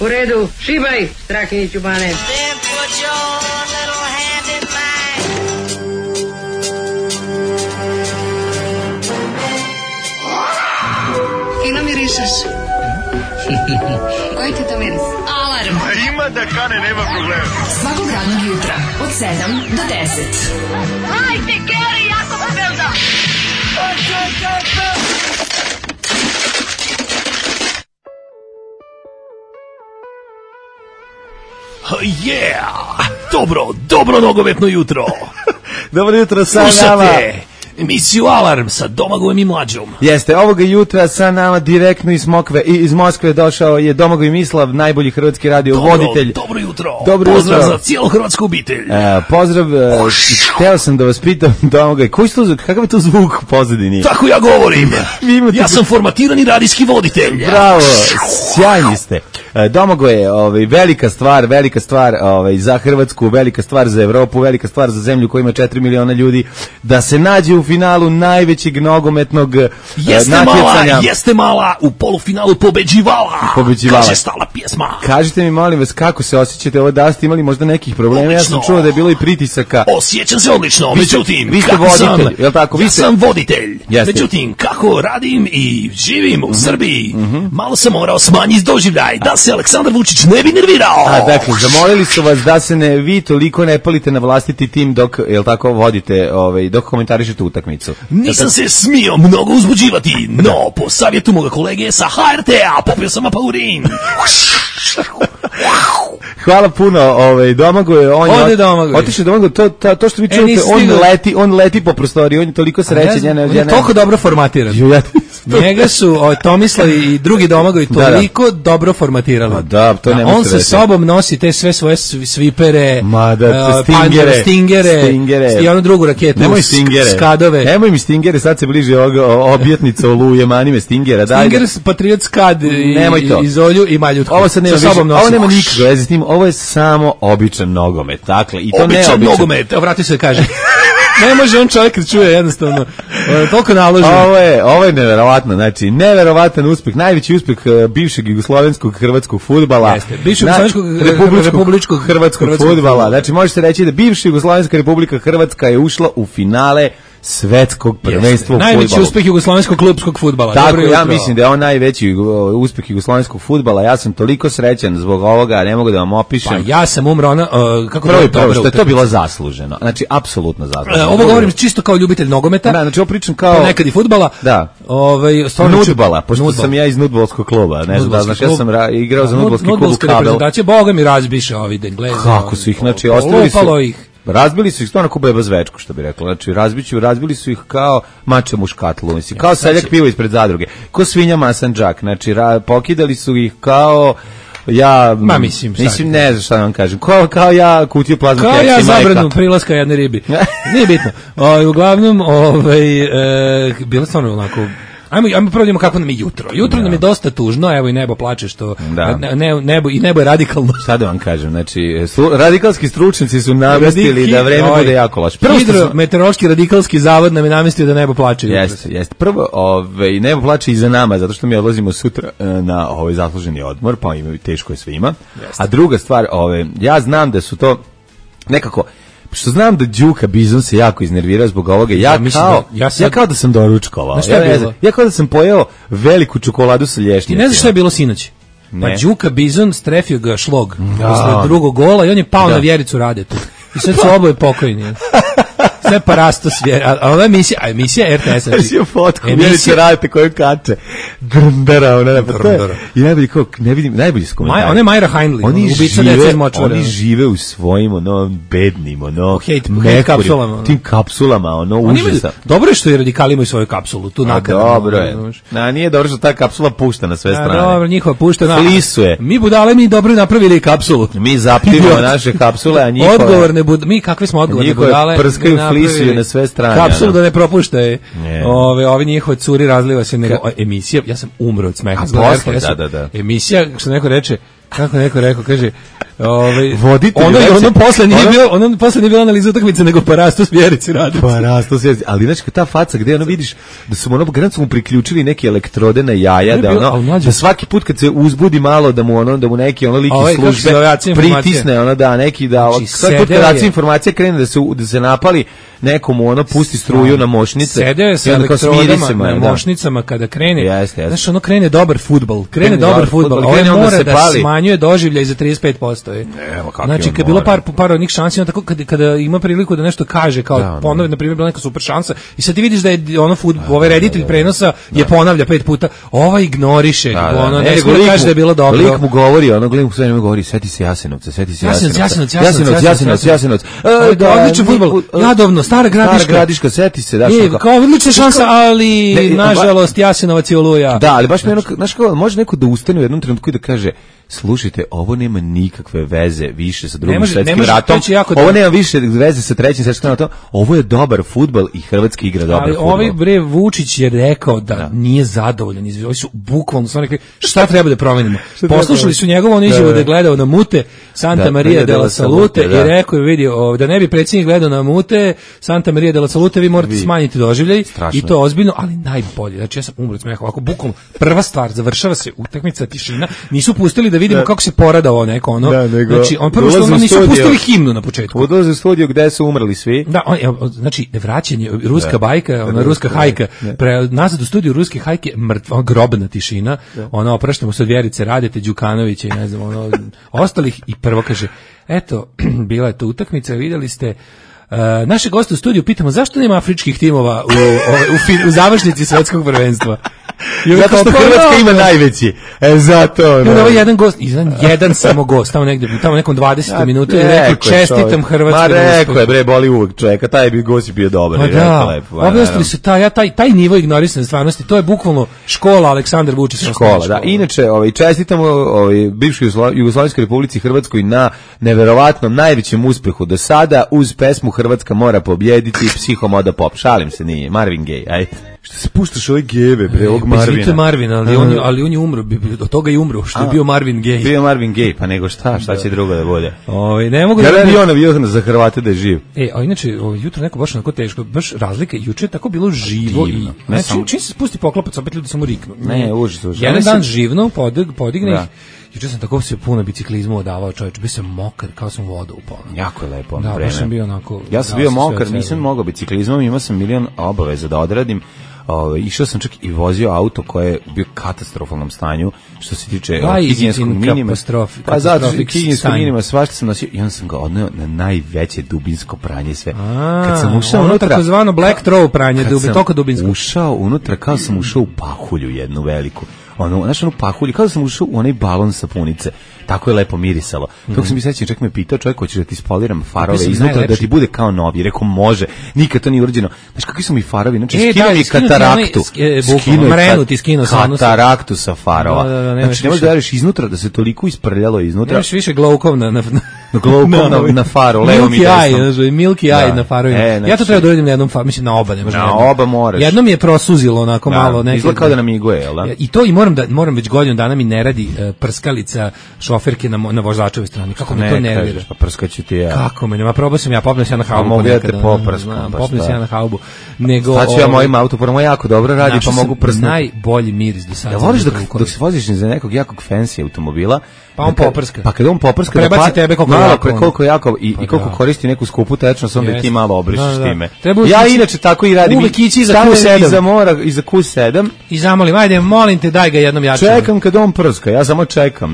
U redu, šibaj, Strakiniću Bane. Fino mirišeš. Koji ti to miris? Alarm. Ima da kane, nema problema. Svakog radnog jutra od 7 do 10. Hajde, Geri, jako se velda. Yeah! Dobro nogometno jutro. Dobro jutro sa nama. Slušate emisiju Alarm sa Domagojem i Mlađom. Jeste, ovoga jutra sa nama direktno iz Moskve došao je Domagoj Mislav, najbolji hrvatski radio voditelj. Dobro jutro. Pozdrav za cijelu hrvatsku obitelj. Pozdrav, hteo sam da vas pitam, Domagoj, kakav je to zvuk u pozadini? Tako ja govorim. Ja sam formatirani radijski voditelj. Bravo, sjajni ste. Domagoj je velika stvar za Hrvatsku, velika stvar za Evropu, velika stvar za zemlju koja ima 4 miliona ljudi, da se nađe u finalu najvećeg nogometnog natjecanja. Jeste mala, u polufinalu pobeđivala. Kaže stala pjesma. Kažite mi, molim vas, kako se osjećate ovo, da ste imali možda nekih problema? Odlično. Ja sam čuo da je bilo i pritisaka. Osjećam se odlično, međutim, vi ste voditelj, je li tako? Ja sam voditelj. Međutim, kako radim i živim u Srbiji, malo sam morao smanjiti doživljaj da se Aleksandar Vučić ne bi nervirao. Dakle, zamolili su vas da se vi toliko ne palite na vlastiti tim dok, jel tako, vodite, dok komentarišete utakmicu. Nisam se smio mnogo uzbuđivati, no po savjetu moga kolege sa HRT-a popio sam apaurin. Hvala puno, Domagoj, otišao Domagoj, to što vi čujete, on leti po prostoriji, on je toliko srećen. On je toliko dobro formatiran. Njega su Tomislav i drugi Domagoj toliko dobro formatirali. On sa sobom nosi te sve svoje svipere, stingere i onu drugu raketu, skadove. Nemoj mi stingere, sad se bliži objetnica Oluje, mani me stingera. Stinger, Patriot, skad iz olju i maljutku. Ovo nema nikakve veze s tim, ovo je samo običan nogomet. Dakle, i to običan nogomet. Vrati se da kaže. Ne može on čovjek da čuje jednostavno. Toliko naloži. Ovo je neverovatno, znači neverovatan uspeh, najveći uspeh bivšeg jugoslovenskog hrvatskog fudbala. Jeste, bivšeg republičkog hrvatskog fudbala. Znači može se reći da bivša Jugoslovenska Republika Hrvatska je ušla u finale svetskog prvenstva u fudbalu. Najveći uspeh jugoslovenskog klubskog fudbala. Tako, ja mislim da je on najveći uspeh jugoslovenskog fudbala. Ja sam toliko srećan zbog ovoga, ne mogu da vam opišem. Pa ja sam umro, prvo što je to bilo zasluženo. Znači, apsolutno zasluženo. Ovo govorim čisto kao ljubitelj nogometa. Da, znači ovo pričam kao... nekad i fudbala. Da. Nudbala, pošto sam ja iz nudbalskog kluba. Ne znam, znači ja sam igrao za nudbalski klub u Kabel. Boga mi razbiše ovi Engleza. Kako su ih, znači, ostavili su... Razbili su ih stvarno kao beba zvečku, što bi rekla. Znači, razbili su ih kao mačem u škatlu, mislim, kao seljak pivo ispred zadruge, kao svinja masanđak, znači, pokidali su ih kao mislim, ne znam šta da vam kažem, kao ja kutiju plazma keksi, kao ja zabranu prilaska jedne ribi. Nije bitno. Uglavnom, bilo stvarno onako... Ajmo provodimo kako nam je jutro. Jutro nam je dosta tužno, evo i nebo plače što nebo je radikalno. Šta da vam kažem, znači radikalski stručnjaci su namestili da vreme bude jako loše. Hidrometeorološki radikalski zavod nam je namestio da nebo plače. Jeste. Prvo, nebo plače i za nama, zato što mi odlazimo sutra na zasluženi odmor, pa imaju teško je svima. A druga stvar, ja znam da su to nekako što znam da Đuka Bizon se jako iznervirao zbog ovoga, ja kao da sam doručkovao. Ja kao da sam pojeo veliku čokoladu sa lješnjacima. Ti ne znaš šta je bilo sinoć? Pa Đuka Bizon strefio ga šlog posle drugog gola i on je pao na Vjericu Radetu. I sad su oboje pokojni. Sve parastos, a ova emisija RTS. Emisija fotku, Vjerica Radete koju kače. Grndara, i najbolji kao, ne vidim, najbolji s komentari. Ona je Majra Heinlein, ubica dece iz Močvara. Oni žive u svojim, bednim, hate kapsulama. Tim kapsulama, užasa. Dobro je što i radikali imaju svoju kapsulu, tu nakon. Dobro je. Nije dobro što ta kapsula pušta na sve strane. Dobro, njihova pušta. Flisuje. Mi budale, mi dobro napravili kapsulu. Mi zaptivamo naše kapsule, a njihove... Odgovorne budale, mi kakve smo odgovorne budale. Flisuju na sve strane. Kapsulu da ne propuštaje. Ovi njihove curi razliva se nego emisija. Ja sam umro od smeha. Da. Emisija, što neko reče, kako neko rekao, kaže voditelj. Ono posle nije bila analiza utakmice, nego Parastos Vjerici radi. Parastos Vjerici, ali znači ta faca gde ono vidiš da su ono granicu mu priključili neke elektrode na jaja, da svaki put kad se uzbudi malo da mu neki ono lik iz službe pritisne ono da neki da svaki put kad informacija krene da se napali nekomu ono pusti struju na mošnice. Sedeo je sa elektrodama na mošnicama kada krene. Znaš, ono krene dobar fudbal. Ovo mora da smanjuje doživljaj za 35%. Znači, kad je bilo par onih šansi, tako kada ima priliku da nešto kaže, kao ponovi, na primjer, bila neka super šansa, i sad ti vidiš da je ono ovaj reditelj prenosa je ponavlja 5 puta, ova ignoriše, ono ne smije da kaže da je bilo dobro. Lik mu govori, ono gledam sve vreme govori, sveti se Jasenovca. Odličan fudbal, Jadovno, Stara Gradiška, seti se, da što. Kao odlična šansa, ali nažalost Jasenovac je oluja. Da, ali baš me ono, znaš kao, može neko da ustane u jednom trenutku i da kaže, slušajte, ovo nema nikakve veze više sa Drugim svetskim ratom, ovo nema više veze sa Trećim svetskim ratom, ovo je dobar fudbal i Hrvatski igra dobar fudbal. Ali ovaj Vučić je rekao da nije zadovoljan, ovi su bukvalno su rekli šta treba da promenimo. Poslušali su njegovo ono izjavu da je gledao na mute Santa Maria de la Salute i rekao je vidio da ne bi predsjednik gledao na mute Santa Maria de la Salute, vi morate smanjiti doživljaj i to ozbiljno, ali najbolje. Znači ja sam umro od smeha, ovako bukvalno prva stvar, završava se utakmica, tišina, nisu pustili da vidimo kako se porada ovo neko ono. Znači on prvo što nisu pustili himnu na početku. Ulaze u studio gde su umrli svi. Da, znači vraćanje ruska bajka, ona ruska hajka, nazad u studiju ruske hajke, mrtva grobna tišina. Ona opraštamo se od Vjerice Radete, Đukanovića i ne znam, ono ostalih i prvo kaže: "Eto, bila je to utakmica, videli ste naše goste u studiju, pitamo zašto nema afričkih timova u završnici svetskog prvenstva." Zato što Hrvatska ima najveći. Zato. Ovo je jedan gost, jedan samo gost, tamo nekom 20 minuta je rekao čestitam Hrvatskoj. Ma rekao je, bre, boli uvek čovjeka, taj bi gost bio dobar. Objasnili su taj nivo ignorisane stvarnosti, to je bukvalno škola Aleksandar Vučić. Škola, da. Inače, čestitamo bivšoj Jugoslovenskoj Republici Hrvatskoj na neverovatnom najvećem uspehu do sada uz pesmu Hrvatska mora pobjediti, Psihomoda pop. Šalim se, nije, Marvin Gaye, ajde. Što se puštaš ove gebe, bre, ovog Marvina. Izvite Marvin, ali on je umro, od toga je umro, što je bio Marvin Gaye. Bio Marvin Gaye, pa nego šta će drugo da bude? Ne mogu da... Ja navio za Hrvate da je živ. A inače, jutro neko baš onako teško, baš razlika, juče je tako bilo živo i... Čim se spusti poklopac, opet ljudi samo riknu. Ne, užas. Jedan dan živno, podigne ih. Juče sam tako se puno biciklizma odavao, čovječ, bio sam mokar, kao sam voda upao. Jako je lepo. Da, baš sam bio onako... Ja sam bio mokar, nisam mogao biciklizmom, imao sam milion obaveza da odradim. Išao sam čak i vozio auto koje je bio u katastrofalnom stanju što se tiče higijenskog minima. Pa zato higijenskog minima svašta sam nosio i onda sam ga odneo na najveće dubinsko pranje sve. Kad sam ušao unutra, takozvano black throw pranje, toliko dubinsko. Ušao unutra kao sam ušao u pahulju jednu veliku. Znaš, onu pahulju, kao da sam ušao u onaj balon sapunice. Tako je lepo mirisalo. Dok sam mi sećam, čak me pitao čovjek, hoćeš da ti spoliram farove iznutra da ti bude kao novi. Rekao može, nikad to nije urađeno. Znaš kakvi su mi farovi, znači skinuo mi kataraktu. Kataraktu sa farova. Znači ne možeš da veriš iznutra da se toliko isprljalo iznutra. Nemaš više glaukov na faru, levo mi desno. Milky eye na farovima. Ja to treba da uradim na jednom faru, mislim na oba. Na oba moraš. Jednom je prosuzilo onako malo. Izgleda kao da namiguje, jel da? I to moram već godinu dana mi ne radi prskalica šoferke na vozačevoj strani. Kako me to nervira? Pa prskaću ti ja. Kako me nema, probao sam ja, popnem se ja na haubu. Mogu ja te poprskam. Popnem se ja na haubu. Znači ja mojim autoporama jako dobro radi, pa mogu prsnuti. Najbolji miris do sada. Ja voliš dok se voziš za nekog jakog fancy automobila, pa on poprska. Pa kad on poprska, prebaci tebe koliko jako i koliko koristi neku skupu tečnost, onda ti malo obrišiš time. Ja inače tako i radim. Uvek ići za Q7. Iza Q7. I zamolim, ajde, molim te, daj ga jednom jače. Čekam kad on prska, ja samo čekam.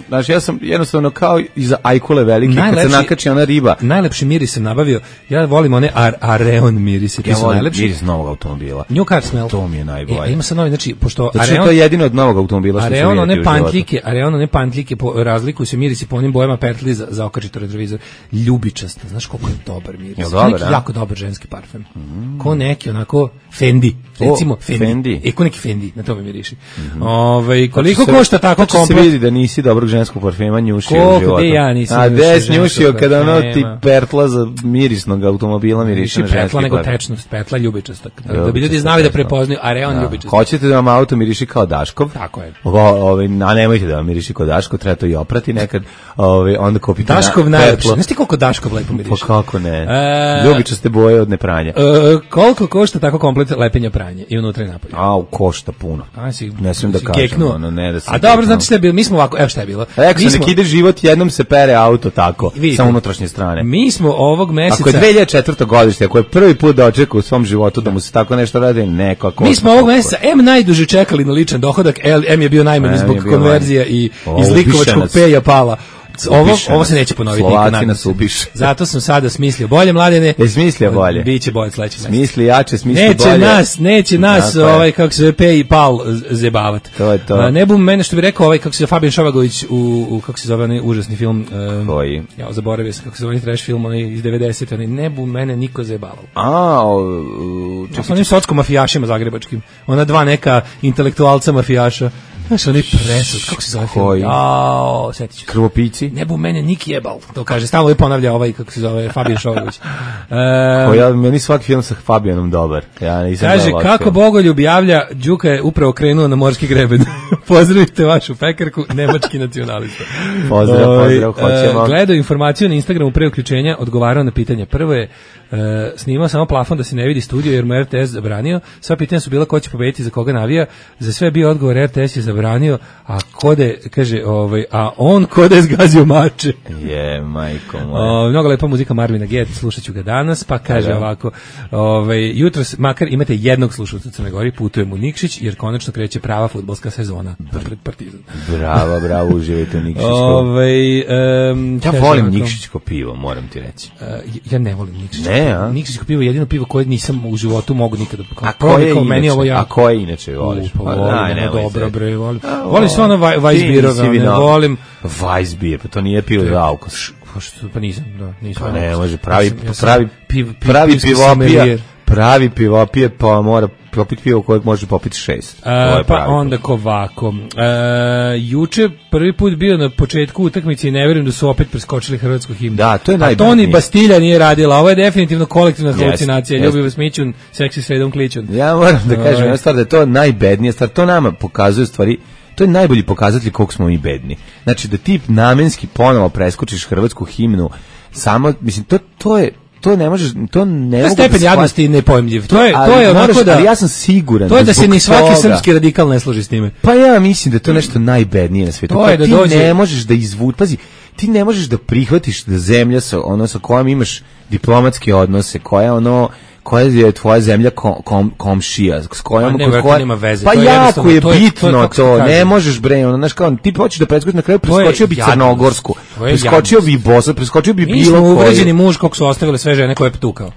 Znači, ja sam jednostavno kao iza ajkule velike, kad se nakači ona riba. Najlepši miris sam nabavio, ja volim one Areon mirisi. Ja volim miris novog automobila. New car smell. To mi je najbolje. Ima sad novi, znači, pošto Areon... To je jedino od novog automobila što se Areon, one pantljike razlikuju se mirisi po onim bojama uhvatili za okačito retrovizor. Ljubičasta, znaš koliko je dobar miris. Je dobar, neki jako dobar ženski parfem. Ko neki onako Fendi, recimo Fendi. Ko neki Fendi, na to mi miriši. Koliko košta tako komplet? Se vidi da nisi dobrog ženskog parfema njušio u životu. Ja nisam. A des njušio kada ono ti pertla za mirisnog automobila miriše na ženski petla nego tečnost, petla ljubičasta. Da bi ljudi znali da prepoznaju, a reon ljubičasta. Hoćete da vam auto miriši kao Daškov? Tako je. A nemojte da vam miriši kao Daškov, treba to i oprati nekad. Onda kupite Daškov najlepši. Znaš ti koliko Daškov lepo miriši? Pa kako ne? Ljubičaste boje od nepranja. Koliko košta tako komplet lepenja pranje i unutra i napolje? Košta puno. Ne smijem da kažem. A dobro, znači šta je bilo? Mi smo ovako, evo šta je bilo. Rekao sam, nek ide život, jednom se pere auto tako, sa unutrašnje strane. Mi smo ovog meseca... Ako je 2004. godište, ako je prvi put da očeka u svom životu da mu se tako nešto radi, nekako... Mi smo ovog meseca najduže čekali na ličan dohodak, je bio najmanji zbog konverzija i iz likovačkog peja pala. Ovo se neće ponoviti nikad. Slovaci nas ubiše. Zato sam sada smislio bolje, Mladene. Smislio bolje. Biće bolje sledeći mesec. Smisli jače, smisli bolje. Neće nas kako se zove Pej i Pal zebavat. To je to. Ne bum mene što bi rekao kako se zove Fabijan Šovagović u kako se zove onaj užasni film. Koji? Ja zaboravio sam kako se zove trash film onaj iz 90-te, onaj ne bum mene niko zebavao. Sa onim sotskom mafijašima zagrebačkim. Ona dva neka intelektualca mafijaša. Znaš, oni presud, kako se zove film? Sjetit ću. Krvopici? Ne bu mene nik jebal, to kaže. Stalno je ponavlja kako se zove, Fabijan Šovagović. Meni svaki film sa Fabijanom dobar. Kaže, kako Bogoljub javlja, Đuka je upravo krenuo na morski greben. Pozdravite vašu pekarku, nemački nacionalista. Pozdrav, hoćemo. Gledao informaciju na Instagramu pre uključenja, odgovarao na pitanje. Prvo je snimao samo plafon da se ne vidi studio jer mu RTS zabranio. Sva pitanja su bila ko će pobediti, za koga navija. Za sve je bio odgovor RTS je zabranio, a Kode kaže, a on Kode je zgazio mače. Majko moja. Mnogo lepa muzika Marvina Gaye, slušat ću ga danas, pa kaže ovako, jutros makar imate jednog slušalca u Crnoj Gori, putujemo u Nikšić jer konačno kreće prava fudbalska sezona pred Partizan. Bravo, uživajte u Nikšićku. Ja volim Nikšićko pivo, moram ti reći. Ja ne volim Nikšićko. Nikšićko pivo je jedino pivo koje nisam u životu mogu nikada. A koje inače voliš? Dobro bre, volim sve ono Weissbierove, ne volim Weissbier, pa to nije pivo za alkos. Pa nisam. Pa ne može, pravi pivopije, pa mora popiti pivo kojeg može popiti 6. Pa onda ovako. Juče prvi put bio na početku utakmice i ne vjerujem da su opet preskočili hrvatsku himnu. Da, to je najbitnije. A Toni Bastilja nije radila. Ovo je definitivno kolektivna halucinacija. Ljubi vas Mićun, seksi sredom kličun. Ja moram da kažem jedna stvar, da je to najbednija stvar. To nama pokazuje stvari. To je najbolji pokazatelj koliko smo mi bedni. Znači da ti namenski ponovo preskočiš hrvatsku himnu, samo, mislim, to ne možeš, to ne mogu stepen jadnosti nepojmljiv. To je onako da, ali ja sam siguran. To je da se ni svaki srpski radikal ne složi s time. Pa ja mislim da je to nešto najbednije na svijetu. To je da ti dođe, ne možeš da pazi, ti ne možeš da prihvatiš da zemlja sa kojom imaš diplomatske odnose, koja je tvoja zemlja komšija, s kojom nema veze. Pa jako je bitno to, ne možeš bre, znaš kao, ti hoćeš da preskočiš na kraju, preskočio bi Crnogorsku, preskočio bi Bosnu, preskočio bi bilo koju. Mi smo uvređeni muž kako su ostavile sve žene koje je tukao.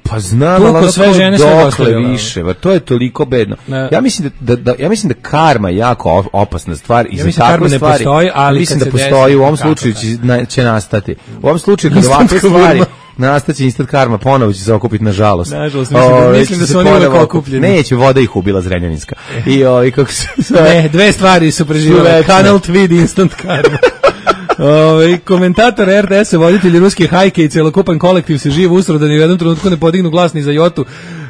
Pa znam, ali sve žene sve ostavile više, to je toliko bedno. Ja mislim da karma je jako opasna stvar i za takve stvari. Mislim da postoji, u ovom slučaju će nastati. U ovom slučaju kad ovakve stvari nastaće instant karma, ponovo će se okupiti, nažalost. Mislim da su oni uvek okupljeni. Neće, voda ih ubila Zrenjaninska. kako se ne, dve stvari su preživjele. Kanal Tweed, instant karma. Komentator RTS-a, voditelji ruske hajke i celokupan kolektiv se živo usro da ni u jednom trenutku ne podignu glas ni za jotu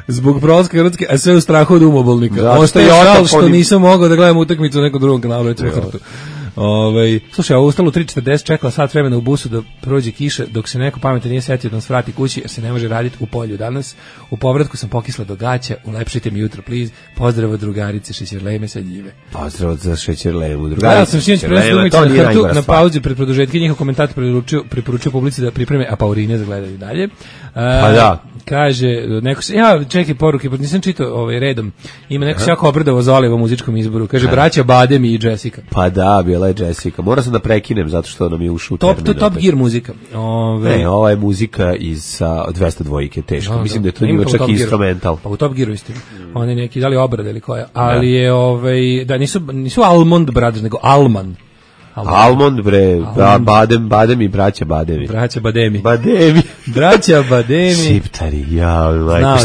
zbog prolaska Hrvatske, a sve u strahu od umobolnika. Ostaje žal što nisam mogao da gledam utakmicu u nekom drugom kanalu. Slušaj, ustalo 3:40, čekala sat vremena u busu da prođe kiša, dok se neko pametan nije setio da nas vrati kući, jer se ne može raditi u polju danas. U povratku sam pokisla do gaća, ulepšite mi jutro, please. Pozdrav od drugarice Šećerlejme sa Njive. Pozdrav za Šećerlejmu, drugarice. Ja sam sinoć prenosio na pauzi pred produžetke, njihov komentator preporučio publici da pripreme apaurine za gledanje dalje. Pa da. Kaže, neko se, čekaj poruke, pa nisam čitao redom. Ima neko se jako obrdavo za Oliva muzičkom izboru. Kaže, braća Badem i Jessica. Pa da, bila je Jessica. Mora sam da prekinem zato što nam je ušao u termin. To je Top Gear muzika. Ne, ova je muzika iz 202 teško. Mislim da je to njima čak i instrumental. Pa u Top Gearu istinu. Oni neki, da li obrade ili koja. Ali je, da nisu Almond Brothers, nego Alman. Almond, bre, badem i braća Badevi. Braća Bademi. Bademi. Braća Bademi. Šiptari,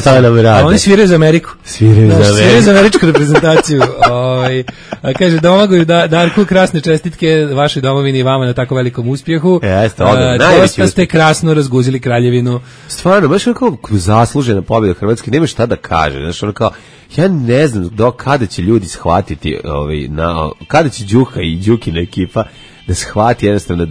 šta nam rade? A oni sviraju za Ameriku. Sviraju za američku reprezentaciju. Kaže, Domagoju, Darku, krasne čestitke vašoj domovini i vama na tako velikom uspjehu. Jeste, dosta ste krasno razguzili kraljevinu. Stvarno, baš ono kao zaslužena pobjeda Hrvatske, nema šta da kaže. Znaš, ono kao, ja ne znam do kada će ljudi shvatiti, kada će Đuka i Đukina ekipa da shvati jednostavno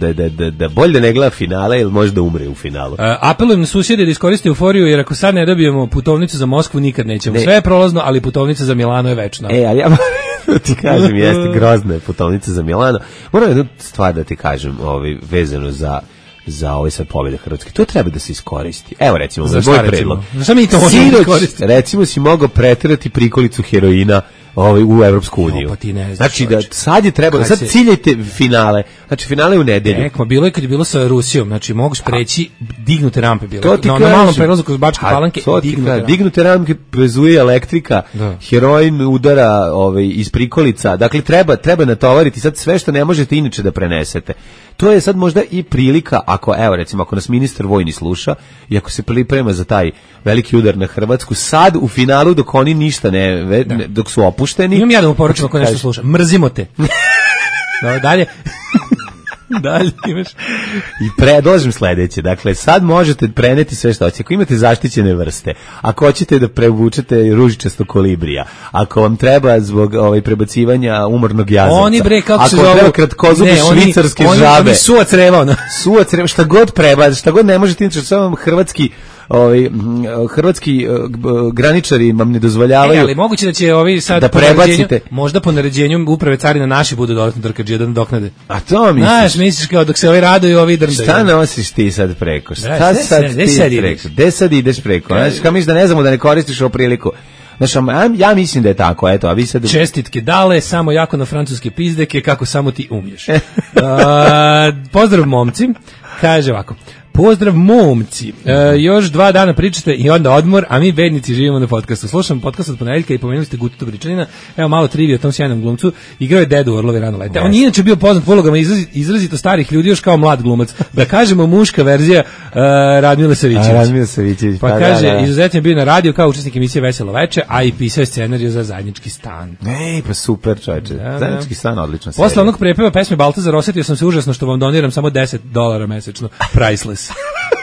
da bolje da ne gleda finale ili možda umre u finalu. Apelujem na susjede da iskoriste euforiju, jer ako sad ne dobijemo putovnicu za Moskvu, nikad nećemo. Sve je prolazno, ali putovnica za Milano je večna. Ali ja ti kažem, jeste grozna je putovnica za Milano. Moram jednu stvar da ti kažem, vezano za ovaj sad pobjede Hrvatske. To treba da se iskoristi. Evo recimo, moj predlog. Šta mi to možemo iskoristiti? Recimo si mogao preterati prikolicu heroina u Evropsku uniju. Pa ti ne znaš, znači da sad je trebalo, sad ciljajte finale. Znači finale u nedelju. Bilo je kad je bilo sa Rusijom, znači moguš preći dignute rampe bilo. Na malom prelazu kroz Bačke Palanke dignute rampe vezuje elektrika, heroin udara iz prikolica. Dakle treba natovariti sad sve što ne možete inače da prenesete. To je sad možda i prilika, ako nas ministar vojni sluša i ako se priprema za taj veliki udar na Hrvatsku, sad u finalu dok oni ništa dok su opušteni. Imam ja da mu poručim ako nešto sluša. Mrzimo te. Dalje. Dalje imaš. I predlažem sledeće. Dakle, sad možete preneti sve što hoćete. Ako imate zaštićene vrste, ako hoćete da prevučete ružičasto kolibrija, ako vam treba zbog prebacivanja umornog jazavca, oni bre, kako ako vam treba kratkozubi švicarske žabe, oni suva creva, šta god prebaci, šta god ne možete, inače samo vam hrvatski graničari vam ne dozvoljavaju. Ali moguće da će ovi sad da prebacite. Možda po naređenju uprave carina naši budu dodatno drkađije da nadoknade. A to misliš? Znaš, misliš kao dok se ovi raduju, ovi drndaju. Šta nosiš ti sad preko? Gde sad ideš preko? Znaš, kao misliš da ne znamo da ne koristiš ovu priliku? Znaš, ja mislim da je tako, eto, a vi sad... Čestitke dale, samo jako na francuske pizdeke, kako samo ti umiješ. Pozdrav momci, kaže ovako. Pozdrav momci, još 2 dana pričate i onda odmor, a mi bednici živimo na podcastu. Slušam podcast od ponedeljka i pomenuli ste Gutu Bričanina, evo malo trivije o tom sjajnom glumcu, igrao je Dedu u Orlovi rano lete. On je inače bio poznat po ulogama izrazito starih ljudi, još kao mlad glumac. Da kažemo muška verzija Radmile Savićević. Pa kaže, izuzetno je bio na radio kao učesnik emisije Veselo veče, a i pisao je scenariju za Zajednički stan. Pa super čovječe, Zajednički stan, odlična serija. Posle onog prepeva pesme Baltazar osetio sam se užasno što vam doniram samo $10 mesečno, priceless.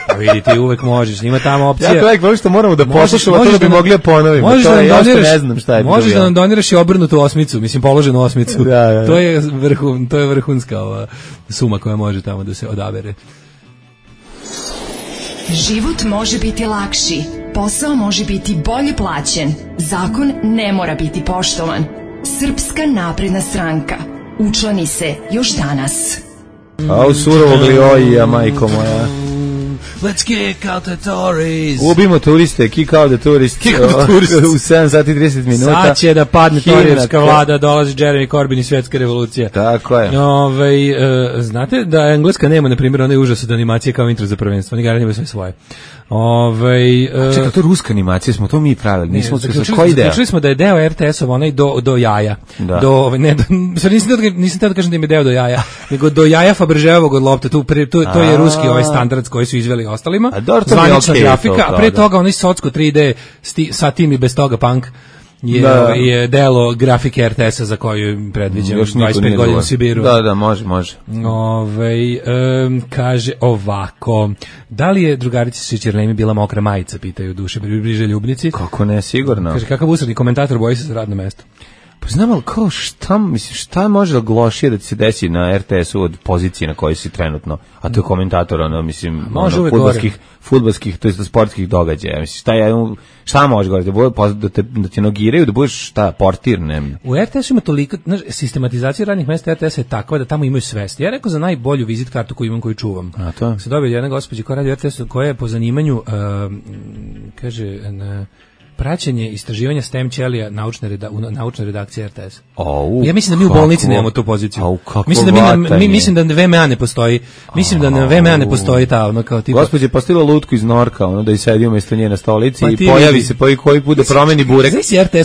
Pa vidite, uvek možeš, ima tamo opcija. Ja to što moramo da poslušamo, to da bi mogli da ponovimo. Možeš to da ja što ne znam šta je. Možeš da nam doniraš i obrnutu osmicu, mislim položenu osmicu. Da. To je vrhunska suma koja može tamo da se odabere. Život može biti lakši, posao može biti bolje plaćen, zakon ne mora biti poštovan. Srpska napredna stranka. Učlani se još danas. A u surovog Liojija, majko moja. Let's kick out the tourists. Ubimo turiste, kick out the tourists. Kick out the tourists. U 7 sati 30 minuta. Sad će da padne torijevska vlada, dolazi Jeremy Corbyn i svjetska revolucija. Tako je. Znate da Engleska nema, na primjer, onaj užas od animacije kao intro za prvenstvo. Oni garantimo sve svoje. Čekaj, to ruska animacija, smo to mi pravili, nismo koji deo? Zaključili smo da je deo RTS-ov onaj do jaja. Da. Nisam teo da kažem da im je deo do jaja, nego do jaja Fabergeovog od lopta, to je ruski standard koji su izveli ostalima, zvanična grafika, a pre toga onaj socko 3D sa tim i bez toga punk je delo grafike RTS-a za koju predviđam 25 godina u Sibiru. Da, može. Kaže ovako, da li je drugarici Šećerlemi bila mokra majica, pitaju duše bliže ljubnici. Kako ne, sigurno. Kaže, kakav usredni komentator, boji se za radno mesto. Pa znam, ali kao šta može da lošije da ti se desi na RTS-u od pozicije na kojoj si trenutno, a to je komentator, fudbalskih, to je sportskih događaja. Mislim, šta može govoriti, da te nogiraju, da budeš portir, ne. U RTS-u ima toliko, sistematizacija radnih mesta RTS-a je takva da tamo imaju svesti. Ja rekao za najbolju vizit kartu koju imam, koju čuvam. A to? Se dobio jedna gospođa koja radi u RTS-u, koja je po zanimanju, kaže, praćenje istraživanja STEM ćelija naučna redakcija RTS. Ja mislim da mi u bolnici nemamo tu poziciju. Mislim da VMA ne postoji. Mislim da na VMA ne postoji ta ono kao tipa. Gospođa je postavila lutku iz Norka, ono da i sedi umjesto nje na stolici i pojavi se koji put da promeni burek.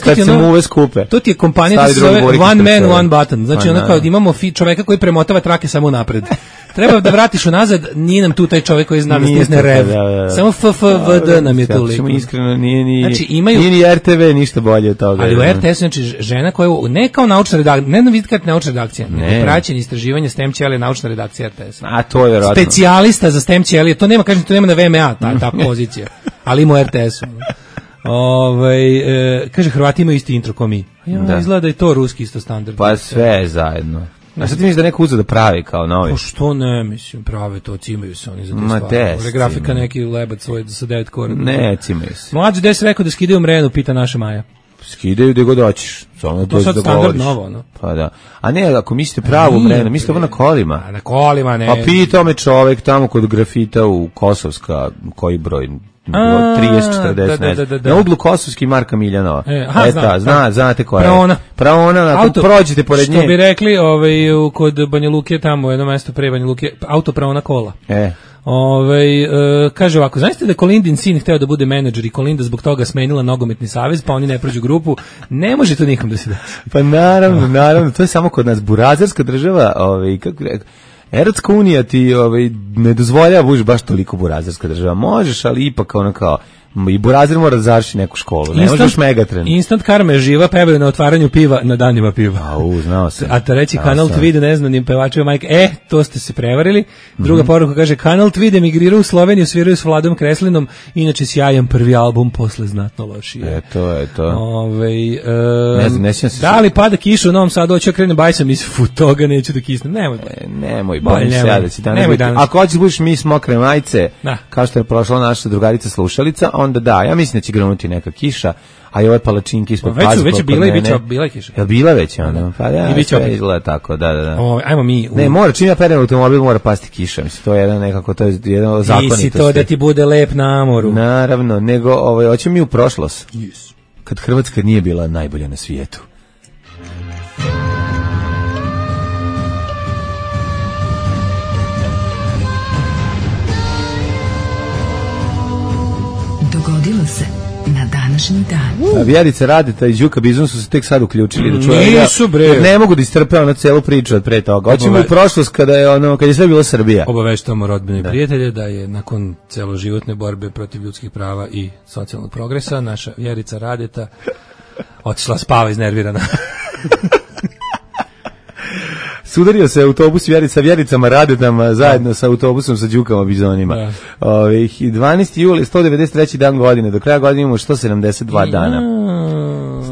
Kad se mu uve skupe. To ti je kompanija da se zove One Man, One Button. Znači ono kao imamo čoveka koji premotava trake samo napred. Treba da vratiš unazad, nije nam tu taj čovjek koji zna da stisne rev. Samo FFVD nam je tu liko. Iskreno, nije ni RTV ništa bolje od toga. Ali u RTS, znači, žena koja, ne kao naučna redakcija, ne vidite kako naučna redakcija, nego praćenje istraživanja STEM ćelije naučna redakcija RTS. A to je vjerojatno. Specijalista za STEM ćelije, to nema, kažem, to nema na VMA, ta pozicija, ali ima u RTS-u. Kaže, Hrvati imaju isti intro ko mi. Izgleda da je to ruski isto standard. Pa sve zajedno. A sad ti misliš da neko uzeo da pravi kao novi? Pa što ne, mislim, prave to, cimaju se oni za te stvari. Grafika neki lebac svoj sa 9 kora. Ne, cimaju se. Mlađe, gde si rekao da skidaju mrenu, pita naša Maja. Skidaju gde god hoćeš. To sad standard novo, no? Pa da. A ne, ako mislite pravu mrenu, mislite ovo na kolima. A na kolima, ne. Pa pitao me čovek tamo kod grafita u Kosovska, koji broj? 30-40, na uglu Kosovski Marka Miljanova. Znate koja je. Praona, prođete pored nje. Što bi rekli kod Banja Luke, tamo jedno mesto pre Banja Luke, auto Praona kola. Kaže ovako, znašte da Kolindin sin hteo da bude menadžer i Kolinda zbog toga smenila nogometni savez, pa oni ne prođu grupu, ne može to nikom da se da. Pa naravno, to je samo kod nas burazerska država, kako rekao, Evropska unija ti ne dozvoljava buš baš toliko burazerska država. Možeš, ali ipak ono kao i burazer mora da završi neku školu. Ne možeš Megatren. Instant karma je živa, pevaju na otvaranju piva na danima piva. Znao sam. A to reći Kanal Tvide neznanim pevačima majke, to ste se prevarili. Druga poruka kaže, Kanal Tvide emigrirao u Sloveniju, sviraju s Vladom Kreslinom, inače sjajan prvi album, posle znatno lošije. To je to. Ne sjećam se. Da li pada kiša u Novom Sadu, hoću krenem bajsam iz toga, neću da kisnem. Nemoj, bojim se ja da si danas. Ako hoćeš budiš mis mokre majice, kao što je prošla naša drugarica slušalica, onda da, ja mislim da će granuti neka kiša, a i ove palačinke ispod pazuha. Već je bila i bila kiša. Je bila već onda? Pa da, sve izgleda tako, da. Ajmo mi. Ne, mora, čim ja perem automobil, mora pasti kiša, mislim, to je jedan nekako, to je jedan zakonitosti. Nisi to da ti bude lep na moru. Naravno, nego, hoćemo mi u prošlost. Kad Hrvatska nije bila najbolja na svijetu. Dogodilo se na današnji dan. Vjerica Radeta i Đuka Bizon su se tek sad uključili da čuju. Nisu bre. Ne mogu da istrpe ono celu priču od pre toga. Hoćemo u prošlost kad je sve bila Srbija. Obaveštavamo rodbine i prijatelje da je nakon celoživotne borbe protiv ljudskih prava i socijalnog progresa naša Vjerica Radeta otišla spava iznervirana. Sudario se autobus sa Vjericama Radetama zajedno sa autobusom sa Đukama Bizonima. 12. juli, 193. dan godine, do kraja godine imamo 172 dana.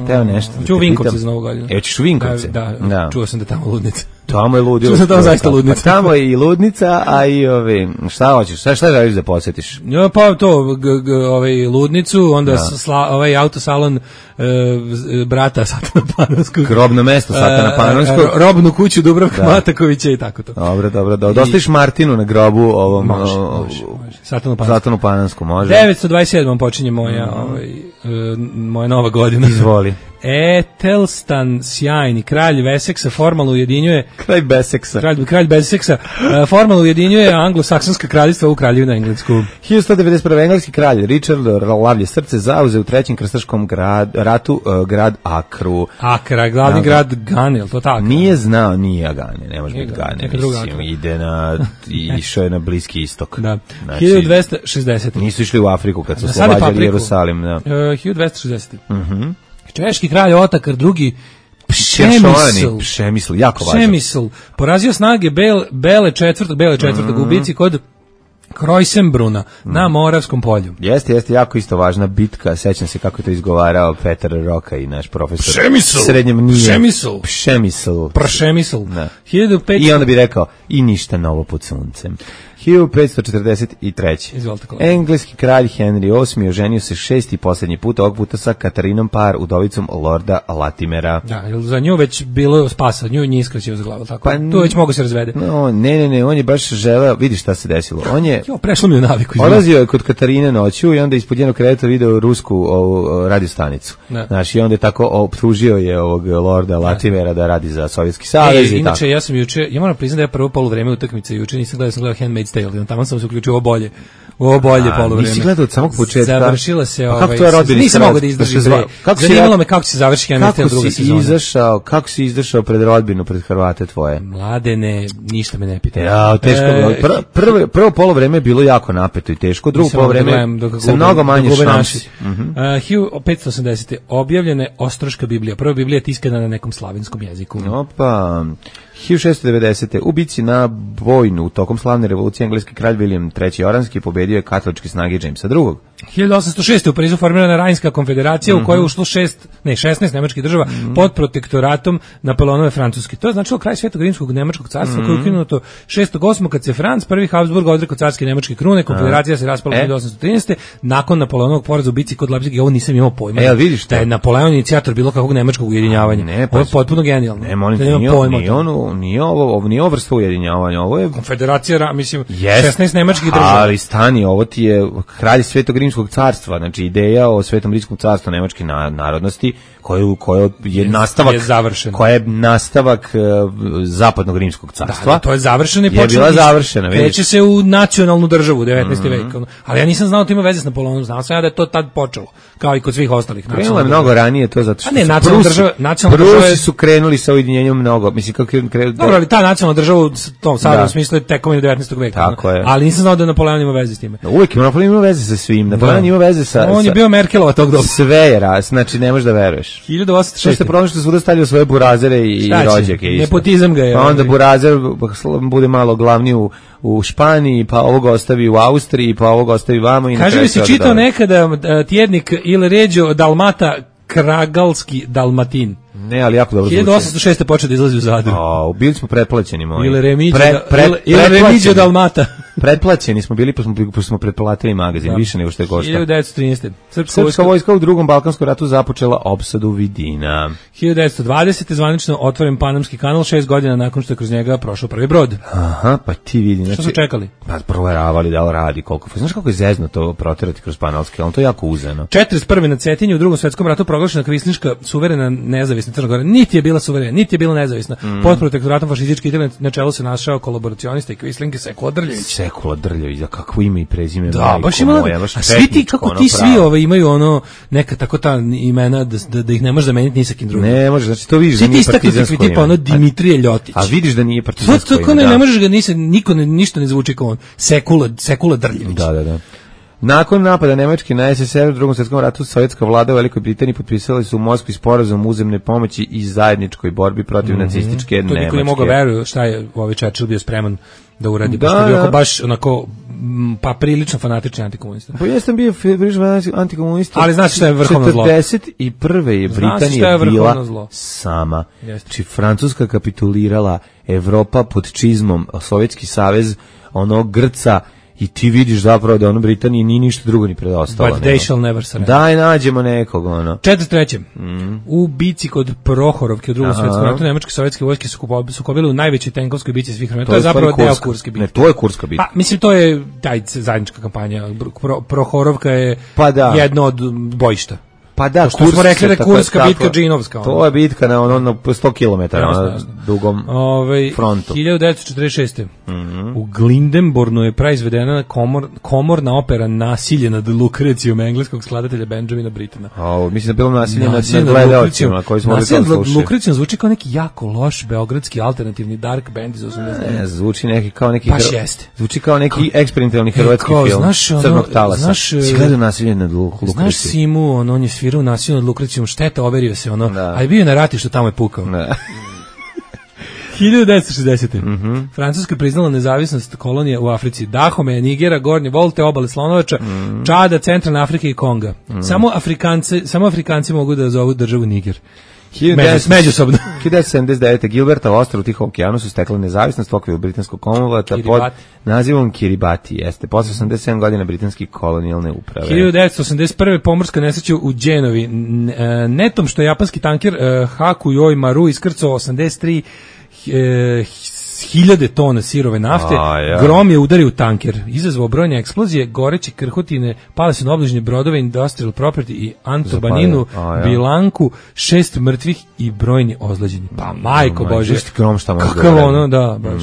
Steo nešto. Čuo Vinkovce za novu godinu. Ćeš u Vinkovce? Da, čuo sam da tamo ludnica. Tamo je ludilo. Čuo sam tamo zaista ludnica. Tamo je i ludnica, a i šta hoćeš? Šta želiš da posjetiš? Pa to, ludnicu, onda autosalon brata Satana Panonskog. Grobno mesto Satana Panonskog. Robnu kuću Dubravka Matakovića i tako to. Dobro. Dostaviš Martinu na grobu ovom Satanu Panonskom, može. 927. počinje moja nova godina. Izvoli. Etelstan sjajni, kralj Veseksa formalno ujedinjuje kralj Beseksa formalno ujedinjuje anglosaksonska kraljevstva u kraljevinu englesku. 1191. engleski kralj Richard Lavlje srce zauzeo u trećem krstaškom ratu grad Akru. Akra, glavni grad Gane, je li to tako? Nije znao, nije Agane, ne može biti Gane, išao je na Bliski istok. Da. 1260. Nisu išli u Afriku kad su oslobađali Jerusalim. 1260. Češki kralj Otakar II. Pšemisl, jako važno. Pšemisl, porazio snage Bele četvrtog u bici kod Krojsenbruna na Moravskom polju. Jeste, jako isto važna bitka, sećam se kako je to izgovarao Petar Roka i naš profesor. Pšemisl. Srednjem nije. Pšemisl. I onda bi rekao, i ništa novo pod suncem. 1543. Izvolite, kolega. Engleski kralj Henry VIII oženio se 6. i posljednji put, ovog puta sa Katarinom Parr, udovicom Lorda Latimera. Da, za nju već bilo spasa, nju nije iskraćio za glavu, tako. Tu već mogu se razvede. No, ne, on je baš želeo, vidi šta se desilo. On je prešlo mi u naviku. Odlazio je kod Katarine noću i onda ispod njenog kreveta video rusku radiostanicu. Znaš, i onda je tako optužio je ovog Lorda Latimera da radi za Sovjetski savez i inače, tako. ja sam juče, ja moram priznati da je prvo poluvreme utakmice juče nisam gledao, sam gledao Handmaid's Tale, tamo sam se uključio ovo bolje poluvreme. Nisi gledao od samog početka? Završila se nisam mogao da izdržim. Zanimalo me kako će završiti Handmaid's Tale druga sezona. Kako si izašao pred rodbinu, pred Hrvate tvoje? Mladene, ništa me ne pita. Ja, teško. Prvo poluvreme je bilo jako napeto i teško, drugo poluvreme sa mnogo manje šansi. 1580. objavljena je Ostroška Biblija. Prva Biblija je tiskana na nekom slavenskom jeziku. Opa. 1690. U bici na Bojnu tokom slavne revolucije engleski kralj William III. Oranski pobedio je katoličke snage Jamesa II. 1806. u Parizu formirana Rajnska konfederacija u kojoj je ušlo 16 nemačkih država pod protektoratom Napoleonove Francuske. To je značilo kraj Svetog rimskog nemačkog carstva koje je ukinuto 6.8. kad se Franc I Habsburg odrekao carske nemačke krune, konfederacija se raspala 1813. nakon Napoleonovog poraza u bici kod Leipziga. Ovo nisam imao pojma. Vidiš da je Napoleon inicijator bilo kakvog nemačkog ujedinjavanja. Ovo je potpuno genijalno. Nije ovo vrsta ujedinjavanja, ovo je konfederacija, mislim, 16 nemačkih država. Ali stani, ovo ti je kralj Svetog rimskog carstva, znači ideja o Svetom rimskom carstvu nemačke narodnosti, koja je nastavak, koja je nastavak zapadnog rimskog carstva. Da, to je završeno i je bila završena. Kreće se u nacionalnu državu u 19. veku. Ali ja nisam znao da ima veze s Napoleonom, znao sam ja da je to tad počelo, kao i kod svih ostalih. Krenulo je mnogo ranije to zato što Prusi su krenuli sa ujedinjenjem mnogo. Mislim, kako dobro, ali ta nacionalna država u tom sada u smislu je tekovina 19. veka. Ali nisam znao da Napoleon ima veze s time. Uvijek Napoleon ima veze sa svim. Napoleon ima veze sa... On je bio Merkelova tog doba. Sve je raz, znači ne možeš da veruješ. 1806. Što ste problem što svuda stavljaju svoje burazere i rođake. Nepotizam ga je. Pa onda burazer bude malo glavni u Španiji, pa ovog ostavi u Austriji, pa ovog ostavi vamo. Kaže mi si čitao nekada tjednik Il Regio Dalmata Kragalski Dalmatin. Ne, ali jako dobro zvuči. 1806. počeo da izlazi u Zadru. Bili smo pretplaćeni moji. Ili Remigio Dalmata. Pretplaćeni smo bili, pa smo pretplatili magazin, više nego što je košta. 1913. Srpska vojska u drugom Balkanskom ratu započela opsadu Vidina. 1920. zvanično otvoren Panamski kanal 6 godina nakon što je kroz njega prošao prvi brod. Aha, pa ti vidi. Znači, što su čekali? Pa proveravali da li radi, koliko. Znaš kako je zezno to proterati kroz Panamski kanal, to je jako uzeno. 41. na Cetinju u drugom svetskom ratu proglašena kvislinška suverena nezavisna Crna Gora. Niti je bila suverena, niti je bila nezavisna. Pod protektoratom fašističke Italije na čelu se našao kolaboracionista i kvislinke Sekula Drljević. Sekula Drljević, za kakvo ime i prezime. Da, baš ima. A svi ti, kako ti svi imaju ono, neka tako ta imena da ih ne možeš zameniti ni sa kim drugim. Ne možeš, znači to vidiš da nije partizansko ime. Tipa ono Dimitrije Ljotić. A vidiš da nije partizansko ime. To ne možeš ga, niko ništa ne zvuči kao on. Sekula Drljević. Da. Nakon napada Nemačke na SSSR u drugom svjetskom ratu, sovjetska vlada u Velikoj Britaniji potpisali su u Moskvi sporazum uzemne pomoći i zajedničkoj borbi protiv nacističke Nemačke. To niko ne mogu veruju šta je Churchill bio spreman da uradi, pošto je bio baš onako pa prilično fanatični antikomunista. Pa jesam bio prilično antikomunista. Ali znaš šta je vrhovno zlo? 41. je Britanija bila sama. Znači Francuska kapitulirala, Evropa pod čizmom, Sovjetski savez ono grca. I ti vidiš zapravo da ono Britaniji nije ništa drugo ni preostalo. But they shall never surrender. Daj, nađemo nekog, ono. 43. U bici kod Prohorovke u drugom svjetskom ratu nemačke sovjetske vojske su sukobile u najvećoj tenkovskoj bici svih vremena. To je zapravo deo Kurske bitke. Ne, to je Kurska bitka. Pa, mislim, to je zajednička kampanja. Prohorovka je jedno od bojišta. Pa da, što smo rekli da je Kurska bitka džinovska. To je bitka na 100 km na dugom frontu. 1946. U Glindenbornu je praizvedena komorna opera Nasilje nad Lukrecijom engleskog skladatelja Benjamina Brittena. Mislim da bilo nasilje nad gledaocima koji smo mogli to slušati. Nasilje nad Lukrecijom zvuči kao neki jako loš beogradski alternativni dark band iz 80. Zvuči neki kao neki... Baš jeste. Zvuči kao neki eksperimentalni hrvatski film Crnog talasa. Si gledao Nasilje nad Lukrecijom? Znaš Simu, on je svirao Nasilje nad Lukrecijom, šteta, overio se ono, a je bio na ratištu, tamo je pukao. 1960. Francuska priznala nezavisnost kolonije u Africi. Dahome, Nigera, Gornje Volte, obale Slonovača, Čada, Centralne Afrike i Konga. Samo Afrikanci mogu da zovu državu Niger. Međusobno. 1979. Gilberta ostrvo u Tihom okeanu su stekle nezavisnost u okviru britanskog Commonwealtha pod nazivom Kiribati. Jeste, posle 87 godina britanske kolonijalne uprave. 1981. pomorska nesreća u Genovi. Netom što je japanski tanker Hakuyoi Maru iskrcao 83 hiljade tona sirove nafte, grom je udario u tanker, izazvao brojne eksplozije, goreće krhotine, pale su na obližnje brodove, Industrial Property i Antobaninu, Bilanku, 6 mrtvih i brojni ozleđeni. Pa majko Bože, kakav ono, da, baš.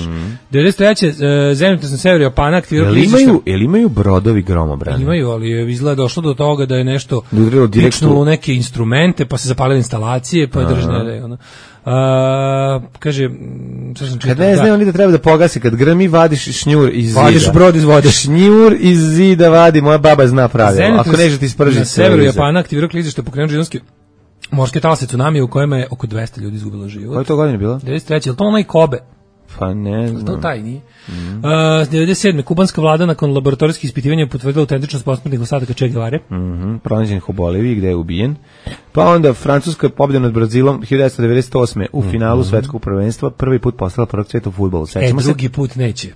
93. zemljotres na severu Japana aktivirao klizišta. Jel imaju brodovi gromobrane? Imaju, ali je izgleda došlo do toga da je nešto pičnulo u neke instrumente, pa se zapalile instalacije, pa je držne, ono. Kaže, kad ne znam, oni da treba da pogasi, kad grmi vadiš šnjur iz zida. Vadiš brod iz vode. Šnjur iz zida vadi, moja baba zna pravilo. Ako neže ti spržiti. Na severu Japana aktivirao klizište, pokrenuo džinski morske talase tsunami u kojima je oko 200 ljudi izgubilo život. Koje to godine bilo? 93. Je li to onaj Kobe? Pa ne znam. To taj nije. 97. Kubanska vlada nakon laboratorijskih ispitivanja potvrdila autentičnost posmrtnih ostataka Che Guevare. Pronađenih u Boliviji gde je ubijen. Pa onda Francuska pobjeda nad Brazilom 1998. u finalu svetskog prvenstva prvi put postala prvog sveta u fudbalu. Drugi put neće.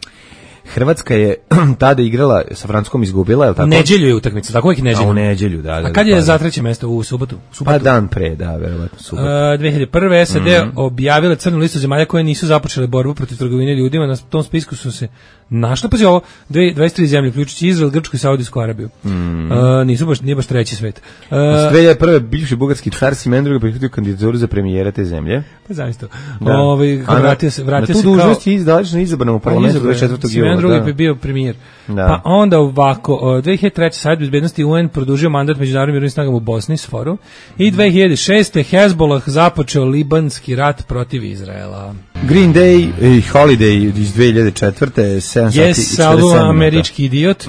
Hrvatska je tada igrala sa Francuskom, izgubila, je li tako? U nedjelju je utakmica, tako uvijek nedjelju. U nedjelju, da. A kad je za treće mjesto u subotu? Pa dan pre, da, verovatno subotu. 2001. SAD objavile crnu listu zemalja koje nisu započele borbu protiv trgovine ljudima. Na tom spisku su se našle, pazi ovo, 23 zemlje, uključujući Izrael, Grčku i Saudijsku Arabiju. Nije baš treći svet. 2001. bivši bugarski car Simeon II prihvatio kandidaturu za premijera te zemlje. Pa zaista. Vratio se na tu dužnost je izdalično izabrano u parlamentu 24. jula. Drugi bi bio premijer. Pa onda ovako, 2003. Savjet bezbednosti UN produžio mandat međunarodnim mirovnim snagama u Bosni s forum i 2006. Hezbollah započeo libanski rat protiv Izraela. Green Day i Holiday iz 2004. 7 sati i 47 minuta. Američki idiot.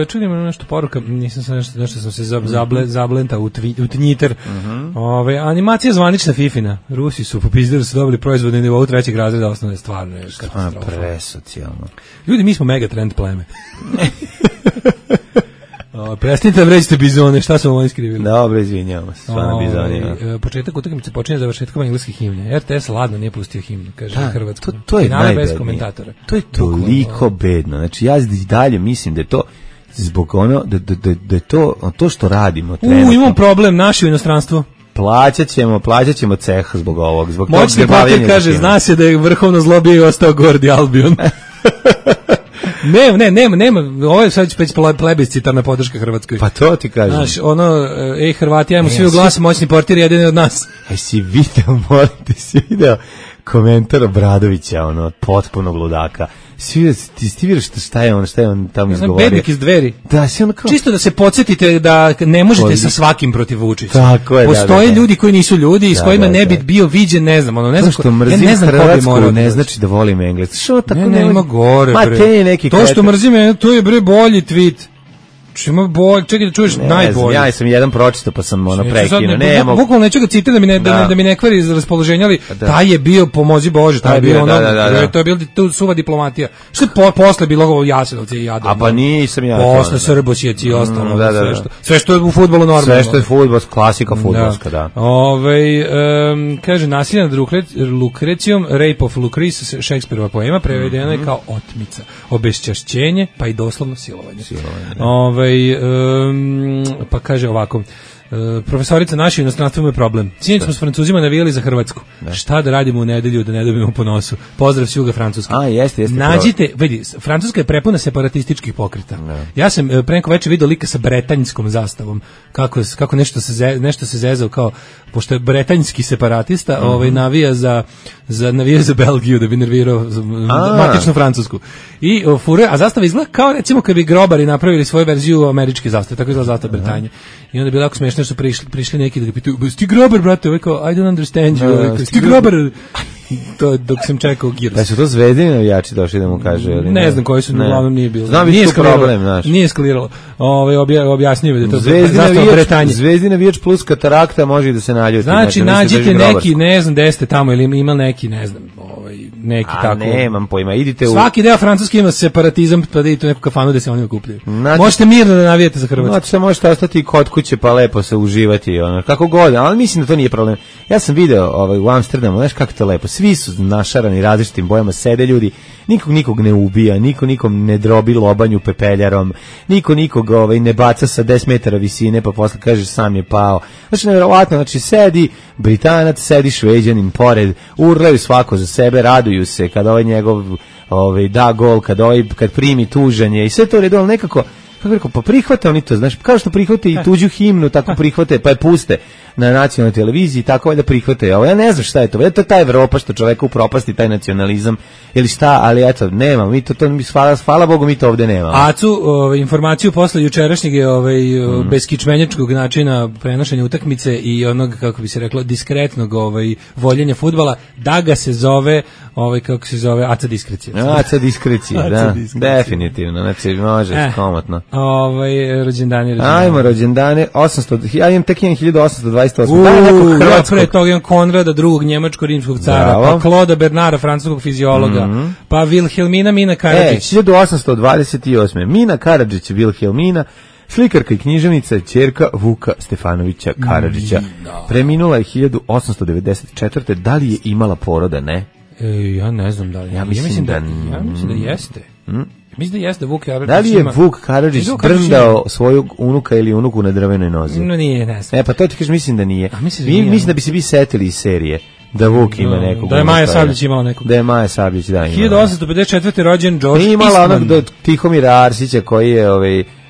Čudim nešto poruka, nisam sam nešto sam se zablentao u Twitter. Animacija zvanična Fifina. Rusi su popizdili, su dobili proizvod na nivou 3. razreda osnovne, stvarno je katastrofa. Presocijalno. Ljudi, mi smo megatrend pleme. Prestanite da vređite bizone, šta su vam oni skrivili? Dobro, izvinjamo se, stvarno bizonima. Početak utakmice počinje završetkom engleskih himne. RTS ladno nije pustio himnu, kaže Hrvatsko. To je najbednije. Bez komentatora. To je toliko bedno. Znači, ja dalje mislim da je to zbog ono, da je to što radimo. Imam problem, naši u inostranstvu. Plaćat ćemo ceh zbog ovog. Moćni papir kaže, zna se da je vrhovno zlo bio i ostao Gordi Albion. Nema, ovo je sad već plebiscitarna podrška Hrvatskoj. Pa to ti kažem. Znaš, Hrvati, ajmo svi u glas, moćni portir, jedan od nas. Si video komentar Obradovića, potpunog ludaka. Ti vidiš šta je on tamo izgovorio. Bednik iz Dveri. Da, si on kao... Čisto da se podsjetite da ne možete sa svakim protiv Vučića. Tako je, postoje ljudi koji nisu ljudi i s kojima ne bi bio viđen, ne znam, ne znam što mrzim Hrvatsku, ne znači da volim Engleski. Što tako ne ima gore, bre. To što mrzim, to je bre bolji tweet. Ima bolj, čekaj da čuješ najbolje. Ja sam jedan pročitao pa sam prekinuo. Bukvalno neću ga citirati da mi ne kvari iz raspoloženja, ali taj je bio, pomozi Bože, taj je bio to je bilo tu suva diplomatija. Što je posle bilo Jasenovci i Jadran. A pa nisam ja. Posle Srbosijeci i ostalo. Sve što je u fudbalu normalno. Sve što je fudbal, klasika fudbalska, da. Kaže, nasilje nad Lukrecijom, Rape of Lucrece, Šekspirova poema, prevedena je kao otmica, obeščašćenje, pa i doslovno silovanje. Pa kaže ovako, profesorica naša inostranstvo ima problem. Sinoć smo s Francuzima navijali za Hrvatsku. Šta da radimo u nedelju da ne dobijemo po nosu? Pozdrav s juga Francuske. Jeste. Nađite, vidi, Francuska je prepuna separatističkih pokreta. Ja sam pre neko večer vidio lika sa bretanjskom zastavom. Kako nešto se zezao kao, pošto je bretanjski separatista, navija za Belgiju da bi nervirao matičnu Francusku. I a zastava izgleda kao recimo kad bi grobari napravili svoju verziju američke zastave, tako izgleda zastava Bretanje. I onda bi lako smiješno što prišli neki da ga pitaju, ti grobar, brate, I don't understand you, ti grobar, to dok sam čekao Giros. Da su to Zvezdini navijači došli da mu kaže? Ne znam koji su, uglavnom nije bilo. Znam nije problem, znaš. Nije eskaliralo. Objasnio da je to zastava Bretanje. Zvezdini navijač plus katarakta može da se naljuti. Znači, nađite neki, ne znam, gde ste tamo, ili ima neki, ne znam, neki tako. Nemam pojma, idite u... Svaki deo francuski ima separatizam, pa da idete u neku kafanu da se oni okupljaju. Možete mirno da navijete za Hrvatsku. Znači, možete ostati kod kuće pa lepo se uživati, kako god, ali mislim da to nije problem. Ja sam video u Amsterdamu, znaš kako to lepo, svi su našarani različitim bojama, sede ljudi, nikog ne ubija, nikom ne drobi lobanju pepeljarom, nikog ne baca sa 10 metara visine, pa posle kaže sam je pao. Znači, nevjerovatno, znači, sedi Britanac, sedi Šveđanin pored, urlaju svako za sebe, raduju se kada njegov da gol, kad primi tužanje i sve to redo, ali nekako, kako rekao, pa prihvate oni to, znaš, kao što prihvate i tuđu himnu, tako prihvate, pa je puste na nacionalnoj televiziji, tako valjda prihvate ovo. Ja ne znam šta je to, to je ta Evropa što čoveka upropasti, taj nacionalizam, ili šta, ali eto, nemamo, mi to hvala Bogu, mi to ovde nemamo. Acu, informaciju posle jučerašnjeg beskičmenjačkog načina prenošenja utakmice i onog, kako bi se reklo, diskretnog voljenja fudbala, da ga se zove, kako se zove, Aca diskrecija. Aca diskrecija, da, definitivno, znači, može, komotno. Rođendani. Ajmo, rođendane, 800, ja imam tek 1828. Ja pre toga imam Konrada II, njemačko-rimskog cara, pa Kloda Bernara, francuskog fiziologa, pa Vilhelmina Mina Karadžić. 1828. Mina Karadžić, Vilhelmina, slikarka i književnica, ćerka Vuka Stefanovića Karadžića. Preminula je 1894. Da li je imala poroda, ne? Ja ne znam da li. Ja mislim da jeste. Mislim da jeste Vuk Karadžić. Da li je Vuk Karadžić brndao svojeg unuka ili unuku na drvenoj nozi? No nije, ne znam. Pa to ti kažeš, mislim da nije. Mislim da bi se vi setili iz serije. Da Vuk ima nekog. Da je Maja Sabljić imala nekog. Da je Maja Sabljić, da ima. 1854. rođen George Eastman. Imala onog do Tihomira Arsića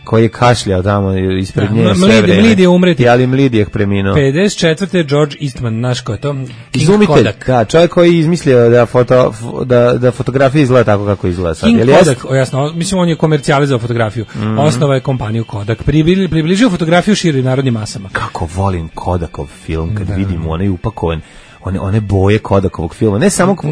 koji je kašljao tamo ispred nje sve vreme. Mlidije umreti. Ali Mlidijeh preminuo. 54. George Eastman, znaš ko je to? Izumitelj, da, čovjek koji je izmislio da fotografija izgleda tako kako izgleda sad. King Kodak, jasno, mislim on je komercijalizao fotografiju. Osnova je kompaniju Kodak. Približio fotografiju širim narodnim masama. Kako volim Kodakov film kad vidim onaj upakovan one boje Kodakovog filma, ne samog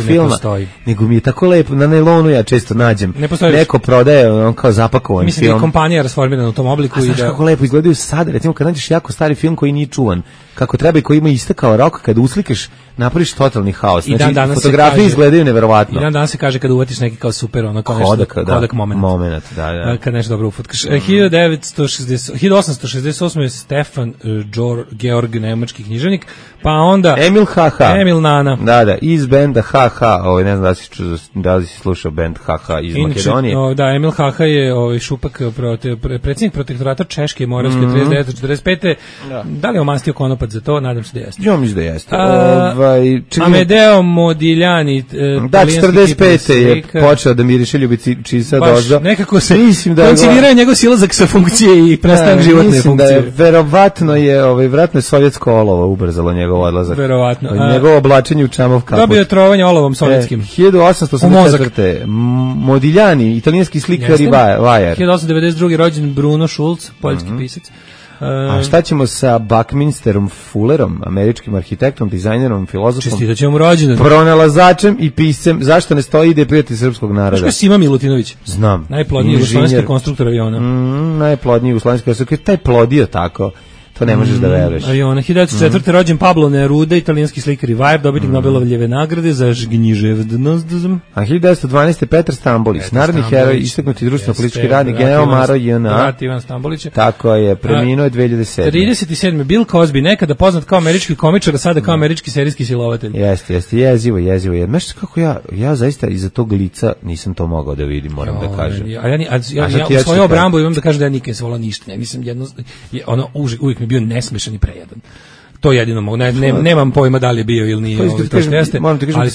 filma, nego mi je tako lepo, na nailonu ja često nađem, neko prodaje on kao zapakovan film. Mislim da je kompanija rasformirana u tom obliku. A znaš kako lepo izgledaju sada, recimo kad nađeš jako stari film koji nije čuvan, kako treba i koji ima istekao rok, kad uslikaš napraviš totalni haos. Znači, fotografije izgledaju neverovatno. I dan se kaže kad uvatiš neki kao super, ono kao Kodak moment. Da. Kad nešto dobro ufatkaš. 1868. je Stefan Georg, nemački književnik, pa onda Emil HH. Emil Nana. Da, iz benda HH, ne znam da li si slušao bend HH iz Makedonije. Da, Emil HH je Šupak, predsjednik protektorata Češke i Moravske 39-45. Da li je omastio konopac za to? Nadam se da jeste. Ja mislim da jeste. Amedeo Modigliani, da, 45. je počeo da miriše ljubicica doza. Nekako se koncilirao njegov silazak sa funkcije i prestanak životne funkcije. Mislim da je verovatno je sovjetsko olovo ubrzalo njegov odlazak. Verovatno. Njegovo oblačenje u čamov kaput. Dobio je trovanje olovom sovjetskim. 1884. Modigliani, italijanski slikar i vajar. 1892. rođen Bruno Schulz, poljski pisac. A šta ćemo sa Buckminsterom Fullerom, američkim arhitektom, dizajnerom, filozofom? Čestitat ćemo mu rođendan. Pronalazačem i piscem. Zašto ne stoji ide prijatelj srpskog naroda? Znaš ko je Sima Milutinović? Znam. Najplodniji jugoslovenski konstruktor aviona. Najplodniji jugoslovenski konstruktor. Taj plodio tako. To ne možeš da veruješ. Aviona. 1904. rođen Pablo Neruda, italijanski slikar i vajar, dobitnik Nobelovljeve nagrade za književnost. A 1912. Petar Stambolić, narodni heroj, istaknuti društveno-politički radnik, general Maro JNA. Ivan Stambolić. Tako je, preminuo je 2007. 37. Bill Cosby, nekada poznat kao američki komičar, a sada kao američki serijski silovatelj. Jeste, jezivo. Znaš kako ja zaista iza tog lica nisam to mogao da vidim, moram da kažem. Ja u svojoj obrambu imam da kažem da ja nikad se volao ništa. Ja nisam uvijek mi bio nesmešan i prejedan. To jedino mogu. Nemam pojma da li je bio ili nije. To što jeste, ali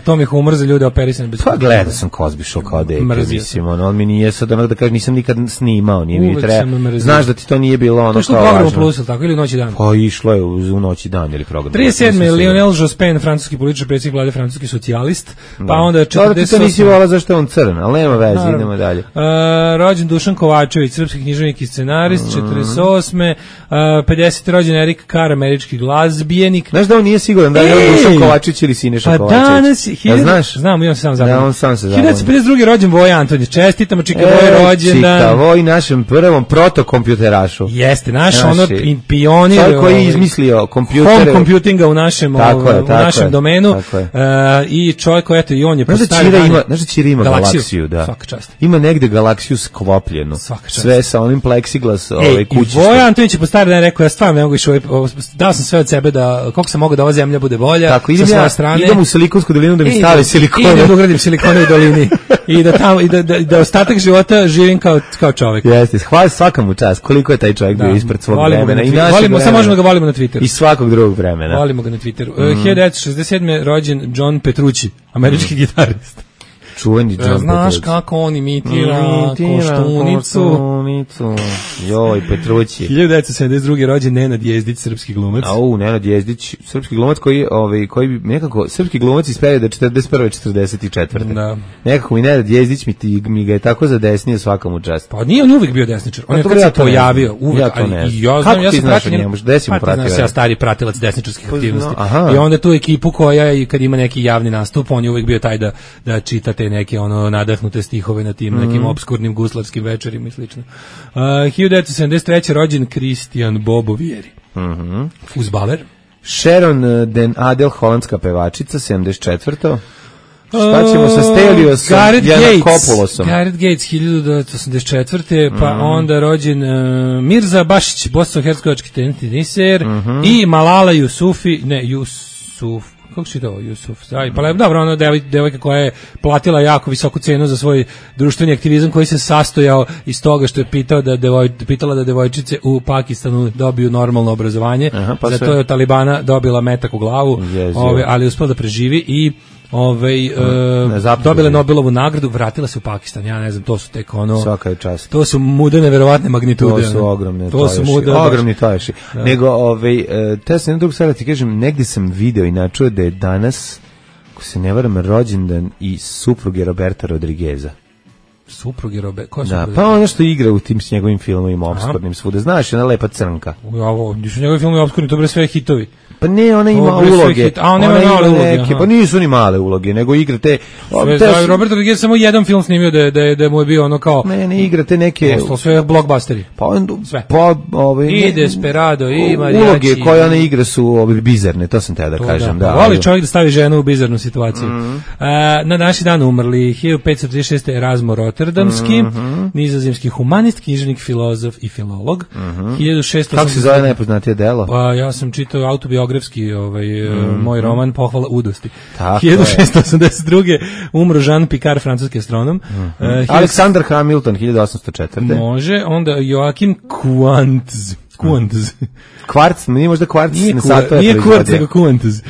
to mi je humor za ljude operisane bez. Pa gledao sam Cosby Show kao dete, mislim, on mi nije sad da kažem, nisam nikad snimao, nije mi treba. Znaš da ti to nije bilo ono kao važno. To je program Plus, tako, ili Noć i dan? Pa išlo je u Noć i dan ili program. 37. Lionel Jospin, francuski političar, predsjednik vlade, francuski socijalist, pa onda 48. To nisi volao zašto je on crn, ali nema veze, idemo dalje. Rođen Dušan Kovačević, srpski književnik i scenarist, 48. 50. rođen Erik pekar, američki glazbijenik. Znaš da on nije siguran da je on Dušan Kovačić ili Siniša Kovačić? Pa danas je... Znaš? Znam, on se sam zabavio. Da, on sam se zabavio. 1952. rođen Voja Antonić. Čestitamo Čika Voj rođendan. Čika Voj, našem prvom protokompjuterašu. Jeste, naš ono pionir. Čovjek koji je izmislio kompjutere. Home computinga u našem domenu. I čovjek koji, eto, i on je Znaš da Ćira ima galaksiju, da. Svaka čast. Ima negde galaksiju sklopljenu. Sve sa onim pleksiglas kući. I Voja Antonić je po stari dan rekao, ja stvarno ne mogu više, dao sam sve od sebe da, koliko sam mogao da ova zemlja bude bolja. Tako, idem u Silikonsku dolinu da mi stave silikone. Idem da ugradim silikone u dolini. I da tamo, da ostatak života živim kao čovjek. Jeste, hvala svakamu čast. Koliko je taj čovjek bio ispred svog vremena. Samo možemo ga volimo na Twitteru. I svakog drugog vremena. Volimo ga na Twitteru. 1967. rođen John Petrucci, američki gitarist. Čuveni John Petrucci. Znaš kako on imitira Koštunicu. Joj, Petrucci. 1972. rođen Nenad Jezdić, srpski glumac. Nenad Jezdić, srpski glumac koji bi nekako, srpski glumac iz perioda 41. 44. Da. Nekako mi Nenad Jezdić mi ga je tako zadesnio svakom u čast. Pa nije on uvijek bio desničar. On je kad se pojavio uvijek. Ja to ne znam. Kako ti znaš o njemu? Gde si mu pratio? Ja stari pratilac desničarskih aktivnosti. I onda tu ekipu koja, kad ima neki javni nastup, on je uvijek bio taj da čitate neke nadahnute stihove na tim nekim obskurnim guslarskim večerima i slično. 1973. rođen Kristijan Bobovieri. Fuzbaler. Sharon Den Adel, holandska pevačica, 74. Šta ćemo sa Steliosom, Janakopoulosom? Gareth Gates, 1984. Pa onda rođen Mirza Bašić, bosansko-hercegovački teniser, i Malala Yusufi, kako si to, Jusuf? Pa dobro, ono devojka koja je platila jako visoku cenu za svoj društveni aktivizam koji se sastojao iz toga što je pitala da devojčice u Pakistanu dobiju normalno obrazovanje. Zato je od Talibana dobila metak u glavu, ali uspela da preživi i dobila Nobelovu nagradu, vratila se u Pakistan. Ja ne znam, to su tek svaka je čast. To su mude neverovatne magnitude. To su ogromni toješi. Nego, te sam jednu drugu stvar da ti kažem, negdje sam video i načuo da je danas, ako se ne varam, rođendan i supruge Roberta Rodrigueza. Supruge Roberta? Koja supruge? Da, pa ono što igra u tim s njegovim filmovima obskurnim svuda. Znaš, ona lepa crnka. Gdje su njegovi filmovi obskurni, to bre sve hitovi. Pa ne, ona ima uloge. Ona ima male uloge. Pa nisu ni male uloge, nego igra te... Robert Rodriguez samo jedan film snimio da mu je bio ono kao... Ne igra te neke... Ostalo sve blockbusteri. Sve. I Desperado, i Mariachi. Uloge koje ona igra su bizarne, to sam te da kažem. Voli čovjek da stavi ženu u bizarnu situaciju. Na naši dan umrli 1536. Erasmo Rotterdamski, nizozemski humanist, književnik, filozof i filolog. 1680... Kako se zove najpoznatije delo? Pa ja sam čitao autobiografski moj roman Pohvala udosti. 1682. umro Jean Picard, francuski astronom. Alexander Hamilton, 1804. Može, onda Joachim Quantz. Kvarc, nije možda kvarc. Nije kvarc, nego Quantz.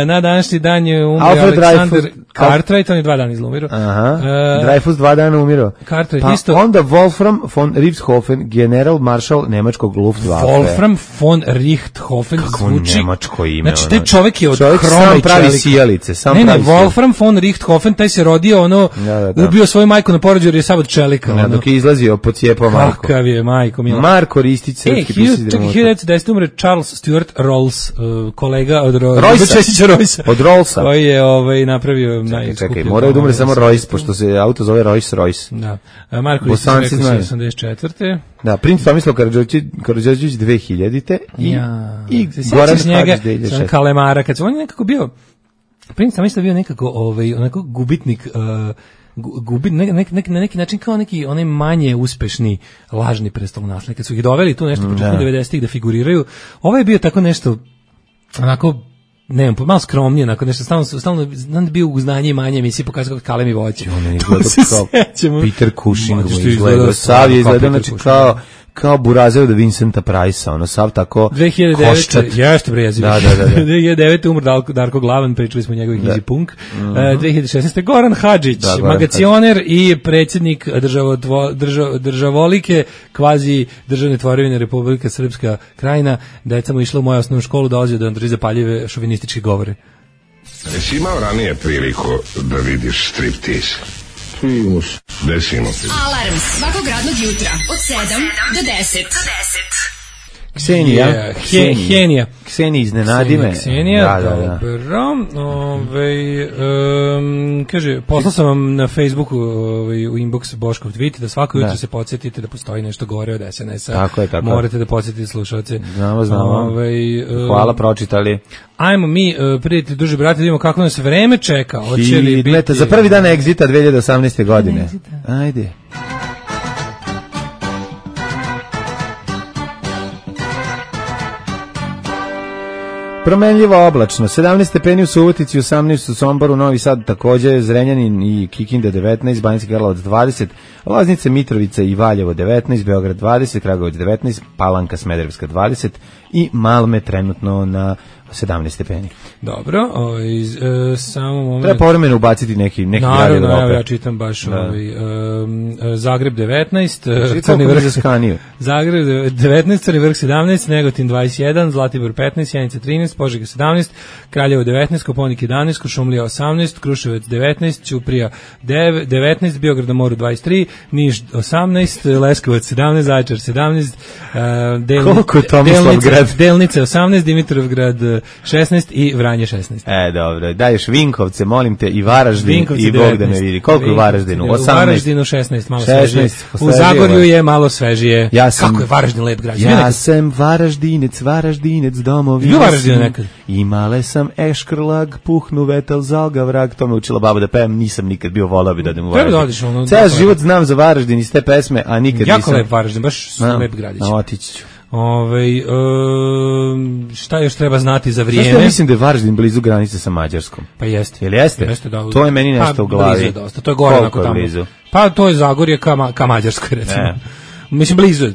Na današnji dan je umro Alexander Cartwright, on je 2 dana izlumirao. Dreyfus 2 dana umirao. Cartwright isto. Onda Wolfram von Richthofen, general maršal nemačkog Luftwaffe. Wolfram von Richthofen zvuči... Kako nemačko ime? Znači, taj čovjek je od kroma i čelika. Sam pravi sijalice. Ne, Wolfram von Richthofen, taj se rodio, ubio svoju majku na porođaju jer je sad od čelika. Dok je izlazio, pocijepao Marko. Kakav je, majko, mila. Marko Ristić, srpski pisatelj. Čekaj, 1910. umre Charles Stuart Rolls, kolega od Roysa. Od Rollsa. Koji je napravio najskuplju. Čekaj, moraju da umre samo Royce, pošto se auto zove Royce. Da. Marko Ristić rekao 84. Da, princ Tomislav Karađorđević 2000-te i Goran Hadžić 2006. Kalemara, kad se on je nekako bio, princ Tomislav bio nekako onako gubitnik, na neki način kao neki onaj manje uspešni lažni prestolonaslednik. Kad su ih doveli tu nešto početkom 90-ih da figuriraju, ovaj je bio tako nešto onako, ne znam, malo skromnije, onako nešto, stalno bio u znanje i manje emisiji, pokazao kako kalem i voće. On je izgledao kao Peter Cushing, Sav je izgledao, znači kao Burazer od Vincenta Price-a, sav tako 2009. Jeste prejezivo. Da. 2009. umro Darko Glavan, pričali smo o njegovih Easy Punk. 2016. Goran Hadžić, magacioner i predsjednik državolike, kvazi državne tvorevine Republika Srpska Krajina. Deca mu išla u moju osnovnu školu, dolazio da vam drži zapaljive šovinističke govore. Jesi imao ranije priliku da vidiš striptease? Desimo se. Alarm svakog radnog jutra od 7 do 10. Ksenija. Henija. Ksenija iznenadi me. Ksenija, dobro. Kaže, poslao sam vam na Facebooku u inbox Boškov tweet da svako jutro se podsjetite da postoji nešto gore od SNS-a. Tako je. Morate da podsjetite slušalce. Znamo. Hvala, pročitali. Ajmo mi, prijatelji, duže brate, da vidimo kako nas vreme čeka. Hoće li biti... Za prvi dan Exita 2018. godine. Ajde. Promenljivo oblačno, 17 stepeni u Subotici, 18 u Somboru, Novi Sad takođe, Zrenjanin i Kikinda 19, Banjski Karlovac 20, Loznica, Mitrovica i Valjevo 19, Beograd 20, Kragujevac 19, Palanka, Smederevska 20 i Malme trenutno na 17 stepeni. Dobro, samo moment. Treba povremeno ubaciti neki grad Evrope. Ja čitam baš Zagreb 19, Crni Vrh za Skaniju. Zagreb 19, Crni Vrh 17, Negotin 21, Zlatibor 15, Sjenica 13, Požega 17, Kraljevo 19, Koponik 11, Kuršumlija 18, Kruševac 19, Ćuprija 19, Beograd na moru 23, Niš 18, Leskovac 17, Zaječar 17, Delnice 18, Dimitrovgrad 16 i Vranje 16. Dobro, daješ Vinkovce, molim te, i Varaždin i Bog da me vidi. Koliko u Varaždinu? 18. U Varaždinu 16, malo svežije. U Zagorju je malo svežije. Kako je Varaždin lep grad? Ja sam Varaždinec domovina. Ju Varaždinu nekad. Imale sam eškrlag, puhnu vetel zalga vrag, to me učila baba da pevam, nisam nikad bio, volao bi da idem u Varaždin. Ceo život znam za Varaždin iz te pesme, a nikad nisam. Jako lep Varaždin, baš lep gradić. Otići ću. Šta još treba znati za vrijeme? Zašto ja mislim da je Varaždin blizu granice sa Mađarskom? Pa jeste. Jel jeste? To je meni nešto u glavi. Blizu je dosta, to je gore onako tamo. Blizu? Pa to je Zagorje ka Mađarskoj, recimo. Mislim, blizu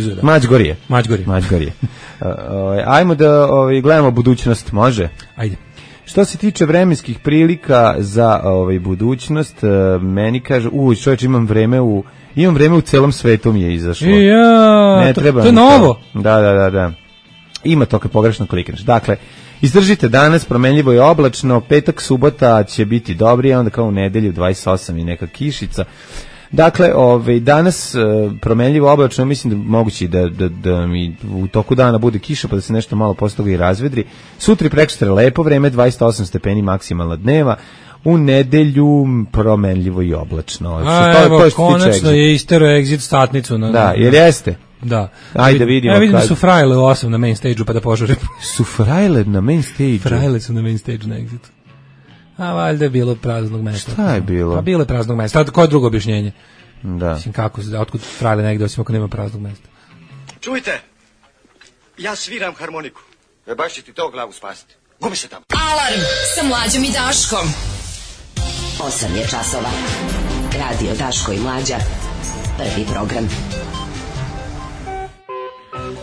je. Da. Mađgorje. Ajmo da gledamo budućnost, može? Ajde. Što se tiče vremenskih prilika za budućnost, meni kaže, čovječ, imam vreme u celom svetu mi je izašlo. Ne treba. To je novo. Da. Ima to kad pogrešno klikneš. Dakle, izdržite danas, promenljivo je oblačno, petak, subota će biti dobri, a onda kao u nedelju 28 i neka kišica. Dakle, danas promenljivo oblačno, mislim da moguće da mi u toku dana bude kiša pa da se nešto malo posle toga i razvedri. Sutra i preksutra lepo vreme, 28 stepeni maksimalna dneva. U nedelju promenljivo i oblačno. Evo, konačno je istero Exit statnicu. Da, jer jeste? Da. Ajde da vidimo. Ja vidim da su frajle u 8 na main stage-u pa da požurim. Su frajle na main stage-u? Frajle su na main stage na Exitu. A valjda je bilo praznog mesta. Šta je bilo? Pa bilo je praznog mesta. Koje je drugo objašnjenje? Da. Mislim, otkud frajle negde osim ako nema praznog mesta? Čujte, ja sviram harmoniku. Baš će ti to glavu spasiti. Gubi se tamo. Alarm sa Mlađom i Daškom. 8 je časova. Radio Daško i Mlađa. Prvi program.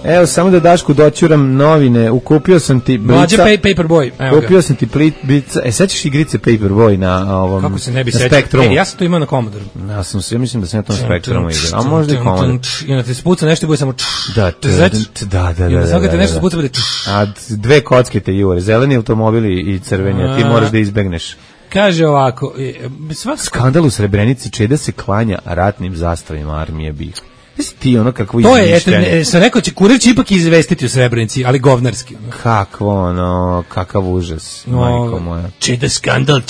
Evo, samo da Dašku doćuram novine. Ukupio sam ti blica. Mlađa Paperboy. Ukupio sam ti blica. Sećaš igrice Paperboy na ovom Kako se ne bi sećao? Spektrumu? Ja sam to imao na Commodore. Ja mislim da sam ja to na Spektrumu igrao. A možda i Commodore. I onda te spuca nešto i bude samo Da. I onda svaka te nešto spuca bude A dve kocke te jure. Zeleni automobili i crveni. A ti moraš da izbegneš. Kaže ovako. Skandal u Srebrenici, Čeda se klanja ratnim zastavima armije BiH. Ti ono kakvo to je, sam rekao će kurir će ipak izvestiti u Srebrenici, ali govnarski. Kakav užas, majko moja. Čeda skandal,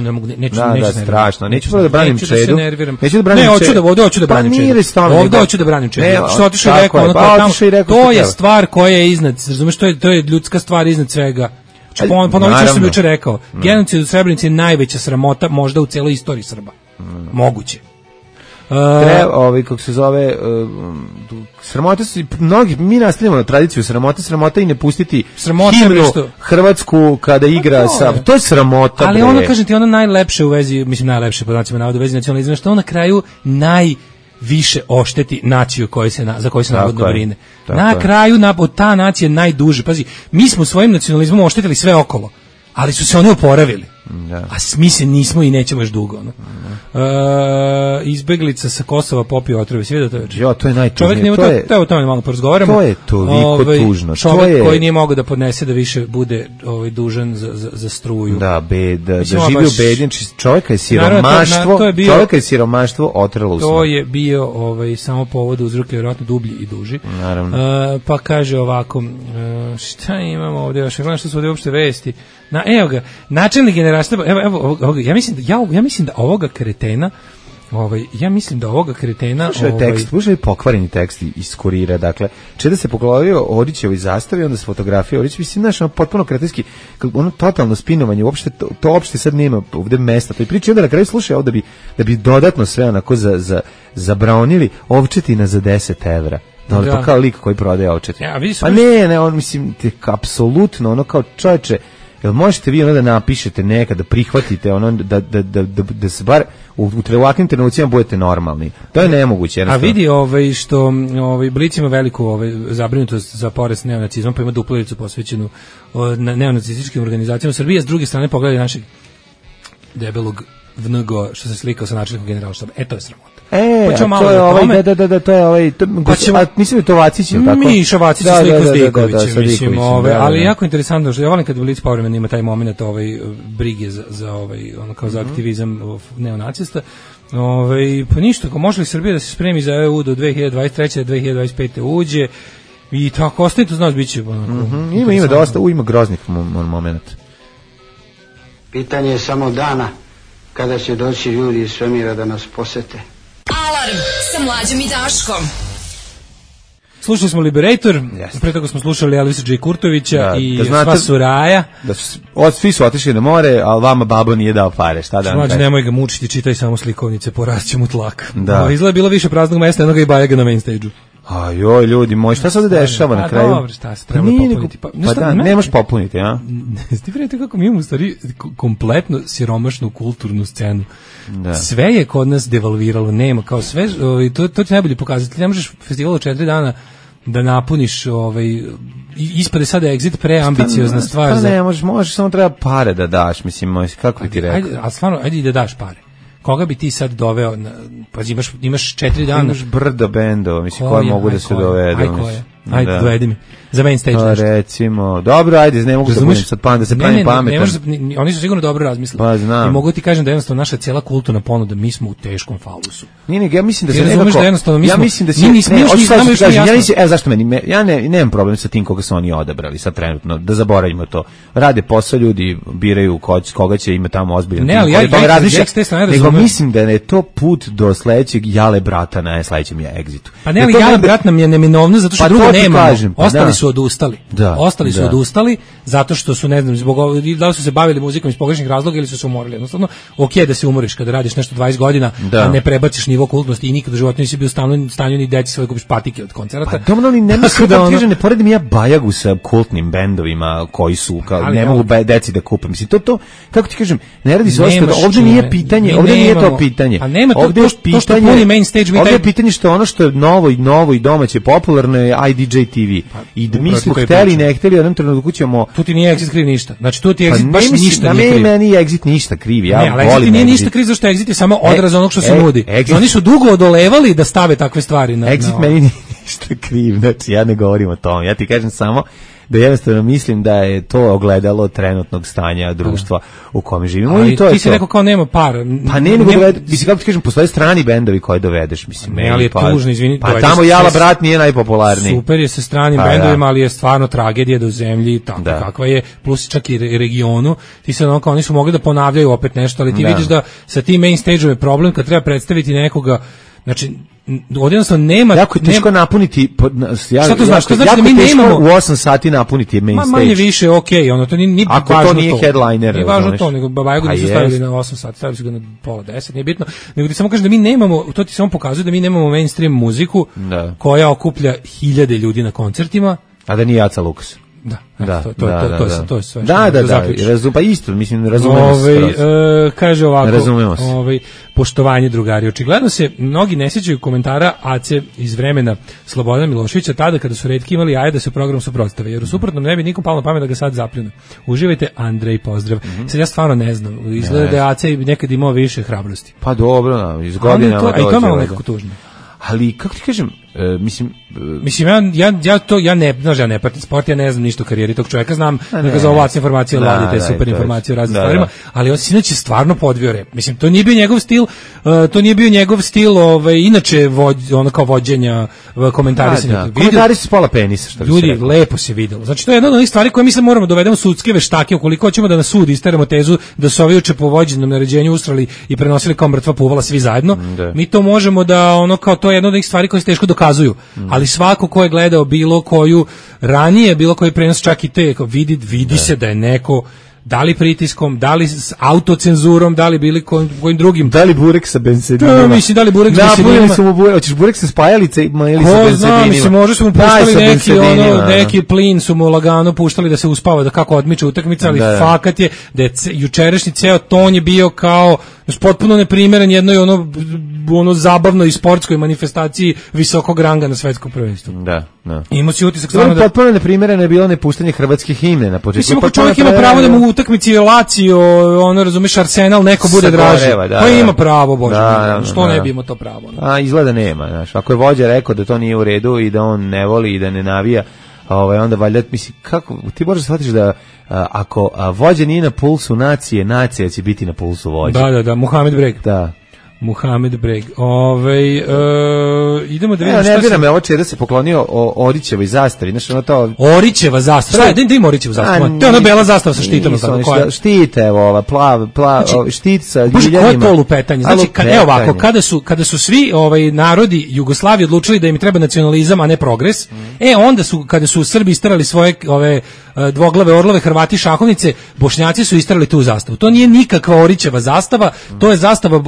ne mogu, neću strašno, neću da branim Čedu. Hoću da branim Čedu. Ovdje hoću da branim Čedu. Što otišao i rekao, to je stvar koja je iznad, razumeš, to je ljudska stvar iznad svega. Ponovit ću sam jučer rekao, genocid u Srebrenici je najveća sramota možda u celoj istoriji Srba. Moguće. Kako se zove, sramota su mi nastavljamo na tradiciju sramota i ne pustiti himnu Hrvatsku kada igra sa, to je sramota. Ali ono, kažem ti, ono najlepše u vezi, mislim najlepše po znacima navoda u vezi nacionalizma, što ono na kraju najviše ošteti naciju za koju se navodno brine. Na kraju ta nacija najduže, pazi, mi smo svojim nacionalizmom oštetili sve okolo, ali su se oni oporavili. Da. A mi se nismo i nećemo još dugo. No? Izbeglica sa Kosova popio otrove. Svi da to već? Jo, to je najtužnije. O tome malo porazgovaramo. To je toliko tužno. Čovjek koji nije mogao da podnese da više bude dužan za struju. Da, da živi u bednji. Čovjeka je siromaštvo, čovjeka je siromaštvo otrlo u to je bio samo povod uzroka, vjerojatno dublji i duži. Naravno. Pa kaže ovako, šta imamo ovdje još, gledam što su ovdje uopšte vesti. Evo ga, načelnik generalštaba, evo, ja mislim da ovoga kretena, slušaj pokvareni tekst iz Kurira, dakle, da se poglavio Orićevoj zastavi, onda se fotografija Orić, mislim, znaš, potpuno kretenski, ono totalno spinovanje, uopšte, to uopšte sad nema ovde mesta, to je priča, onda na kraju slušaj ovo da bi dodatno sve onako zabranili ovčetina za 10 evra. Da. Pa kao lik koji prodaje ovčetinu. Pa ne, on, mislim, apsolutno, ono kao čovječe, jel možete vi ono da napišete nekad, da prihvatite ono, da se bar u ovakvim trenucima budete normalni. To je nemoguće. A vidi što Blic ima veliku zabrinutost za porast neonacizma, pa ima duplericu posvećenu neonacističkim organizacijama Srbije, s druge strane pogledaj našeg debelog vnugo što se slikao sa načelnikom generalštaba. To je sramota. To je ovaj, to je ovaj, mislim da to Vacić, ili tako? Miša Vacić sliku s Dikovićem, mislim, ali jako interesantno, što ja volim kad Blic povremeno ima taj moment brige za ono kao za aktivizam neonacista. Pa ništa, ako može li Srbija da se spremi za EU do 2023. 2025. uđe i tako, ostanite, znaš, bit će ima dosta, ima groznih momenta. Pitanje je samo dana kada će doći ljudi iz svemira da nas posete. Alarm sa Mlađom i Daškom. Slušali smo Liberator, pre toga smo slušali Elvisa J. Kurtovića i Sva Suraja. Svi su otišli na more, ali vama babo nije dao pare, šta da vam kažem? Nemoj ga mučiti, čitaj samo slikovnice, porašće mu tlak. Izgleda bilo više praznog mesta, jednoga i Bajaga na main stage-u. Joj, ljudi moji, šta se ovdje dešava na kraju? Dobro, šta se treba popuniti? Nemaš popuniti, a? Ti vidite kako mi imamo stvari kompletno siromašnu kulturnu scenu. Sve je kod nas devalviralo, nema, kao sve, to će najbolje pokazati. Ti ne možeš festival od 4 dana da napuniš, ispade sada Exit preambiciozna stvar. Ne, možeš, samo treba pare da daš, mislim, kako bi ti rekao? Ali stvarno, ajde i da daš pare. Koga bi ti sad doveo, pa imaš 4 dana. Imaš brdo bendova, mislim, koji mogu da se dovedu. Ajde, dovedi mi. Za main stage. Pa recimo, dobro, ajde, ne mogu da budem sad da se pravim pametan. Oni su sigurno dobro razmislili. Pa znam. I mogu ti kažem da jednostavno naša cijela kulturna ponuda, mi smo u teškom falusu. Nije, ja mislim da se nekako... Ja mislim da zašto meni, ja nemam problem sa tim koga su oni odabrali sad trenutno, da zaboravimo to. Rade posao, ljudi biraju koga će ima tamo ozbiljan. Ne, ali nego mislim da je to put do sledećeg Jale brata na sledećem Exitu. Pa ne, ali Jale brat nam je neminovno zato što drugo nema. Ostali su odustali. Ostali su odustali zato što su, ne znam, da li su se bavili muzikom iz pogrešnih razloga ili su se umorili. Jednostavno, okej da se umoriš kada radiš nešto 20 godina, a ne prebaciš nivo kultnosti i nikad u životu nisi bio u stanju ni deci svoje kupiš patike od koncerata. Pa dobro, ali ne poredim ja Bajagu sa kultnim bendovima koji su, ne mogu deci da kupe. Mislim, to, kako ti kažem, ne radi se ovdje nije pitanje, ovdje nije to pitanje. A nema to što puni main stage. Ovdje je pitanje što ono što je novo i domaće popularno je IDJ TV. I mi smo hteli, ne hteli, u jednom trenutku ćemo... Tu ti nije Exit kriv ništa. Znači, tu ti Exit baš ništa nije kriv. Meni je Exit ništa kriv, ja volim Exit. Exit nije ništa kriv, zašto Exit je samo odraz onog što se nudi. Oni su dugo odolevali da stave takve stvari. Exit meni nije ništa kriv, znači ja ne govorim o tom. Ja ti kažem samo da jednostavno mislim da je to ogledalo trenutnog stanja društva u kome živimo. Ali ti si rekao kao nema para. Pa ne, mislim, kako ti kažem, postoje strani bendovi koje dovedeš, mislim. Ne, ali je tužno, izvini. Pa tamo Jala brat nije najpopularniji. Super je sa stranim bendovima, ali je stvarno tragedija do zemlji, tako kakva je, plus čak i regionu. Ti se ono kao oni su mogli da ponavljaju opet nešto, ali ti vidiš da sa tim main stage-om je problem kad treba predstaviti nekoga. Znači, jednostavno nema... Jako je teško napuniti... Šta to znači? To znači da mi nemamo... u 8 sati napuniti main stage. Manje više, okej, ono, to nije ako važno to. Ako to nije headliner. Nije važno to, nego Babajagu nisu stavili na 8 sati, stavili su ga na pola 10, nije bitno. Nego ti samo kažem da mi nemamo, to ti samo pokazuje da mi nemamo mainstream muziku koja okuplja hiljade ljudi na koncertima. A da nije Aca Lukas. To je sve. Da, pa isto, mislim, razumemo se. Kaže ovako, razumemo se. Poštovanje, drugari. Očigledno se mnogi ne sjećaju komentara Ace iz vremena Slobodana Miloševića, tada kada su retki imali jaje da se program suprotstave, jer u suprotnom ne bi nikom palo na pamet da ga sad zapljune. Uživajte, Andrej, pozdrav. Sad ja stvarno ne znam, izgleda da je Ace nekad imao više hrabrosti. Pa dobro, iz godinama dođe. A i to malo nekako tužno. Ali, kako ti kažem, mislim ja ne pratim sport, ja ne znam ništa o karijeri tog čovjeka, znam da ga za ovlac informacije ladi, te super informacije o raznim stvarima, ali on sinoć je stvarno podvio rep. Mislim, to nije bio njegov stil, inače ono kao vođenja, komentarisanja. Komentari su spola penisa, što bi ljudi, lepo se videlo. Znači, to je jedna od onih stvari koje mislim moramo dovedemo sudske veštake, ukoliko hoćemo da na sud isteramo tezu da su ovi juče po vođenom naređenju ustrali i prenosili kao mrtva puvala svi zajedno. Mi to možemo da ono kao to je jedna od onih stvari koje se teško dokazuju. Ali svako ko je gledao bilo koju ranije, bilo koji prenos, čak i te, vidi se da je neko, da li pritiskom, da li s autocenzurom, da li bili kojim drugim. Da li burek sa bensedinima? Da, mislim, da li burek sa bensedinima? Hoćeš burek sa spajalicama ili sa bensedinima? Znam, mislim, možda su mu puštali neki plin su mu lagano puštali da se uspava, da kako odmiče utakmica, ali fakat je da je jučerašnji ceo ton je bio kao potpuno neprimeren jednoj ono zabavnoj sportskoj manifestaciji visokog ranga na svetskom prvenstvu. Da. Imao si utisak stvarno da potpuno neprimereno je bilo nepuštanje hrvatske himne na početku. Mislim, ako čovjek ima pravo da mu u utakmici Lazio, ono razumeš, Arsenal neko bude draži. Pa ima pravo, Bože. Što ne bi imao to pravo? A izgleda nema, znaš. Ako je vođa rekao da to nije u redu i da on ne voli i da ne navija, onda valjda, mislim, kako ti možeš shvatiš da ako vođa nije na pulsu nacije, nacija će biti na pulsu vođa. Da, Muhamed Breg. Da. Muhamed Breg. Idemo da vidimo šta se... Nervira me ovo čeda se poklonio Orićevoj zastavi. Znaš, ono to... Orićeva zastava? Da ima Orićevu zastavu? To je ona bela zastava sa štitom. Štit, evo, ova, štit sa ljuljanima. Koje je to lupetanje? Znači, evo ovako, kada su svi narodi Jugoslavije odlučili da im treba nacionalizam, a ne progres, onda su, kada su Srbi istarali svoje dvoglave orlove, Hrvati šahovnice, Bošnjaci su istarali tu zastavu. To nije nikakva Orićeva zastava, to je zastava,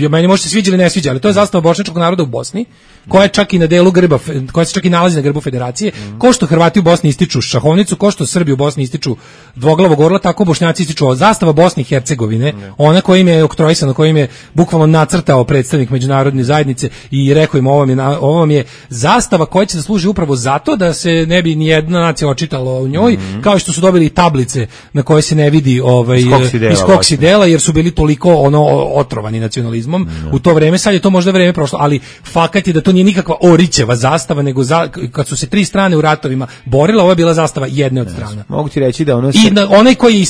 meni može se sviđa ili ne sviđa, ali to je zastava bošnjačkog naroda u Bosni, koja je čak i na delu grba, koja se čak i nalazi na grbu federacije. Ko što Hrvati u Bosni ističu šahovnicu, ko što Srbi u Bosni ističu dvoglavog orla, tako Bošnjaci ističu zastava Bosne i Hercegovine, ona koja im je oktrojisana, koja im je bukvalno nacrtao predstavnik međunarodne zajednice i rekao im ovo vam je zastava koja će da služi upravo zato da se ne bi ni jedna nacija očitala u njoj, kao što su dobili tablice na koje se ne vidi iz kog si dela, jer su bili toliko otrovani nacionalizmom u to vreme. Sad je to možda vreme prošlo, ali fakat je da to nije nikakva Orićeva zastava, nego kad su se tri strane u ratovima borile, ovo je bila zastava jedne od strana. Mogu ti reći da ono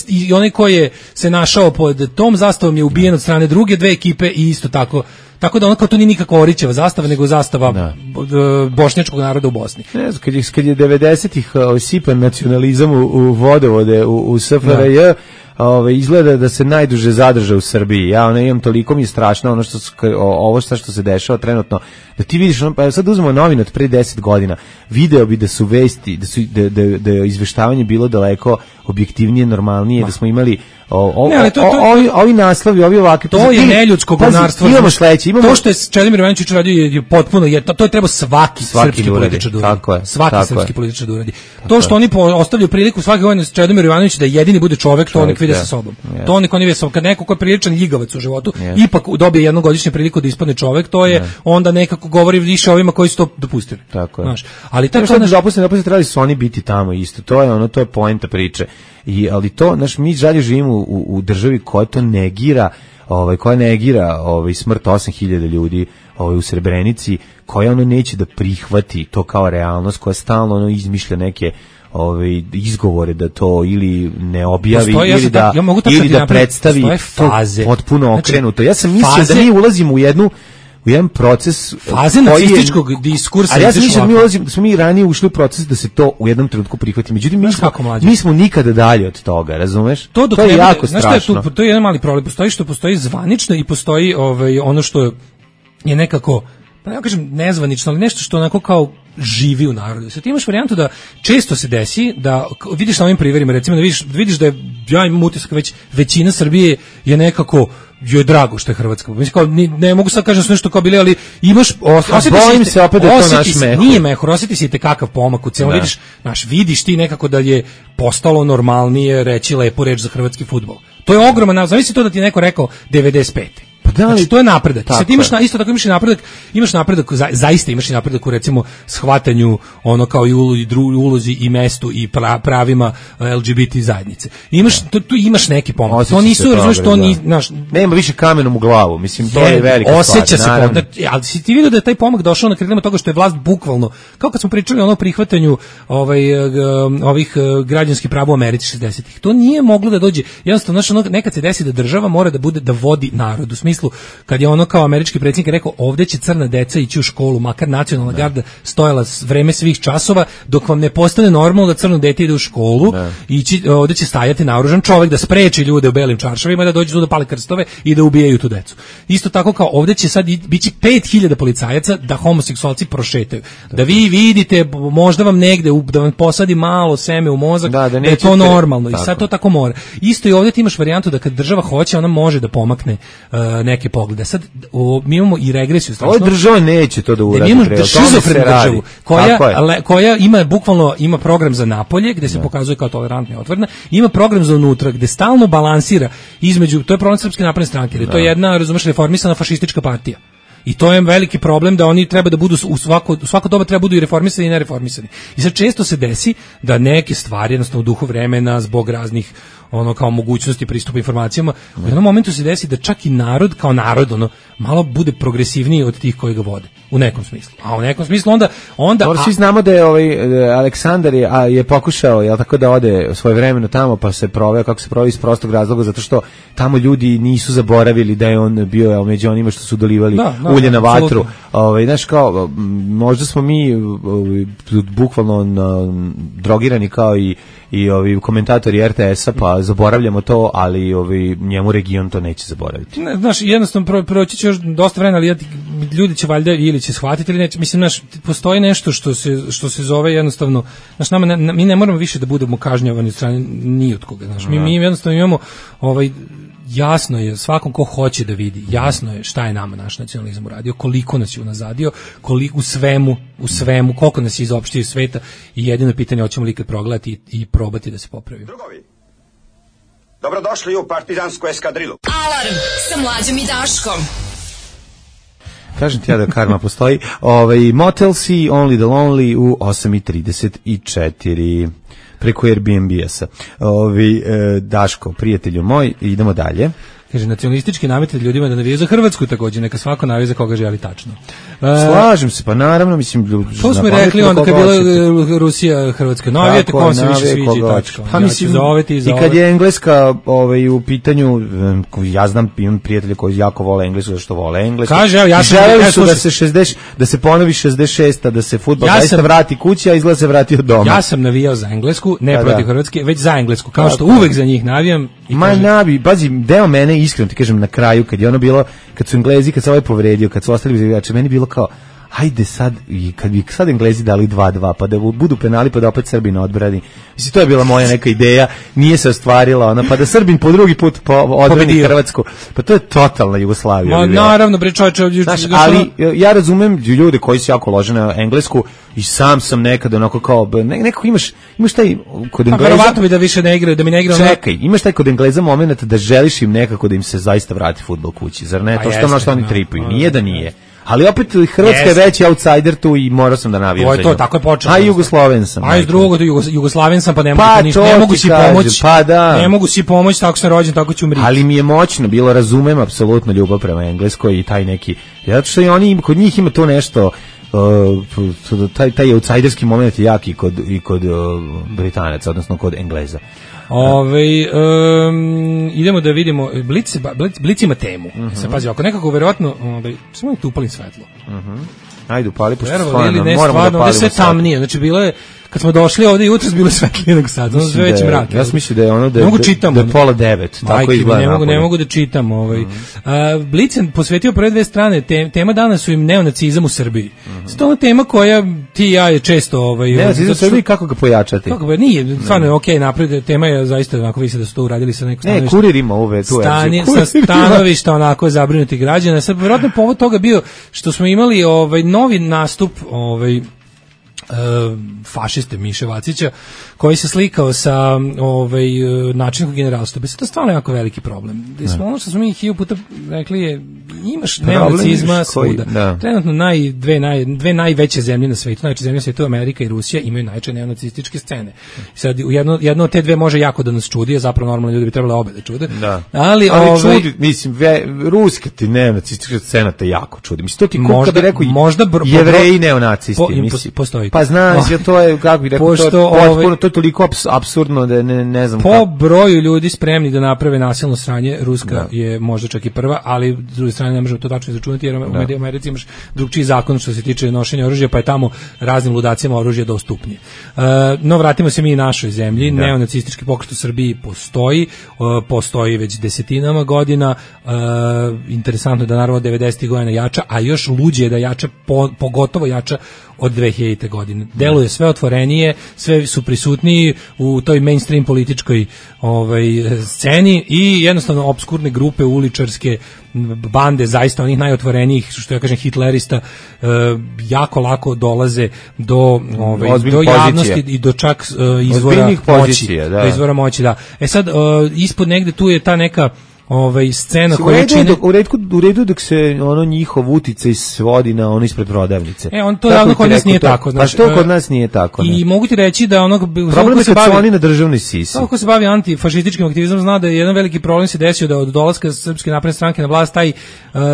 i onaj koji se našao pod tom zastavom je ubijen od strane druge dve ekipe i isto tako. Tako da ono kao to nije nikakva Orićeva zastava, nego zastava bošnjačkog naroda u Bosni. Ne znam, kad je 90-ih sipan nacionalizam u vodovode u SFRJ, izgleda da se najduže zadrža u Srbiji. Ja imam toliko mi je strašno ovo što se dešava trenutno, da ti vidiš, pa sad uzmemo novine od pre 10 godina, video bi da su vesti, da je izveštavanje bilo daleko objektivnije, normalnije, da smo imali ovi naslovi, ovi ovakvi. To je neljudsko govnarstvo. Imamo sledeće. To što je Čedomir Jovanović radio je potpuno, to je treba svaki srpski političar da uradi. Svaki srpski političar da uradi. To što oni ostavljaju priliku svake godine Čedomir Jovanović da jedini bude čovek, to nek vide sa sobom. To nek oni vide sa sobom. Kad neko ko je priličan ljigavac u životu, ipak dobije jednogodišnju priliku da ispadne čovek, to je onda nekako govori više ovima koji su to dopustili. Tako je. Ali tako dopustili trebali su oni biti tamo isto. To je poenta priče. Ali to, mi žalje živimo u državi koja to negira, koja negira smrt 8000 ljudi u Srebrenici, koja neće da prihvati to kao realnost, koja stalno izmišlja neke izgovore da to ili ne objavi ili da predstavi to potpuno okrenuto. Ja sam mislio da mi ulazimo u jedan proces faze nacističkog diskursa. Ali ja sam mislio da smo mi ranije ušli u proces da se to u jednom trenutku prihvati. Međutim, mi smo nikada dalje od toga, razumeš? To je jako strašno. To je jedan mali problem. Postoji zvanično i postoji ono što je nekako, pa ne kažem nezvanično, ali nešto što onako kao živi u narodu. Sad ti imaš varijantu da često se desi da vidiš na ovim primjerima, recimo da vidiš da ja imam utisak većina Srbije je nekako joj drago što je Hrvatska. Mislim kao ne mogu sad kažem nešto kao bili, ali imaš bojim se opet da je to naš mehur. Nije mehur, osjeti se kakav pomak u celom. Vidiš ti nekako da je postalo normalnije reći lepu reč za hrvatski fudbal. To je ogroman, zamisli to da ti neko rekao 95. Znači, to je napredak. Sad imaš isto tako imaš napredak, zaista imaš i napredak u recimo shvatanju ono kao i ulozi i mestu i pravima LGBT zajednice. Tu imaš neki pomak. To nisu, razumiješ, to ni nema više kamenom u glavu. Mislim, to je velika stvar. Osjeća se, ali si ti vidio da je taj pomak došao na krilima toga što je vlast bukvalno, kao kad smo pričali o prihvatanju ovih građanskih prava u Americi 60-ih. To nije moglo da dođe. Jednostavno, nekad se desi da država mora da vodi narod. U smislu, kad je ono kao američki predsjednik rekao ovdje će crna deca ići u školu, makar nacionalna garda stojala vreme svih časova, dok vam ne postane normalno da crno dete ide u školu, ovdje će stajati naoružan čovjek da spreči ljude u belim čaršavima da dođu tu da pale krstove i da ubijaju tu decu. Isto tako kao ovdje će sad biti 5000 policajaca da homoseksualci prošetaju. Da vi vidite, možda vam negde, da vam posadi malo seme u mozak, da je to normalno. Tako. I sad to tako mora. Isto i ovdje ti imaš varijantu da kad država hoće, ona može da pomakne neke poglede. Sad mi imamo i regresiju strašno. Ovo država neće to da uradi. Mi imamo šizofrenu državu koja ima program za napolje gde se pokazuje kao tolerantna i otvorena, ima program za unutra gde stalno balansira između, to je problem Srpske napredne stranke, da je to jedna, razumeš, reformisana fašistička partija. I to je veliki problem da oni treba da budu u svako doba treba budu i reformisani i nereformisani. I sad često se desi da neke stvari jednostavno u duhu vremena zbog raznih kao mogućnosti pristupa informacijama, u jednom momentu se desi da čak i narod kao narod malo bude progresivniji od tih koji ga vode u nekom smislu. A u nekom smislu onda svi znamo da je Aleksandar je pokušao tako da ode svojevremeno tamo, pa se proveo kako se proveo iz prostog razloga zato što tamo ljudi nisu zaboravili da je on bio među onima što su dolivali ulje na vatru. Znaš kao možda smo mi bukvalno drogirani kao i ovi komentatori RTS-a, pa zaboravljamo to, ali njemu region to neće zaboraviti. Znaš, jednostavno proći će još dosta vremena, ali ljudi će valjda ili će shvatiti ili neće. Mislim, znaš, postoji nešto što se zove jednostavno, znaš, mi ne moramo više da budemo kažnjavani od strane ni od koga, znaš, mi jednostavno imamo jasno je svakom ko hoće da vidi, jasno je šta je nama naš nacionalizam uradio, koliko nas je unazadio, koliko u svemu, koliko nas je izopštio iz sveta i jedino pitanje hoćemo li ikad progledati i probati da se popravimo. Drugovi, dobrodošli u partizansku eskadrilu. Alarm sa Mlađom i Daškom. Kažem ti ja da karma postoji. Motel C, Only the Lonely u 8:34 preko Airbnb-a. Daško, prijatelju moj, idemo dalje. Kaže, nacionalistički nametitelj ljudima da navijaju za Hrvatsku također, neka svako navije za koga želi tačno. Slažem se, pa naravno, mislim... To smo rekli onda kad je bila Rusija, Hrvatska, navijete kom se više sviđi tačno. Pa mislim, i kad je Engleska u pitanju, ja znam, imam prijatelje koji jako vole Englesku, zašto vole Englesku. Kaže, ja sam... Želeli su da se ponovi 66-a, da se fudbal zaista vrati kući, a izgleda se vrati od doma. Ja sam navijao za Englesku, ne protiv Hrvatske, već za Englesku, kao što uvek za njih navijam. Pazi, deo mene iskreno ti kažem na kraju kad je ono bilo, kad su Englezi, kad se ovaj povredio, kad su ostali bez igrača, meni bilo kao hajde sad, i kad bi sad Englezi dali 2-2, pa da budu penali, pa da opet Srbin odbrani. Mislim, to je bila moja neka ideja, nije se ostvarila, pa da Srbin po drugi put odbrani Hrvatsku. Pa to je totalna Jugoslavija. Naravno, bre čovječe. Ali ja razumem ljude koji su jako lože na Englesku i sam sam nekada onako kao, nekako imaš taj kod Engleza... Verovatno bi da više ne igra, da mi ne igra... Čekaj, imaš taj kod Engleza moment da želiš im nekako da im se zaista vrati fudbal kući, zar ne? To što oni tripuju, nije da nije. Ali opet Hrvatska je veći outsider tu i morao sam da navijam za nju. To tako je počelo. A Jugosloven sam. A iz drugog Jugoslaven sam, pa ne mogu ništa, ne mogu si pomoći. Pa da. Ne mogu si pomoći, tako sam rođen, tako ću umriti. Ali mi je moćno bilo, razumem apsolutno ljubav prema Engleskoj i taj neki, zato što i oni kod njih ima to nešto, taj outsiderski moment je jak i kod Britanaca, odnosno kod Engleza. Idemo da vidimo, Blic ima temu. Se pazi, ako nekako verovatno, samo tu upalim svetlo. Ajde upali, pošto stvarno moramo da palimo sve tamnije. Znači bilo je, kad smo došli ovde jutros bilo svetlije nego sad, ono sve već mrak. Ja sam mislio da je ono da je 8:30, tako izgleda. Ne mogu da čitam. Blicen posvetio prve dve strane, tema dana su im neonacizam u Srbiji. To je ona tema koja ti i ja je često... Neonacizam u Srbiji, kako ga pojačati? Kako ga, nije, stvarno je okej napred, tema je zaista onako vidi se da su to uradili sa nekog stanovišta. Kurir ima ove tu sa stanovišta onako zabrinuti građana. Sad, vjerojatno povod toga bio što smo imali novi nastup fašiste Miše Vacića koji se slikao sa načelnikom generalštaba. To je stvarno jako veliki problem. Ono što smo mi 1000 puta rekli je imaš neonacizma svuda. Trenutno dve najveće zemlje na svetu, najveće zemlje na svetu, Amerika i Rusija, imaju najveće neonacističke scene. Sad jedno od te dve može jako da nas čudi, a zapravo normalno ljudi bi trebali obe da čude. Da. Ali čudi, mislim, ruska ti neonacistička scena te jako čudi. Mislim, to ti kako bi rekao Jevreji neonacisti. Postoji. Pa znaš, to je, kako bih rekao, to je toliko apsurdno da ne znam po broju ljudi spremni da naprave nasilno sranje, Ruska je možda čak i prva, ali s druge strane ne možemo to tačno izračunati, jer u Americi imaš drugčiji zakon što se tiče nošenja oružja, pa je tamo raznim ludacijama oružje dostupnije. No, vratimo se mi i našoj zemlji. Neonacistički pokret u Srbiji postoji već desetinama godina. Interesantno je da naravno 90. godina jača, a još luđe je da jača, pogotovo jača od 2000. godine. Deluje sve otvorenije, sve su prisutniji u toj mainstream političkoj sceni i jednostavno obskurne grupe uličarske bande, zaista onih najotvorenijih, što ja kažem hitlerista, jako lako dolaze do javnosti i do čak izvora moći. Da. Sad, ispod negde tu je ta neka scena koja čini u redu dok se ono njihov uticaj svodi na ono ispred prodavnice. To javno kod nas nije tako. Pa što kod nas nije tako? I mogu ti reći da problem je kad su oni na državnoj sisi. Kako se bavi antifašističkim aktivizmom zna da je jedan veliki problem se desio da od dolaska Srpske napredne stranke na vlast taj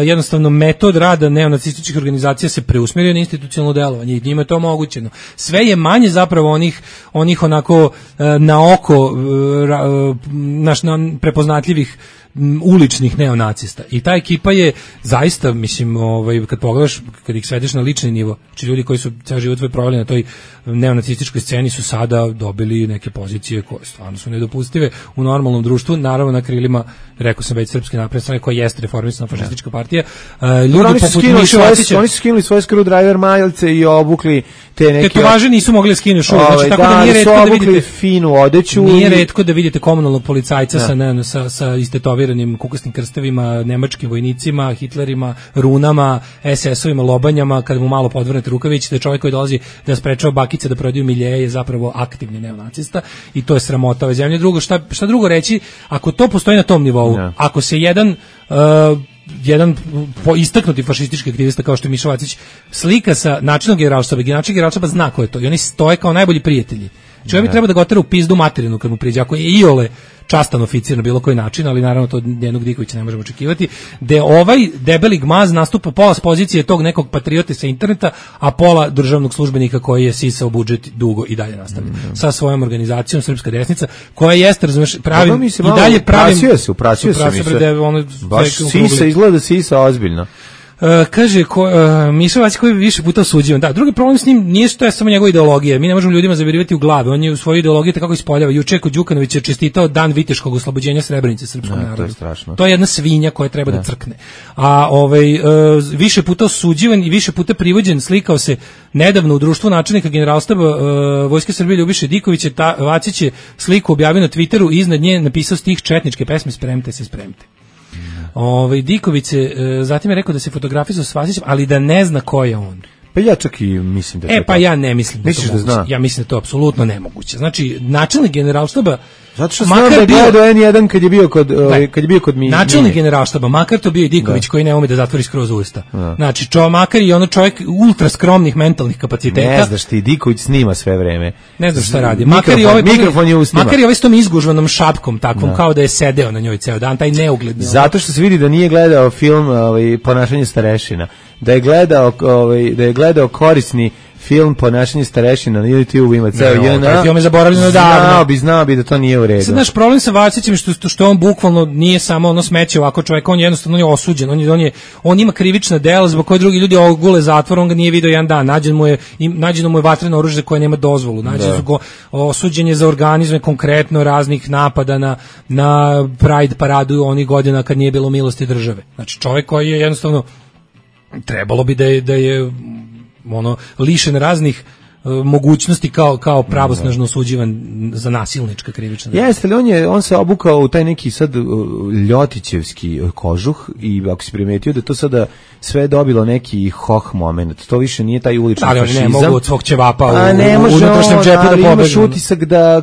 jednostavno metod rada neonacističkih organizacija se preusmjerio na institucionalno delovanje i njima je to omogućeno. Sve je manje zapravo onih onako na oko prepoznatljivih uličnih neonacista. I ta ekipa je zaista, mislim, kad pogledaš, kad ih svedeš na lični nivo, znači ljudi koji su ceo život proveli na toj neonacističkoj sceni su sada dobili neke pozicije koje stvarno su nedopustive u normalnom društvu, naravno na krilima, rekao sam već, Srpske napredne stranke koja jeste reformisana fašistička partija. Ljudi poput Miše Vacića, oni su skinuli svoje screwdriver majice i obukli te neke tetovaže, nisu mogli da skinu šup, znači tako da nije retko da vidite finu odeću. Nije retko da vidite komunalnog policajca sa istetoviranim kukasnim krstavima, nemačkim vojnicima, Hitlerima, runama, SS-ovima, lobanjama, kada mu malo podvrnete rukavić, da je čovjek koji dolazi da sprečava bakice da prodaju miljeje je zapravo aktivni neonacista i to je sramota ove zemlje. Drugo, šta drugo reći, ako to postoji na tom nivou, ako se jedan istaknuti fašistički aktivista kao što je Miša Vacić slika sa načelnog generalštaba, načelnik generalštaba zna ko je to i oni stoje kao najbolji prijatelji. Čovjek bi treba da ga otera u pizdu materinu kad mu priđe, ako je iole častan oficir na bilo koji način, ali naravno to njenog Dikovića ne možemo očekivati, da ovaj debeli gmaz nastupa pola s pozicije tog nekog patriote sa interneta, a pola državnog službenika koji je sisao budžet dugo i dalje nastavlja. Sa svojom organizacijom Srpska desnica, koja jeste, razumeš, pravim i dalje pravim... Uprasio se. Baš sisa, izgleda sisa ozbiljno. Kaže Miša Vacić koji je više puta osuđivan. Da, drugi problem s njim nije što je samo njegova ideologija. Mi ne možemo ljudima zavirivati u glave. On je u svojoj ideologiji tako ispoljava. Juče kod Đukanovića je čestitao dan viteškog oslobođenja Srebrenice srpskom narodu. To je strašno. To je jedna svinja koja treba da crkne. A više puta osuđivan i više puta privođen, slikao se nedavno u društvu načelnika generalštaba Vojske Srbije Ljubiše Dikovića. Vacić je sliku objavio na Twitteru i iznad nje napisao stih četničke pesme Spremte se, spremte. Diković zatim je rekao da se fotografizao s Vasićem, ali da ne zna ko je on. Pa ja čak i mislim da pa ja ne mislim da to moguće. Ja mislim da to apsolutno nemoguće. Znači, načelnik generalštaba, zato što znam da je gledao N1 kad je bio kod načelnik generalštaba, makar to bio i Diković koji ne ume da zatvori skroz usta. Znači, makar i ono čovjek ultra skromnih mentalnih kapaciteta. Ne znaš ti, Diković snima sve vreme. Ne znaš šta radi. Mikrofon je ustima. Makar i ovaj s tom izgužvanom šapkom takvom, kao da je sedeo na njoj ceo dan, taj neugledni. Zato što se vidi da nije gledao film Ponašanje starešina. Da je gledao korisni film Ponašanje starešina na YouTube ima ceo JNA. Film je zaboravljeno davno. Znao bi da to nije u redu. Sad naš problem sa Vacićem što on bukvalno nije samo ono smeće ovako čovjek, on jednostavno je osuđen, on ima krivična dela zbog koje drugi ljudi ogule zatvor, on ga nije video jedan dan, nađeno mu je vatreno oružje koje nema dozvolu, osuđen je za organizme konkretno raznih napada na Pride paradu onih godina kad nije bilo milosti države. Znači čovjek koji je jednostavno trebalo bi da je ono lišen raznih mogućnosti kao pravosnažno osuđivan za nasilnička krivična dela. Jeste li on se obukao u taj neki sad ljotićevski kožuh i ako si primetio da to sada sve dobilo neki hoh moment, to više nije taj ulični fašizam. Ali ne mogu od svog ćevapa u unutrašnjem džepu da pobegne. Imaš utisak da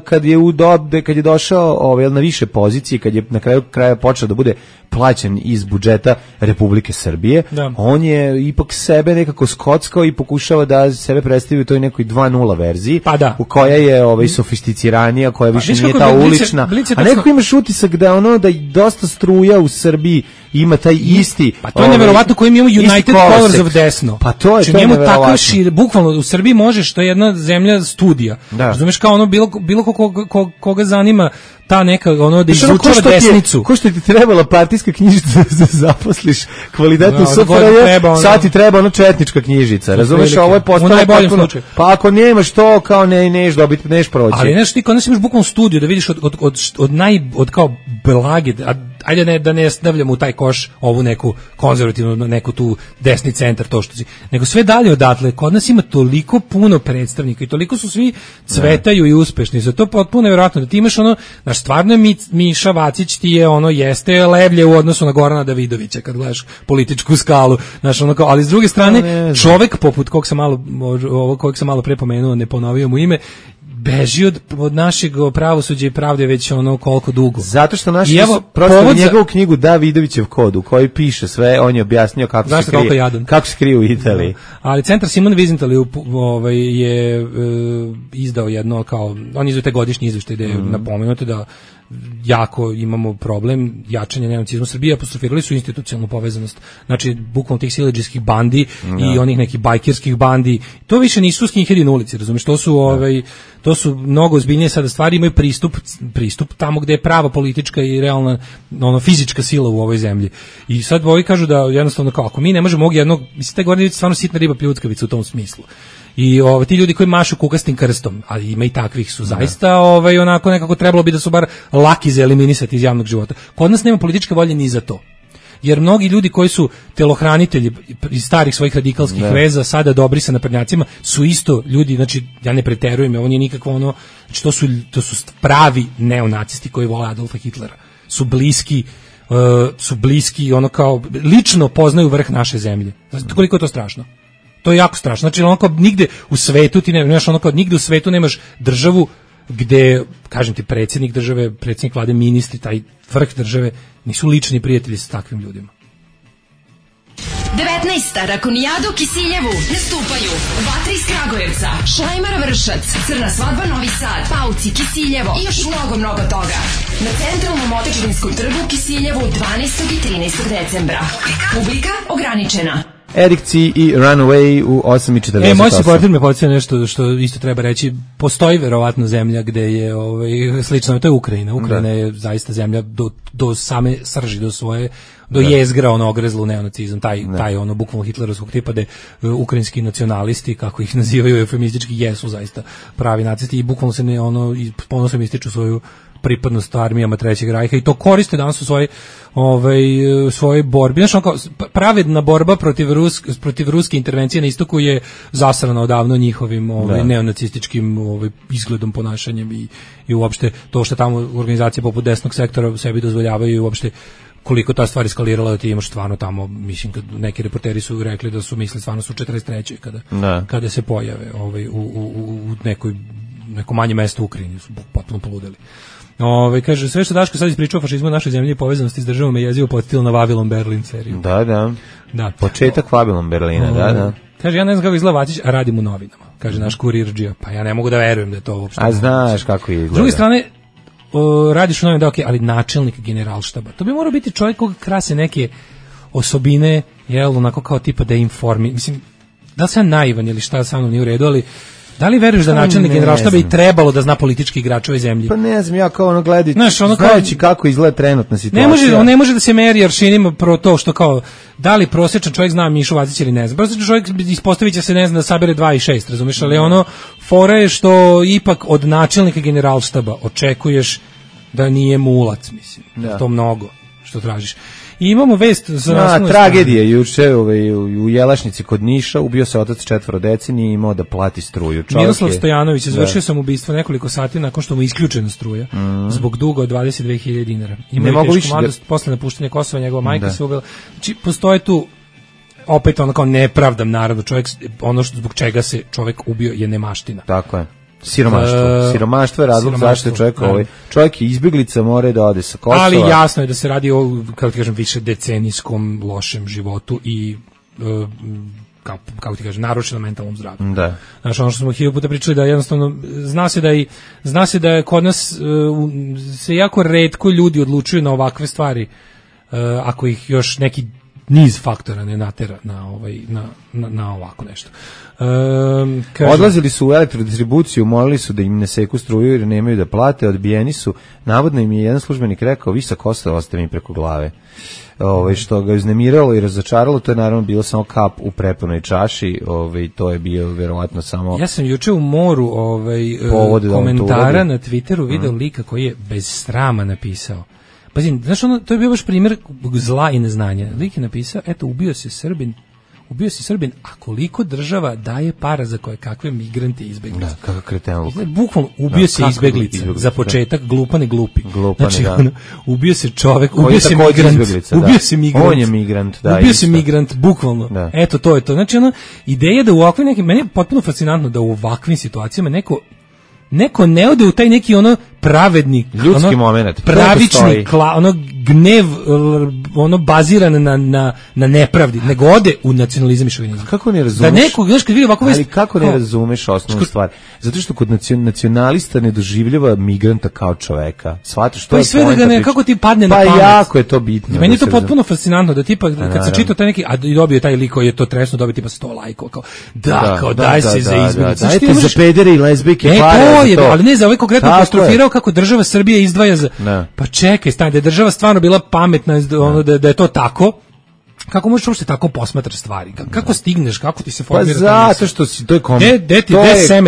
kad je došao na više pozicije, kad je na kraju kraja počeo da bude plaćen iz budžeta Republike Srbije, on je ipak sebe nekako skockao i pokušava da sebe predstavi u toj nekoj 2.0 verziji, u koja je sofisticiranija, koja više nije ta ulična. A nekako imaš utisak da da dosta struja u Srbiji ima taj isti. Pa to je neverovatno koji imamo United Colors of desno. Pa to je tako bukvalno u Srbiji možeš, to je jedna zemlja studija. Razumeš, kao bilo koga zanima ta neka da izučava desnicu. Ko što ti trebala partijska knjižica da zaposliš kvalitetnu SFRJ, sad ti treba četnička knjižica. Razumeš, ovo je postalo potpuno. Pa ako nemaš to, kao neš dobiti, neš proći. Ali nešto ti, kada imaš bukvalno studiju da vidiš od kao blage, ajde da ne stavljamo u taj koš ovu neku konzervativnu, neku tu desni centar, to što si, nego sve dalje odatle, kod nas ima toliko puno predstavnika i toliko su svi cvetaju i uspešni, zato je potpuno nevjerojatno da ti imaš stvarno je Miša Vacić ti je jeste levlje u odnosu na Gorana Davidovića kad gledaš političku skalu, ali s druge strane čovek poput kojeg sam malo pre pomenuo, ne ponovio mu ime, beži od našeg pravosuđa i pravde već koliko dugo. Zato što naši prosto njegovu knjigu Davidovićev kod u kojoj piše sve, on je objasnio kako se krije u Italiji. Ali centar Simon Wiesenthal je izdao jedno on izdao te godišnji izveštaj gde je napomenuto da jako imamo problem jačanja neonacizma u Srbiji, apostrofirali su institucionalnu povezanost, znači bukvalno tih siledžijskih bandi i onih nekih bajkerskih bandi, to više nisu skinheadi na ulici, razumiješ, to su mnogo ozbiljnije sada stvari, imaju pristup tamo gde je prava politička i realna fizička sila u ovoj zemlji. I sad ovi kažu da jednostavno ako mi ne možemo mislim te godine stvarno sitna riba pljuckavica u tom smislu. I ti ljudi koji mašu kukastim krstom, ali ima i takvih su zaista onako nekako trebalo bi da su bar laki za eliminisati iz javnog života. Kod nas nema političke volje ni za to. Jer mnogi ljudi koji su telohranitelji iz starih svojih radikalskih veza, sada dobri sa naprednjacima, su isto ljudi, znači ja ne preterujem, ovo nije nikakvo znači to su pravi neonacisti koji vole Adolfa Hitlera. Su bliski kao lično poznaju vrh naše zemlje. Znači koliko je to strašno? To je jako strašno. Znači nigde u svetu ti nemaš nigde u svetu nemaš državu gde, kažem ti, predsjednik države, predsjednik vlade, ministri, taj vrh države nisu lični prijatelji sa takvim ljudima. 19. Rakonijada u Kisiljevu nastupaju Vatra iz Kragujevca, Šlajmar Vršac, Crna svadba Novi Sad, Pauci, Kisiljevo i još mnogo toga. Na centralnom Otečevinskom trgu u Kisiljevu 12. i 13. decembra. Publika ograničena. Eric C. i Runaway u 8.48. Moj supporter me podsjeća nešto što isto treba reći. Postoji verovatno zemlja gde je slično, to je Ukrajina. Ukrajina je zaista zemlja do same srži, do jezgra ogrezlu neonacizam, taj bukvalno hitlerovskog tipa, da ukrajinski nacionalisti, kako ih nazivaju eufemistički, jesu zaista pravi nacisti i bukvalno se ponosno ističu svoju pripadnost armijama Trećeg rajha i to koriste danas u svojoj borbi. Znači, pravedna borba protiv ruske intervencije na istoku je zasrana odavno njihovim neonacističkim izgledom, ponašanjem i uopšte to što tamo organizacije poput desnog sektora sebi dozvoljavaju i uopšte koliko ta stvar eskalirala da ti imaš stvarno tamo, mislim, neki reporteri su rekli da su mislili stvarno su 43. kada se pojave u neko manje mesto u Ukrajini, su potpuno poludeli. Kaže, sve što Daško sad ispričao o fašizmu našoj zemlji i povezanosti s državom je jezivo podsjetilo na Vavilon Berlin seriju. Da. Početak Vavilon Berlina, da. Kaže, ja ne znam kako izgleda Vacić, a radim u novinama. Kaže, naš kurirđija. Pa ja ne mogu da verujem da je to uopšte. A znaš kako izgleda. S druge strane, radiš u novinama, da, ali načelnik generalštaba. To bi morao biti čovjek koga krase neke osobine, onako kao tipa da informi. Mislim, da li sam naivan ili šta sa mnom nije u redu, ali da li veruješ da načelnik Generalštaba i trebalo da zna politički igrač ove zemlje? Pa ne znam, ja kao ono gledati, znajući kako izgleda trenutna situacija. On ne može da se meri aršinima pro to što kao, da li prosječan čovjek zna Mišu Vacića ili ne zna. Prosječan čovjek ispostavit će se ne zna da sabere 2 i 6, razumiješ, ali ono, fora je što ipak od načelnika Generalštaba očekuješ da nije mulac, mislim, da to mnogo što tražiš. I imamo vest za tragedije juče u Jelašnici kod Niša, ubio se otac 4 dece, nije imao da plati struju. Miroslav Stojanović izvršio samoubistvo nekoliko sati nakon što mu isključena struja zbog duga od 22.000 dinara. Imao je tešku mladost posle napuštanja Kosova, njegova majka se ubila. Znači, postoje tu opet ono kao nepravdam, naravno, čovjek, ono što zbog čega se čovjek ubio je nemaština. Tako je. Siromaštvo je razlog zašto čovjek je izbjeglica, mora da ode sa Kosova. Ali jasno je da se radi o, kako ti kažem, više decenijskom lošem životu i kako ti kažem, narušenom mentalnom zdravlju. Da. Znaš, ono što smo 1000 puta pričali, da jednostavno zna se da je kod nas se jako retko ljudi odlučuju na ovakve stvari, ako ih još neki niz faktora ne natera na ovako nešto. Odlazili su u elektrodistribuciju, molili su da im ne seku struju jer nemaju da plate, odbijeni su. Navodno im je jedan službenik rekao, vi sa Kosova oste mi preko glave. Što ga uznemiralo i razočaralo, to je naravno bilo samo kap u prepunoj čaši, to je bio verovatno samo... Ja sam juče u moru komentara na Twitteru video lika koji je bez srama napisao. Pazi, znaš, to je bio baš primjer zla i neznanja. Lik je napisao, eto, ubio se Srbin, a koliko država daje para za koje kakve migrante i izbeglice. Da, kakav kreten luk. Bukvalno, ubio se izbeglica, za početak, glupan i glupi. Znači, ubio se čovek, ubio se migrant. On je migrant, da. Ubio se migrant, bukvalno. Da. Eto, to je to. Znači, ideja da u ovakvim nekim, meni je potpuno fascinantno da u ovakvim situacijama neko ne ode u taj neki pravedni ljudski moment, pravični gnev baziran na nepravdi, nego ode u nacionalizam i šovinizam. Kako ne razumeš? Da neko, znaš, kad vidi ovako vest, ali kako ne razumeš osnovnu stvar? Zato što kod nacionalista ne doživljava migranta kao čoveka. Shvataš što je sve da ga ne, kako ti padne na pamet. Pa jako je to bitno. Meni je to potpuno fascinantno da tipa kad se čita taj neki, a dobio taj lik koji je to tresno dobio tipa 100 lajkova, kao daj se za izbeglice. Dajte za pedere i lezbijke pare. Ali ne, za ovaj konkretno apostrofirao kako država Srbija izdvaja za... Pa čekaj, stani, da je država stvarno bila pametna, da je to tako, kako možeš uopšte tako posmatraš stvari? Kako stigneš, kako ti se formira? Pa zato što to je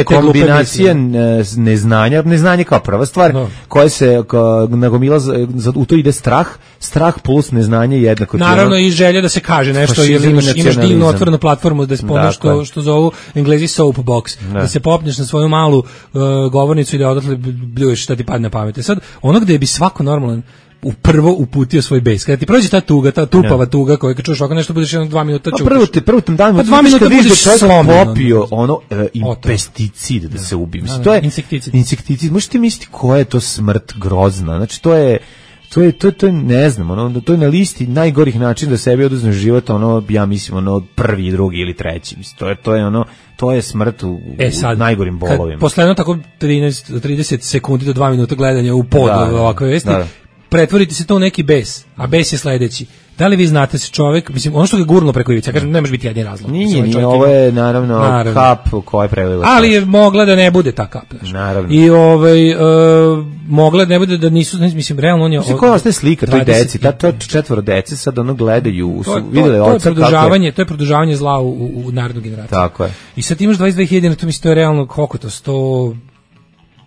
kombinacija neznanja kao prva stvar, koja se nagomila, u to ide strah plus neznanje jednako. Naravno i želja da se kaže nešto, jer imaš divnu otvorenu platformu da spomenaš što zovu Englezi soapbox, da se popneš na svoju malu govornicu i da odatle bljuješ šta ti padne na pamet. Sad, ono gde bi svako normalan prvo uputio svoj bes. Kada ti prođe ta tuga, ta tupava tuga koju kad čuješ ovako nešto budeš 2 minuta čutiš. Prvo tam dan, 2 minuta budeš popio pesticid da se ubije. To je insekticid. Možete misliti koja je to smrt grozna. Znači to je ne znam, to je na listi najgorih načina da sebi oduzmeš život, ja mislim, prvi, drugi ili treći. Mislim, to je smrt u najgorim bolovima. Posle tako 30 sekundi do 2 minuta gledanja u pod ovakve vesti, pretvoriti se to u neki bes, a bes je sledeći. Da li vi znate se čovjek, mislim, ono što ga gurnulo preko ivice, ja kažem, ne može biti jedini razlog. Nije, ovo je naravno kap koja je prelila. Ali je mogla da ne bude ta kap. Naravno. I mogla da ne bude da nisu, mislim, realno on je... Koja ostaje slika toj deci, to 4 dece sad gledaju, su vidjeli oca kako je... To je produžavanje zla u narodnu generaciju. Tako je. I sad imaš 22.000, to mislim, to je realno, koliko to, 100...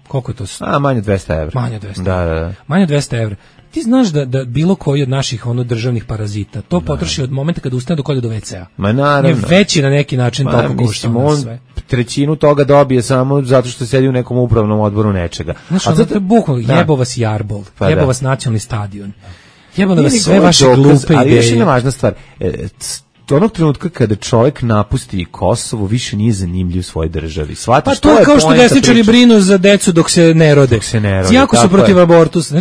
Koliko je to? Manje od 200 evra. Manje od 200 evra. Da. Manje od 200 evra. Ti znaš da bilo koji od naših državnih parazita to potroši od momenta kada ustane dok ode do WC-a. Ma naravno. Je veći na neki način toliko košta sve. Trećinu toga dobije samo zato što sedi u nekom upravnom odboru nečega. Znaš, to je bukvalno, jebo vas Jarbol, jebo vas nacionalni stadion, jebo vas sve vaše glupe ideje. Ali još jedna važna stvar, onog trenutka kada čovjek napusti Kosovo, više nije zanimljiv svojoj državi. Pa to je kao što desničari brinu za decu dok se ne rode. Jako su protiv abortusa.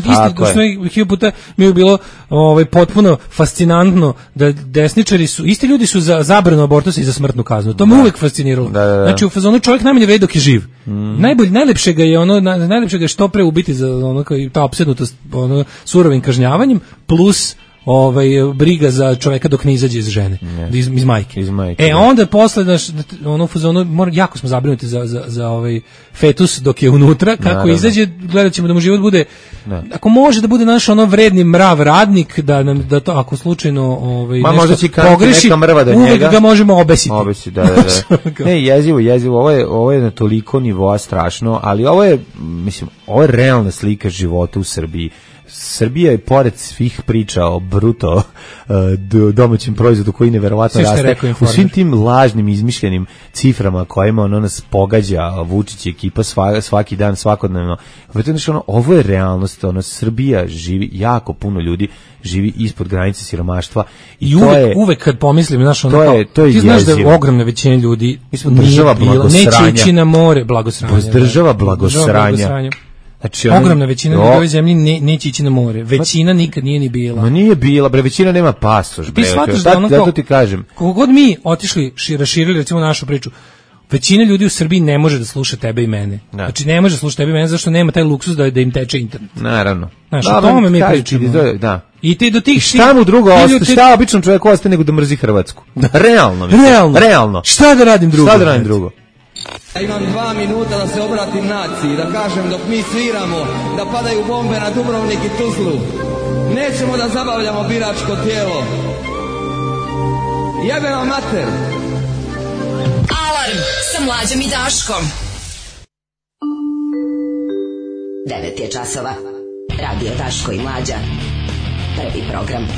Isti puta mi je bilo potpuno fascinantno da desničari su, isti ljudi su za zabranu abortusa i za smrtnu kaznu. To me uvek fasciniralo. Znači u fazonu čovjek najmanje vredi dok je živ. Najlepše ga je što pre ubiti za ta opsednutost surovim kažnjavanjem plus briga za čoveka dok ne izađe iz žene, iz majke. Onda posle ono fazonu jako smo zabrinuti za fetus dok je unutra, kako izađe, gledaćemo da mu život bude, ako može da bude naš ono vredni mrav radnik, da to ako slučajno nešto pogreši, uvek ga možemo obesiti. Ne, jezivo, ovo je na toliko nivoa strašno, ali ovo je realna slika života u Srbiji. Srbija je pored svih priča o bruto domaćem proizvodu koji neverovatno raste, u svim tim lažnim izmišljenim ciframa kojima nas pogađa Vučić i ekipa svaki dan, svakodnevno. Ovo je realnost, Srbija živi, jako puno ljudi živi ispod granice siromaštva i uvek kad pomislim, ti znaš da je ogromna većina ljudi neće ići na more, država blagosranja. Znači, ogromna većina ljudi u ovoj zemlji neće ići na more. Većina nikad nije ni bila. Ma nije bila, većina nema pasoš. Ti shvataš da ti kažem. Kako god mi otišli, raširili recimo našu priču, većina ljudi u Srbiji ne može da sluša tebe i mene. Znači ne može da sluša tebe i mene zašto nema taj luksuz da im teče internet. Naravno. Znači, o tome mi pričamo. I ti do tih šta mu drugo ostaje, šta običnom čovjeku ostaje nego da mrzi Hrvatsku? Realno. Šta da radim drugo? Ja imam 2 minuta da se obratim naciji, da kažem dok mi sviramo, da padaju bombe na Dubrovnik i Tuzlu. Nećemo da zabavljamo biračko tijelo. Jebe vam mater! Alarm sa Mlađom i Daškom. 9 je časova. Radio Daško i Mlađa. Prvi program.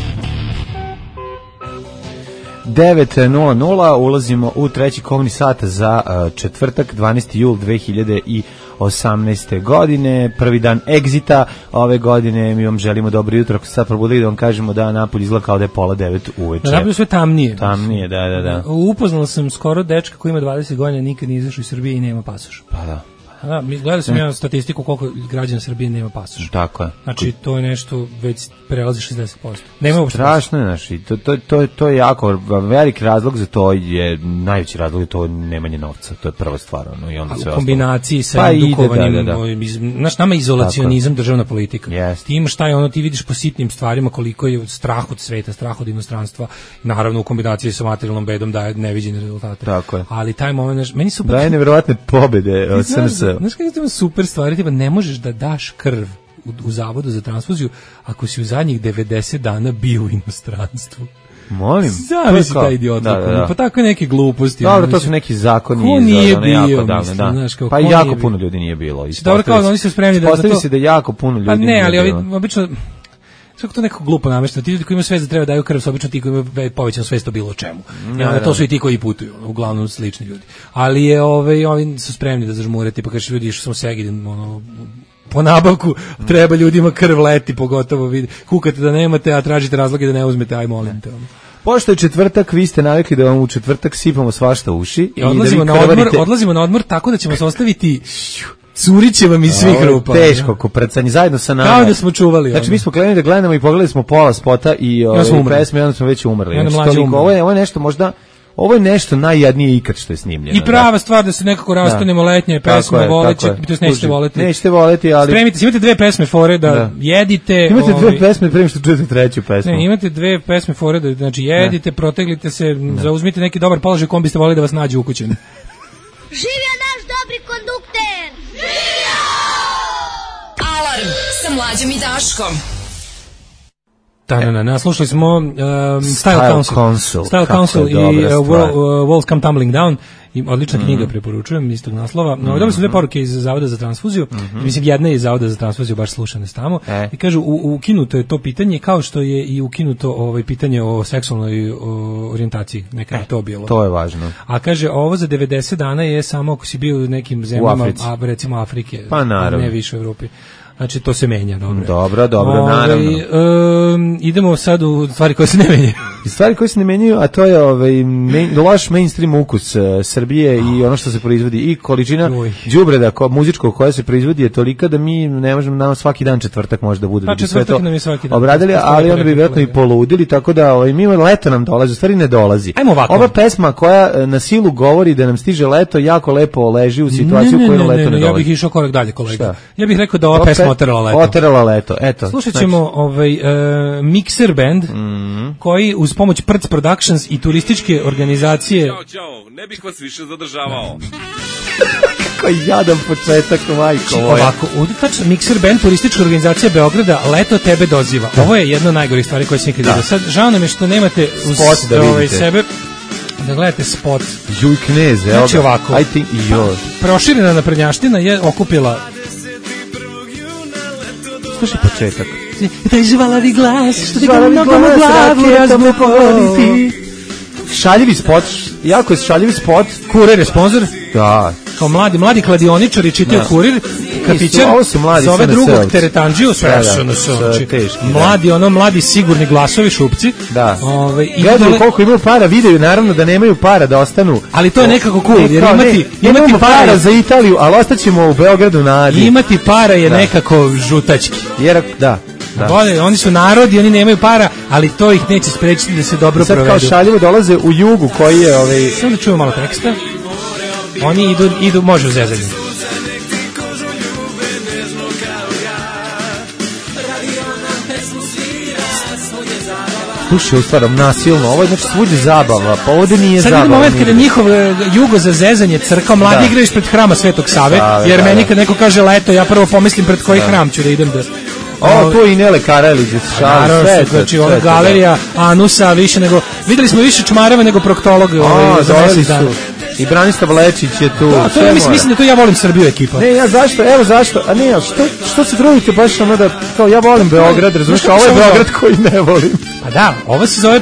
9:00 ulazimo u treći komni sat za četvrtak, 12. jul 2018. godine, prvi dan egzita ove godine. Mi vam želimo dobro jutro. Ako ste sad probudili da vam kažemo da napolje izgleda kao da je 8:30 uveče. Napolje sve tamnije. Tamnije, da. Upoznala sam skoro dečka koji ima 20 godina, nikad nije izašao iz Srbije i nema pasoš. Pa da. Gledao sam ja statistiku koliko građana Srbije nema pasoš. Tako je. Znači to je nešto već prelazi 60%. Nema uopšte. Strašno je, znači to je jako veliki razlog za to, je najveći razlog je to nemanje novca. To je prva stvar, i onda sve u kombinaciji sa edukovanjem, nama izolacionizam, državna politika. Ti imaš šta je ono, ti vidiš po sitnim stvarima koliko je strah od sveta, strah od inostranstva, naravno u kombinaciji sa materijalnom bedom daje neviđene rezultate. Tako je. Ali taj moment, meni su daje neverovatne pobede od SNS. Znaš kako je super stvari, tipa ne možeš da daš krv u zavodu za transfuziju ako si u zadnjih 90 dana bio u inostranstvu. Molim. Zavisi taj idiot. Pa tako neke gluposti. Dobro, to su neki zakoni. Ko nije bio, pa jako puno ljudi nije bilo. Dobro, kao oni su spremni da to... se da jako puno ljudi nije bilo. Pa ne, ali obično... Sve to neko glupo namešteno. Ti ljudi koji imaju svest da treba daju krv, su obično ti koji imaju povećanu svest o bilo čemu. To su i ti koji putuju, uglavnom slični ljudi. Ali je ovi su spremni da zažmure, tipa kažeš ljudi išao sam u Segedin, po nabavku treba ljudima krv leti, pogotovo vidi. Kukate da nemate, a tražite razloge da ne uzmete, aj molim te. Pošto je četvrtak, vi ste navikli da vam u četvrtak sipamo svašta uši. I odlazimo na odmor tako da ćemo se ostaviti curiće vam iz svih rupa. Teško, koprcanje, zajedno sa nama. Kao da smo čuvali. Znači, mi smo krenuli da gledamo i pogledali smo pola spota i pesme, i onda smo već umrli. Ovo je nešto možda... Ovo je nešto najjadnije ikad što je snimljeno. I prava stvar da se nekako rastanemo, letnje pesme, voleće, to nećete voleti. Nećete voleti, ali... Spremite se, imate 2 pesme fore da jedite... Imate 2 pesme prema što čujete treću pesmu. Ne, imate 2 pesme fore da, znači, jedite, proteglite se, zauzmite neki dobar položaj kom biste voleli da vas nađe ukućen. Živio naš dobri kondukter! Živio! Alarm sa Mlađom i Daškom. Slušali smo Style Council i Walls Come Tumbling Down. Odlična knjiga, preporučujem, istog naslova. Dobili smo 2 poruke iz Zavoda za transfuziju. Mislim, jedna je iz Zavoda za transfuziju, baš slušane tamo. I kažu, ukinuto je to pitanje, kao što je i ukinuto pitanje o seksualnoj orijentaciji. Nekada je to bilo. To je važno. A kaže, ovo za 90 dana je samo ako si bio u nekim zemljama, recimo Afrike, pa naravno, ne više u Evropi. Znači, to se menja, dobro, naravno. Idemo sad u stvari koje se ne menjaju. Stvari koje se ne menjaju, a to je loš mainstream ukus Srbije i ono što se proizvodi i količina đubreda muzičkog koja se proizvodi je tolika da mi ne možemo, nam svaki dan četvrtak može da bude da bi sve to obradili, ali onda bi vjerojatno i poludili, tako da mi leto nam dolazi, u stvari ne dolazi. Ova pesma koja na silu govori da nam stiže leto, jako lepo leži u situaciju koju leto ne dolazi. Ja bih išao korak dalje, kolega. Ja bih rekao da ova pesma Oterala leto. Eto. Slušat ćemo Mixer band koji uz pomoć Prc Productions i turističke organizacije... Ćao, ne bih vas više zadržavao. Kako jadan početak, majko moja. Ovako, ovdje tačno Mixer band, turistička organizacija Beograda, leto tebe doziva. Ovo je jedna od najgorih stvari koje sam ikad vidio. Sad, žao nam je što nemate uz sebe da gledate spot. Juj knez, evo. Znači ovako, proširena naprednjaština je okupila... Slušaj početak. Taj živalavi glas, što ti ga mnogo mu glavu razmu pogoditi. Šaljivi spot, jako je šaljivi spot. Kurir je sponsor? Da. Kao mladi kladioničari čitaju Kurir, kafićar, zove drugog teretandžiju, sve mladi sigurni glasovi šupci. Da. Gledaju koliko imaju para, videju naravno da nemaju para da ostanu. Ali to je nekako cool, jer imati para za Italiju, ali ostaćemo u Beogradu na Adi. Imati para je nekako žutački. Jer, da. Oni su narodi, oni nemaju para, ali to ih neće sprečiti da se dobro provedu. Sad kao šaljivo dolaze u Jugu koji je... Samo da čujemo malo teksta. Oni idu, može u zezanju. Slušaj, u stvarom, nasilno, ovo je znači svuđe zabava, pa ovdje nije zabava. Sad je moment kada njihov jugo za zezanje crkao, mladi igraju ispred hrama Svetog Save, jer meni kad neko kaže leto, ja prvo pomislim pred koji hram ću da idem da... Tu i Nele Karelić, sve. Znači, ova galerija Anusa, više nego... Videli smo više čmareva nego proktolog za mesec dana. I Branislav Lečić je tu. Da, mislim da to ja volim Srbiju ekipa. Ne, ja zašto? A ne, što se trudite baš ono da, kao ja volim Beograd, razumiješ, ovo je Beograd koji ne volim. Pa da, ovo se zove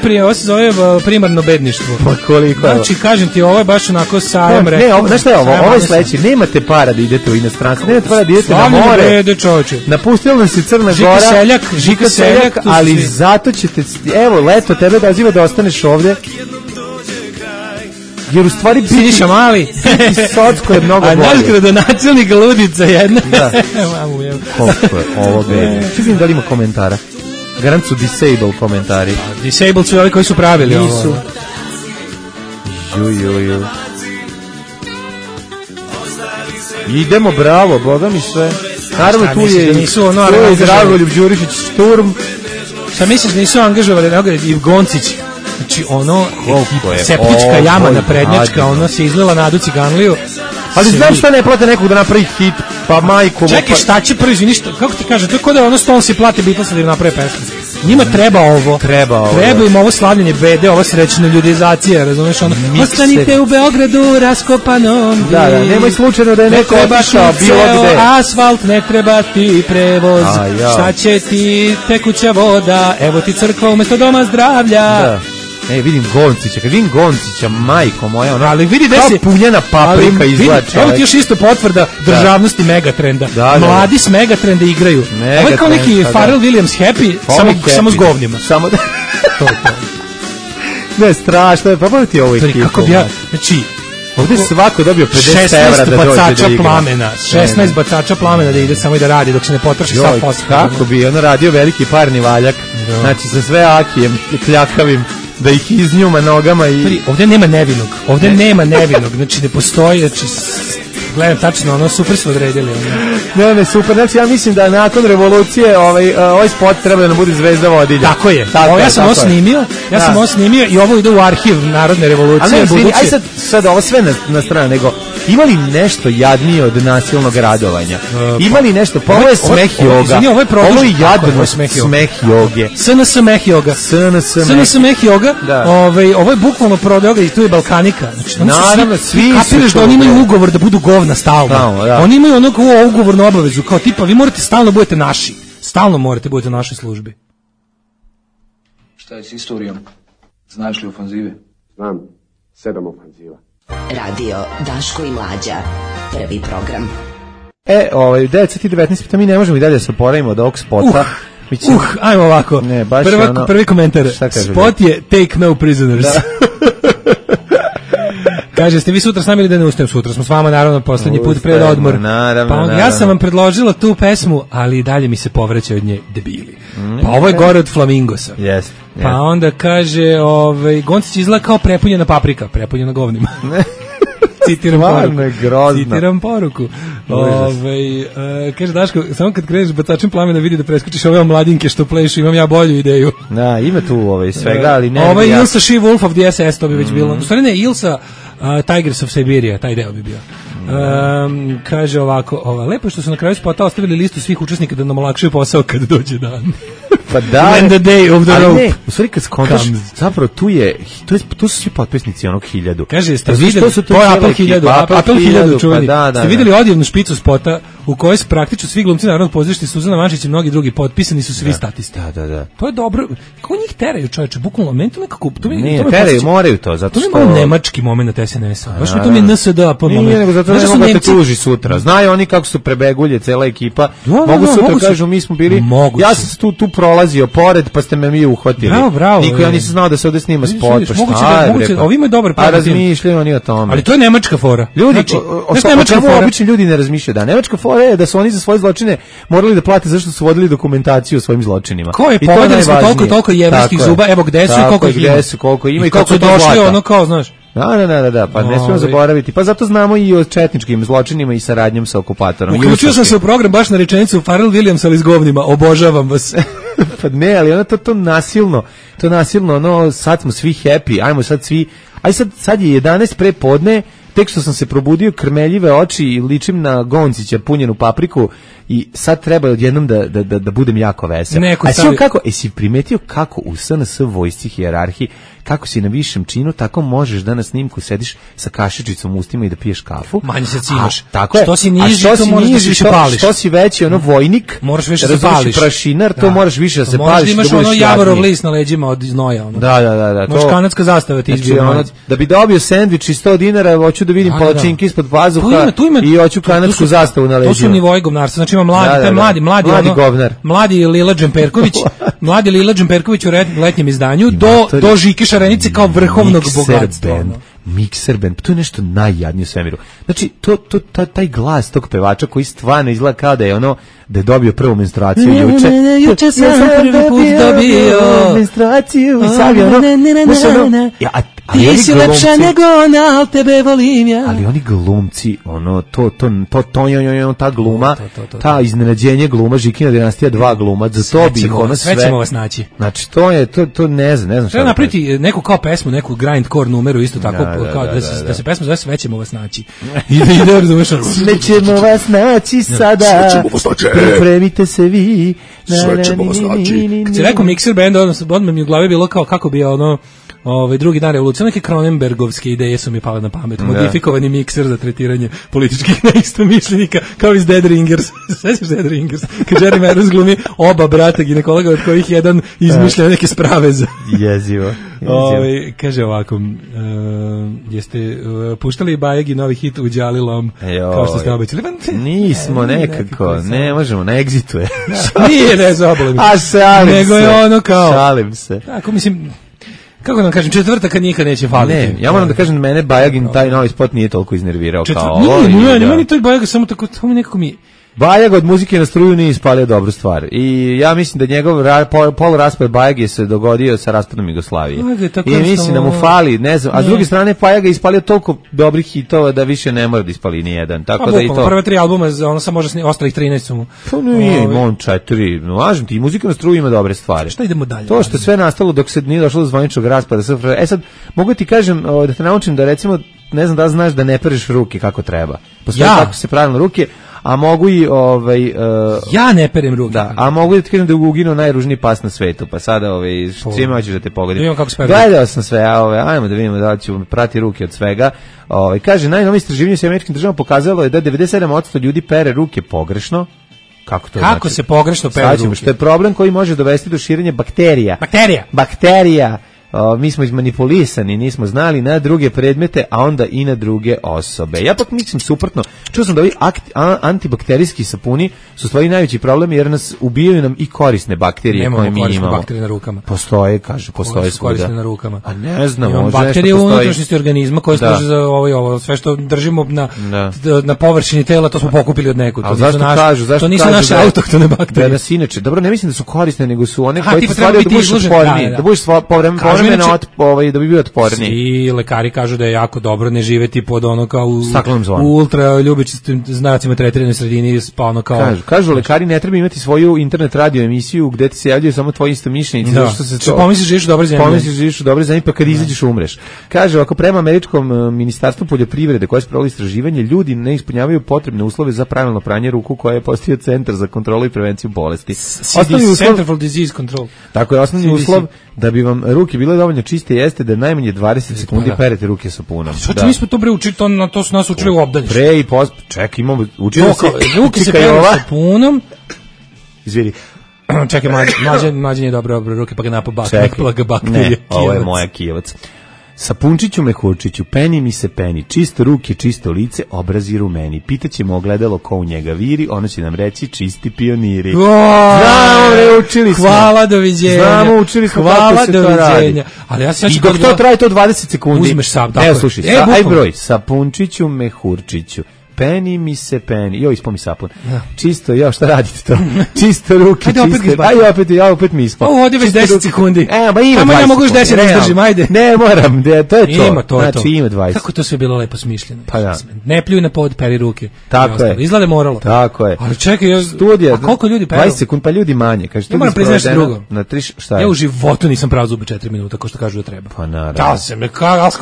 primarno bedništvo. Pa koliko? Znači, kažem ti, ovo je baš onako sajam rekao. Ne, znaš šta je ovo je sledeće, nemate para da idete u inostranstvo, nemate para da idete na more. Napustila nam se Crna Gora, Žika Seljak, ali zato ćete, evo, leto tebe doziva da ostaneš ovde. Jer u stvari Siniša Mali Socko je mnogo bolje. A naš gradonačelnik ludica jedna. Da. Koliko je ovo bedno. Ču vidim da li ima komentara. Garant su disable komentari. Disable su ovi koji su pravili ovo. Nisu. Ju. Idemo, bravo, boga mi sve. Naravno tu je i Dragoljub Đurišić Šturm. Šta misliš da nisu angažovali i Goncić? Znači septička jama naprednjačka, ono se izlila Nadu Ciganliju. Ali znam šta ne plate nekog da napravi hit, pa majko... Čekaj, šta će prvi, izvini, kako ti kaže, to je kod da ono Stones i plate Beatlesa da im naprave pesmu. Njima treba ovo. Treba im ovo slavljenje bede, ova srećna ljudizacija, razumeš ono. Ostanite u Beogradu raskopanom. Da, nemoj slučajno da je neko otišao bilo gde. Asfalt, ne treba ti prevoz. Šta će ti tekuća voda, evo ti crkva umesto doma zdravlja. Da. Vidim Goncića, kad vidim Goncića, majko moja, ono, ali vidi da se punjena paprika izvlača. Evo ti još isto potvrda državnosti Megatrenda. Mladi s Megatrenda igraju. Ovo je kao neki Pharrell Williams Happy, samo s govnjima. Samo da... Ne, strašno je, pa ti ovo ekipu. Kako bi ja, znači... Ovdje svako dobio 50 evra da dođe da igra. 16 bacača plamena da ide samo i da radi dok se ne potroši sav posao. Kako bi ono radio veliki parni valjak, znači sa sve akijem kljakavim, da ih iznjuma nogama i... Ovdje nema nevinog, znači ne postoji, znači gledam tačno, ono super su odredili. Ne, super, znači ja mislim da nakon revolucije ovaj spot treba da nam bude zvezda vodilja. Tako je, ja sam ovo snimio i ovo ide u arhiv Narodne revolucije. Aj sad ovo sve na stranu, nego ima li nešto jadnije od nasilnog radovanja? Ima li nešto, pa ovo je smeh joga, ovo je jadno smeh joge. SNS smeh joga. SNS smeh joga, ovo je bukvalno prodao i tu je Balkanika. Naravno, svi kapiraš da oni imaju ugovor da budu govna stalno. Oni imaju ono ugovornu obavezu, kao tipa vi morate stalno budete naši. Stalno morate budete u našoj službi. Šta je s istorijom? Znaš li ofanzive? Znam, 7 ofanziva. Radio Daško i Mlađa, prvi program. 9:19, pa mi ne možemo i dalje da se oporavimo od ovog spota. Ajmo ovako. Prvi komentar. Spot je Take No Prisoners. Kaže, ste vi sutra s nami ili da ne ustajem sutra? Smo s vama, naravno, poslednji put pred odmor. Ja sam vam predložila tu pesmu, ali dalje mi se povraća od nje debili. Pa ovo je gore od Flamingosa. Pa onda kaže, Goncić izgleda kao prepunjena paprika, prepunjena govnima. Citiram poruku. Kaže Daško, samo kad kreneš bacačem plamena vidi da preskočiš ove mladinke što plešu, imam ja bolju ideju. Da, ima tu svega, ali ne. Ovo je Ilsa She-Wolf of the SS, to bi već bilo. U stvari ne, Ilsa Tigers of Siberia, taj deo bi bio. Kaže ovako, lepo što su na kraju spota ostavili listu svih učesnika da nam olakšaju posao kad dođe dan. Pa da. When the day of the rope. Ne, u stvari kad skontaš, zapravo tu su svi potpisnici onog 1000. Kaže, ste videli, to je Apple 1000, Apple 1000 čuveni. Ste videli odjevnu špicu spota u kojoj su praktično svi glumci Narodnog pozorišta, Suzana Mančić i mnogi drugi potpisani su svi statisti. Da. To je dobro. Kako njih teraju, čoveče, bukvalno, meni to nekako... Ne, teraju, moraju to, zato što... To je nemački moment SNS-a. Baš mi to mi je NSDAP moment. Nije, nego zato ne mogu da te tuži sutra. Znaju oni kako su prebegulje, cela ekipa. Mogu sutra kažu, mi smo bili... Ja sam tu prolazio pored, pa ste me mi uhvatili. Bravo. Niko ja nisam znao da se ovde snima spot, pa šta? Ovi imaju dobar plan. A razmišljaju oni o tome. Ali to je nemačka fora. Ljudi, obični ljudi ne razmišljaju. Da, nemačka fora je da su oni za svoje zločine morali da plate zašto su vodili dokumentaciju o svojim zločinima. Ko je povedali smo toliko jevrejskih zuba, evo gde su i koliko ima. I kako su došli, ono kao, znaš. Da, pa ne smijemo zaboraviti. Pa zato znamo i o četničkim zločinima i saradnjom sa okupatorom. Uključio sam se u program baš na rečenicu Pharrell Williams ali s govnima, obožavam vas. Pa ne, ali ono to nasilno, ono, sad smo svi happy, ajmo sad svi, sad je 11 pre podne, tek što sam se probudio, krmeljive oči i ličim na Goncića punjenu papriku i sad treba odjednom da budem jako vesel. Si primetio kako u SNS vojsci hijerarhiji, kako si na višem činu, tako možeš da na snimku sediš sa kašičicom u ustima i da piješ kafu. Manje se cimaš. Tako je. Što si niži, to moraš da se više pališ. Što si veći, ono vojnik, moraš više da se pališ. Prašinar, to moraš više da se pališ. Možda imaš ono javorov list na leđima od znoja. Da. Možeš kanadska zastava ti izbije. Da bi dobio sendvič i 100 dinara, hoću da vidim palačinke ispod pazuha i hoću kanadsku zastavu na leđima. To su nivoi govnarstva. Znači ima mladi govnar. Mladi Lila Džemperković u letnjem izdanju do Žike Šarenice kao vrhovnog bogatstva. Mixer band, to je nešto najjadnije u svemiru. Znači, taj glas tog pevača koji stvarno izgleda kao da je dobio prvu menstruaciju juče. Juče sam prvi put dobio menstruaciju i sad je ti si lepša nego ona, al tebe volim ja. Ali oni glumci, ta gluma, ta iznenađenje gluma, Žikina dinastija 2 gluma, za to bi ih sve ćemo vas naći. Znači, to ne znam šta. Treba napraviti neku kao pesmu, neku grindcore numeru, isto tako, da se pesma zove Sve ćemo vas naći. Ide, razumeš? Sve ćemo vas naći sada, pripremite se vi. Sve ćemo vas naći. Kad si rekao Mixer band, odmah mi u glavi bilo kao kako bi drugi dan revolucije, neke Cronenbergovske ideje su mi pale na pamet. Modifikovani mikser za tretiranje političkih neistomišljenika, kao iz Dead Ringers. Svećaš Dead Ringers? Kad Jeremy Irons glumi oba brata ginekologa, od kojih jedan izmišlja neke sprave za... Jezivo. Kaže ovako, jeste puštali Bajegi novi hit u Đalilom, kao što ste obećali? Nismo nekako, ne možemo, na Exitu je. Nije, ne zabolim. A šalim se. Nego je ono kao... Šalim se. Tako, mislim... Kako da kažem, četvrtaka nikad neće faliti. Ne, ja moram da kažem, mene Bajagin taj novi spot nije toliko iznervirao kao ovo. Nije, meni to Bajag samo tako, to mi nekako mi... Bajag od muzike na struju nije ispalio dobru stvar. I ja mislim da njegov poluraspad Bajag se dogodio sa raspadom Jugoslavije. I mislim da mu fali, ne znam, a s druge strane Bajag je ispalio toliko dobrih hitova da više ne mora da ispali ni jedan. Tako da i to. Prve 3 albuma, ono sam može ostalih 13 su mu. Pa nije, imam 4. Lažem ti, i muzika na struju ima dobre stvari. Šta idemo dalje? To što sve nastalo dok se nije došlo do zvaničnog raspada SFRJ. Sad mogu ti kažem da te naučim da recimo ne znam da znaš da ne pereš ruke kako treba. Postoji kako se pravilno ruke. A mogu i ja ne perem ruke. Da, a mogu da ti kažem da je uginuo najružniji pas na svetu, pa sada svima hoćeš da te pogodim. Gledao sam sve, ajmo da vidimo da ću prati ruke od svega. Kaže, najnovije istraživanje sa američkim državama pokazalo je da 97% ljudi pere ruke pogrešno. Kako se pogrešno pere ruke? Što je problem koji može dovesti do širenja bakterija. Mi smo izmanipulisani, nismo znali na druge predmete, a onda i na druge osobe. Ja pak mislim suprotno. Čuo sam da ovi antibakterijski sapuni su stvari najveći problem jer nas ubijaju nam i korisne bakterije koje mi imamo. Nemamo korisne bakterije na rukama. Postoje svuda. Korisne na rukama. A ne znam, imamo možda bakterije u unutrašnjosti organizma koje služe za ovo. Sve što držimo na površini tela, to smo pokupili od nekud. To nisu naše autohtone bakterije. Inače, dobro, ne mislim da su korisne, nego su one koje stvaraju da budeš otporniji, da budeš vremena da bi bio otporniji. I lekari kažu da je jako dobro ne živeti pod ono kao u ultra ljubičastim znacima tretiranoj sredini, pa ono kao... Kažu lekari ne treba imati svoju internet radio emisiju gde ti se javljaju samo tvoji istomišljenici, zato što se to... Pomisliš živiš u dobroj zemlji. Pomisliš živiš u dobroj zemlji, pa kad izađeš umreš. Kaže, ako prema američkom ministarstvu poljoprivrede koje sprovodi istraživanje, ljudi ne ispunjavaju potrebne uslove za pravilno pranje ruku koje je postavio Centar za kontrolu i prevenciju bolesti. Center for Disease Control. Tako je, osnovni uslov da bi vam ruke bile dovoljno čiste jeste da najmanje 20 sekundi perete ruke sapunom. Mi smo to učili, to su nas učili u obdaništu. Pre i čekaj, imamo učili se ruke se peru sapunom. Izvini. Čekaj, mlađe nije dobro ruke, pa ga napobak. Ne, ovo je moja Kijevac. Sapunčiću mehurčiću, peni mi se peni, čisto ruke, čisto lice, obrazi rumeni. Pitaćemo ogledalo ko u njega viri, ono će nam reći čisti pioniri. Znamo, učili smo. Hvala, doviđenja. Znamo, učili smo kako se to radi. Ali ja i dok to traje to 20 sekundi. Uzmeš sam, dakle. Evo, slušaj, aj broj, sapunčiću mehurčiću. Peni mi se peni. Jo, ispo mi sapun. Čisto, šta radite to? Čisto ruke, čiste. Aj, opet mi ispo. Ovdje već 10 sekundi. Ba ima 20. Ja mogu još 10 da izdržim, ajde. Ne, moram, to je to. Ima to. Znači, ima 20. Kako to sve bilo lepo smišljeno. Pa da. Ne pljuj na pod, peri ruke. Tako je. Izgleda moralo. Tako je. Ali čekaj, studija. Koliko ljudi peru? 20 sekundi, pa ljudi manje. Kaže, ja moram priznaći drugo. Na 3, šta je? Ja u životu nisam prao zube 4 minuta, kao što kažu da treba. Pa naravno.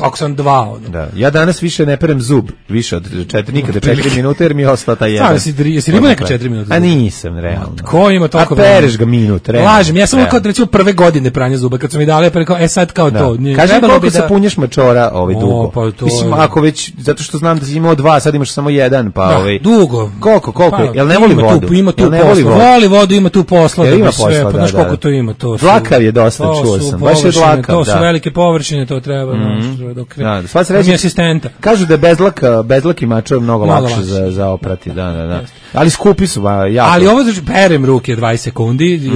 Ako sam 2. Da. Ja danas više ne perem zub, više od 4, nikada 4 minuta, jer mi ostao taj jedan. Jesi li imao neka 4 minuta? A nisam, realno. Ko ima toliko? A pereš ga minut, realno. Lažem, ja sam kao recimo prve godine pranja zuba, kad su mi dali, pa kao, sad kao to. Kaži koliko sapunješ mačora dugo? Mislim, ako već, zato što znam da si imao 2, sad imaš samo 1, pa dugo. Koliko? Jel ne voli vodu? Ima tu posla. Voli vodu, ima tu posla. Ima posla, znaš koliko to ima? Dlakav je dosta, čuo sam. Baš je dlakav, to su velike površine, to treba. Sva se reći, asistenta. Kažu da je bezlaki mačor mnogo lakše za oprati, da. Ali skupi su, jako. Ali ovo perem ruke 20 sekundi,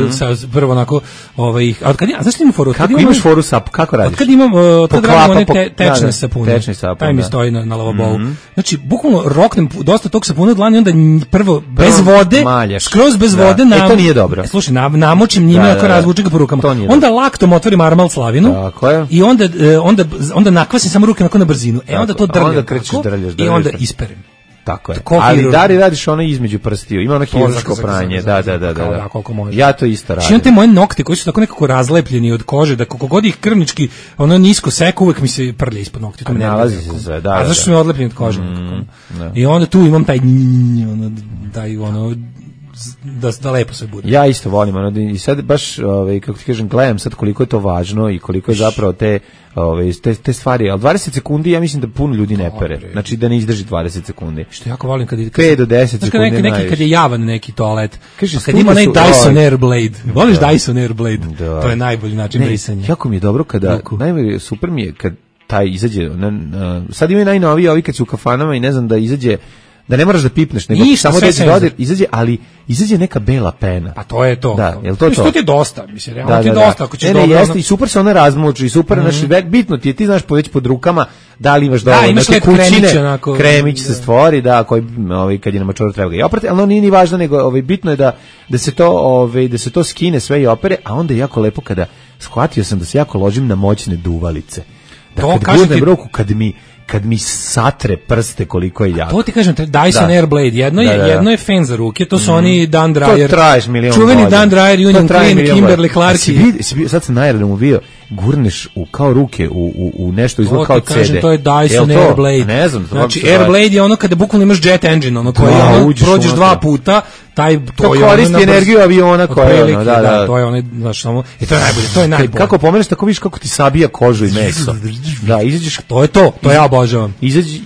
prvo onako, znaš li imam foru? Kako imaš foru sap, kako radiš? Od kad radim one tečne sapune, taj mi stoji na lavabovu. Znači, bukvalno roknem dosta tog sapuna od dlani, onda prvo bez vode, skroz bez vode, to nije dobro. Slušaj, namočim njime, ako razvučem ga po rukama. Onda laktom otvorim armal slavinu i onda nakvasim samo ruke na brzinu. Onda to drljam i onda isperem. Tako je. Ali da li radiš ono između prstiju? Ima ono hirurško pranje. Da. Ja to isto radim. Imam te moje nokte koji su tako nekako razlepljeni od kože, da kako god ih krvnički ono nisko seku, uvek mi se prlja ispod nokti. To nalazi se, A zašto su mi odlepljeni od kože? I onda tu imam taj da lepo sve bude. Ja isto volim, i sad baš, kako ti kažem, gledam sad koliko je to važno i koliko je zapravo te stvari, ali 20 sekundi ja mislim da puno ljudi ne pere, znači da ne izdrži 20 sekundi. Što jako volim kad 5 do 10 sekundi najviše. Kad je javan neki toalet, kad ima onaj Dyson Airblade, voliš Dyson Airblade, to je najbolji način brisanja. Jako mi je dobro kada, super mi je kad taj izađe, sad imaju najnoviji ovi kad su u kafanama i ne znam da izađe, da ne moraš da pipneš, nego samo dodir, izađe, ali izađe neka bela pena. Pa to je to. Da, jel to? To ti je dosta, mislim, realno ti je dosta. Ako ćeš dobro... Jeste, i super se ona razmuči, i super, bitno ti je, ti znaš već pod rukama, da li imaš dovoljno neke kućine, kremić se stvori, koji kad je na mačoru treba ga i oprati, ali ono nije ni važno, nego bitno je da se to skine sve i opere, a onda je jako lepo kada shvatio sam da se jako ložim na moćne duvalice. Da kad gurnem ruku, kad mi satre prste koliko je jako. To ti kažem, Dyson Airblade, jedno je fan za ruke, to su oni Dan Dryer. To traješ milion čuveni godina. Dan Dryer, Union Clean, Kimberly Clark. Sad sam na aerodromu bio, gurneš kao ruke u nešto izgleda kao CD. To ti kažem, to je Dyson Airblade. Ne znam. Znači, Airblade je ono kada bukvalno imaš jet engine, ono koji prođeš 2 puta, to koristi energiju aviona koja je ono, da, to je ono, znači samo, i to je najbolje, to je najbolje. Kako pomeneš, tako vidiš kako ti sabija kožu i meso. Da, izađeš, to ja obožavam.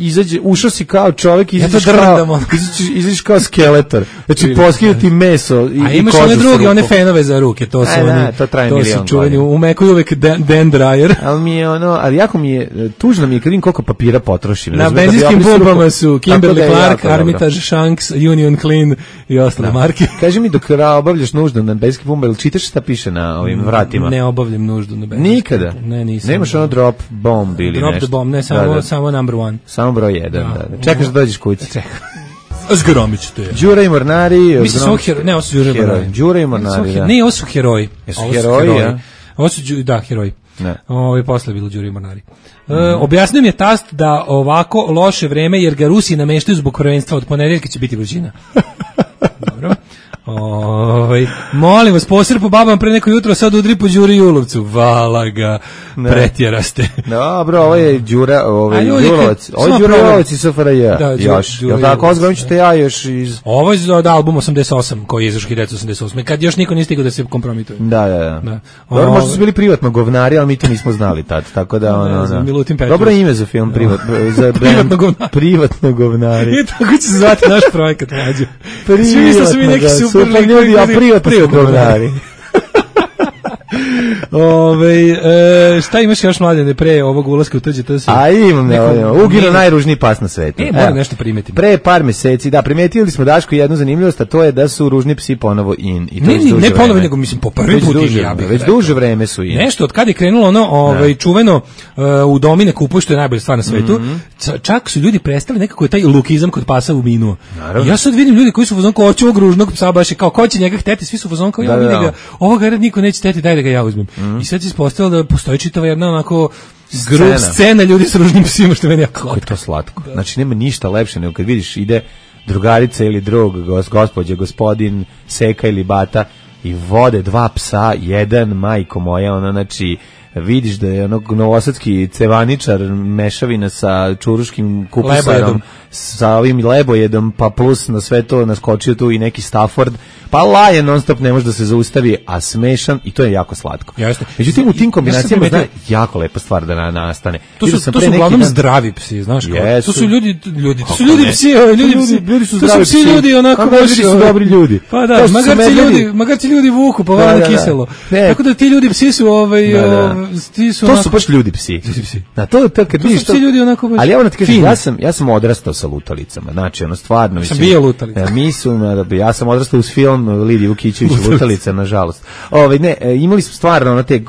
Izađe, ušao si kao čovjek, izađeš kao skeletor. Znači, poskida ti meso i kožu. A imaš one druge, one fenove za ruke, to su oni, to su čuveni, u Meku je uvek Dan Dryer. Ali jako mi je, tužno mi je kad vidim koliko papira potrošim. Na benzinskim bombama su Kimberly Clark, Armitage, Shanks, Union Clean i ostale marke. Kaži mi dok obavljaš nuždu na benzinskim bombama, ili čitaš šta piše na ovim vratima? Ne obavljam nuždu na benzinskim. Nikada? Ne, nisam. Nemaš ono drop bomb ili nešto? Drop the bomb, ne, samo number one. Samo broj 1, da. Čekaš da dođeš kući. Čekam. Zgromit ću te. Đura i Mornari. Mislim, samo heroji. Ne, ovo su Đura i Mornari. Đura i Mornari, da. Ne, ovo su heroji. Jesu heroji, ja? Ovo su, da, heroji. Posle je bilo Đuri Mornari. Objasnio mi je tast da ovako loše vreme, jer ga Rusi nameštaju zbog prvenstva, od ponedeljka će biti vrućina. Dobro. Molim vas, posir po babama pre neko jutro, sad udri po Đuri Julovcu. Vala ga, pretjeraste. Dobro, ovo je Đura, ovo je Julovac. Ovo je Đura Julovac iz SFRJ. Još. Jel tako, ozgovijem ćete ja još iz... Ovo je za album 88, koji je izašao 1988. Kad još niko nije stigao da se kompromituje. Da. Dobro, možda su bili privatno govnari, ali mi to nismo znali tad, tako da... Dobro ime za film, privatno govnari. I tako će se zvati naš projekat, mlađe. Svi su mi neki super ljudi, a privatno govnari. Šta imaš još, Mladene, pre ovog ulaska u TGTS? Imam, Ugino najružniji pas na svetu. Moram nešto primetiti. Pre par meseci, primetili smo, Daško, jednu zanimljivost, a to je da su ružni psi ponovo in. Ne ponovo, nego mislim po prvi put već duže vreme su in. Nešto, od kada je krenulo čuveno u domi ne kupuj, što je najbolja stvar na svetu, čak su ljudi prestali nekako taj lukizam kod pasa u minuo. Ja sad vidim ljudi koji su u fazonu kao hoće ovog ružnog psa, baš kao ko će njega hteti, svi su u fazonu kao ja vidim ga, ovoga niko neće hteti, daj da ga ja uzmem. I sad se ispostavilo da postoji čitava jedna onako scena ljudi s ružnim psima, što meni jako kako je to slatko. Znači nema ništa lepše nego kad vidiš ide drugarica ili drug, gospođa, gospodin, seka ili bata i vode dva psa, jedan, majko moja, znači vidiš da je onog novosadski cevaničar mešavina sa čuruškim kupusarom, sa ovim lebojedom, pa plus na sve to naskočio tu i neki Stafford, pa laje non stop, ne može da se zaustavi, a smešan, i to je jako slatko. Međutim, u tim kombinacijama zna jako lepa stvar da nastane. To su uglavnom zdravi psi, znaš kao. To su ljudi su zdravi psi. Ljudi onako baš su dobri ljudi. Pa da, magarci ljudi vuku, pa vana kiselo. Tako da ti ljudi psi su to su baš ljudi psi. Da, to kad vidiš to. Ali evo da ti kažem, ja sam odrastao sa lutalicama. Znači, stvarno mislim. Sam bio lutalica. Ja sam odrastao uz film Lidije Vukićević Lutalica, nažalost. Imali smo stvarno te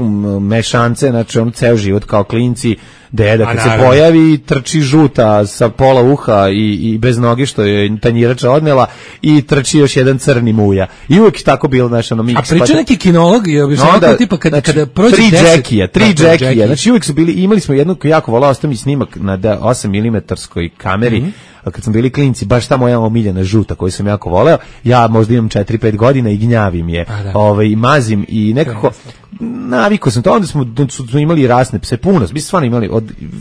mešance, znači ceo život kao klinci. Deda kad se pojavi trči žuta sa pola uha i bez noge što je tanjirača odnela i trči još jedan crni muja. I uvijek tako bilo A priča neki kinolog je objašnjavao tipa kada prođe 10 tri džekija. Znači uvijek su bili, imali smo jednu jako volao, ostao mi snimak na 8 mm kameri. Kad smo bili klinci, baš ta moja omiljena žuta koju sam jako voleo, ja možda imam 4-5 godina i gnjavim je, mazim i nekako navikao sam to, onda smo imali rasne pse, puno, mi smo stvarno imali,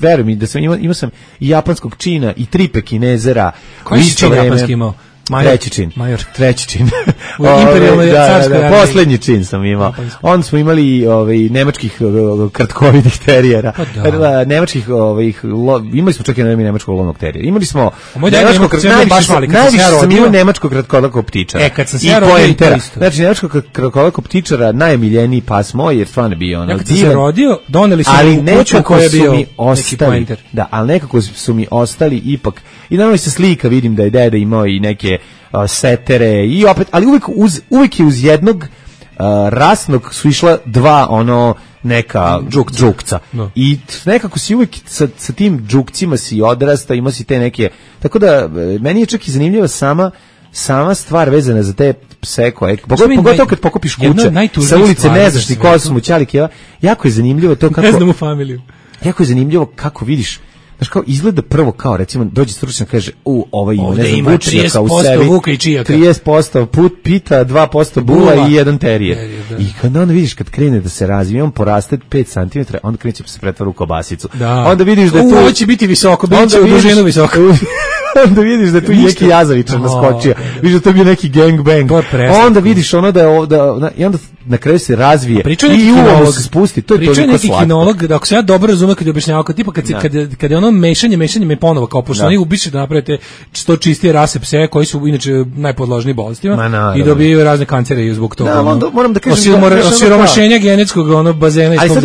veruj mi da sam imao sam i japanskog čina i 3 pekinezera. Koji si čin japanski imao? Treći čin. U imperijalnoj carskoj armiji. Poslednji čin sam imao. Onda smo imali nemačkih kratkovitih terijera. Nemačkih, imali smo čak i nemačkog lovnog terijera. Imali smo najviše sam imao nemačkog kratkolakog ptičara. Kad sam se ja rodio, znači nemačkog kratkolakog ptičara najomiljeniji pas moj, jer stvarno bio kad sam se rodio, doneli su mi kuću koja je bio neki pointer. Da, ali nekako su mi ostali ipak. I naravno se slika, vidim da je deda imao i neke setere i opet, ali uvijek je uz jednog rasnog su išla dva neka džukca. I nekako si uvijek sa tim džukcima si odrasta, ima si te neke, tako da meni je čak i zanimljiva sama stvar vezana za te pse koje, pogotovo kad pokupiš kuće sa ulice, ne znaš ni ko su mu ćalike, jako je zanimljivo to kako, ne znam u familiju, jako je zanimljivo kako vidiš. Znaš kao, izgleda prvo kao, recimo, dođe stručnjak kaže, ovaj ima, ne znam, vučnjaka u sebi, 30% pita, 2% bula i jedan terijer. I kad onda vidiš, kad krene da se razvije, on poraste 5 cm, onda krene će se pretvara u kobasicu. Onda vidiš da je tu... Ovo će biti visoko, bit će u dužinu visoko. Onda vidiš da je tu neki Jazavičar naskočio, vidiš da to bio neki gangbang. Onda vidiš ono i onda na kraju se razvije i uvo se spusti, to je toliko slatko. Priča neki kinolog, da ako se ja dobro razumem kad je objašnjavao, tipa kad je ono mešanje me ponovo kao pošto oni ubiše da napravite što čistije rase pse koji su inače najpodložniji bolestima i dobijaju razne kancere i zbog toga. Moram da kažem osiromašenja genetskog bazena. Ali sad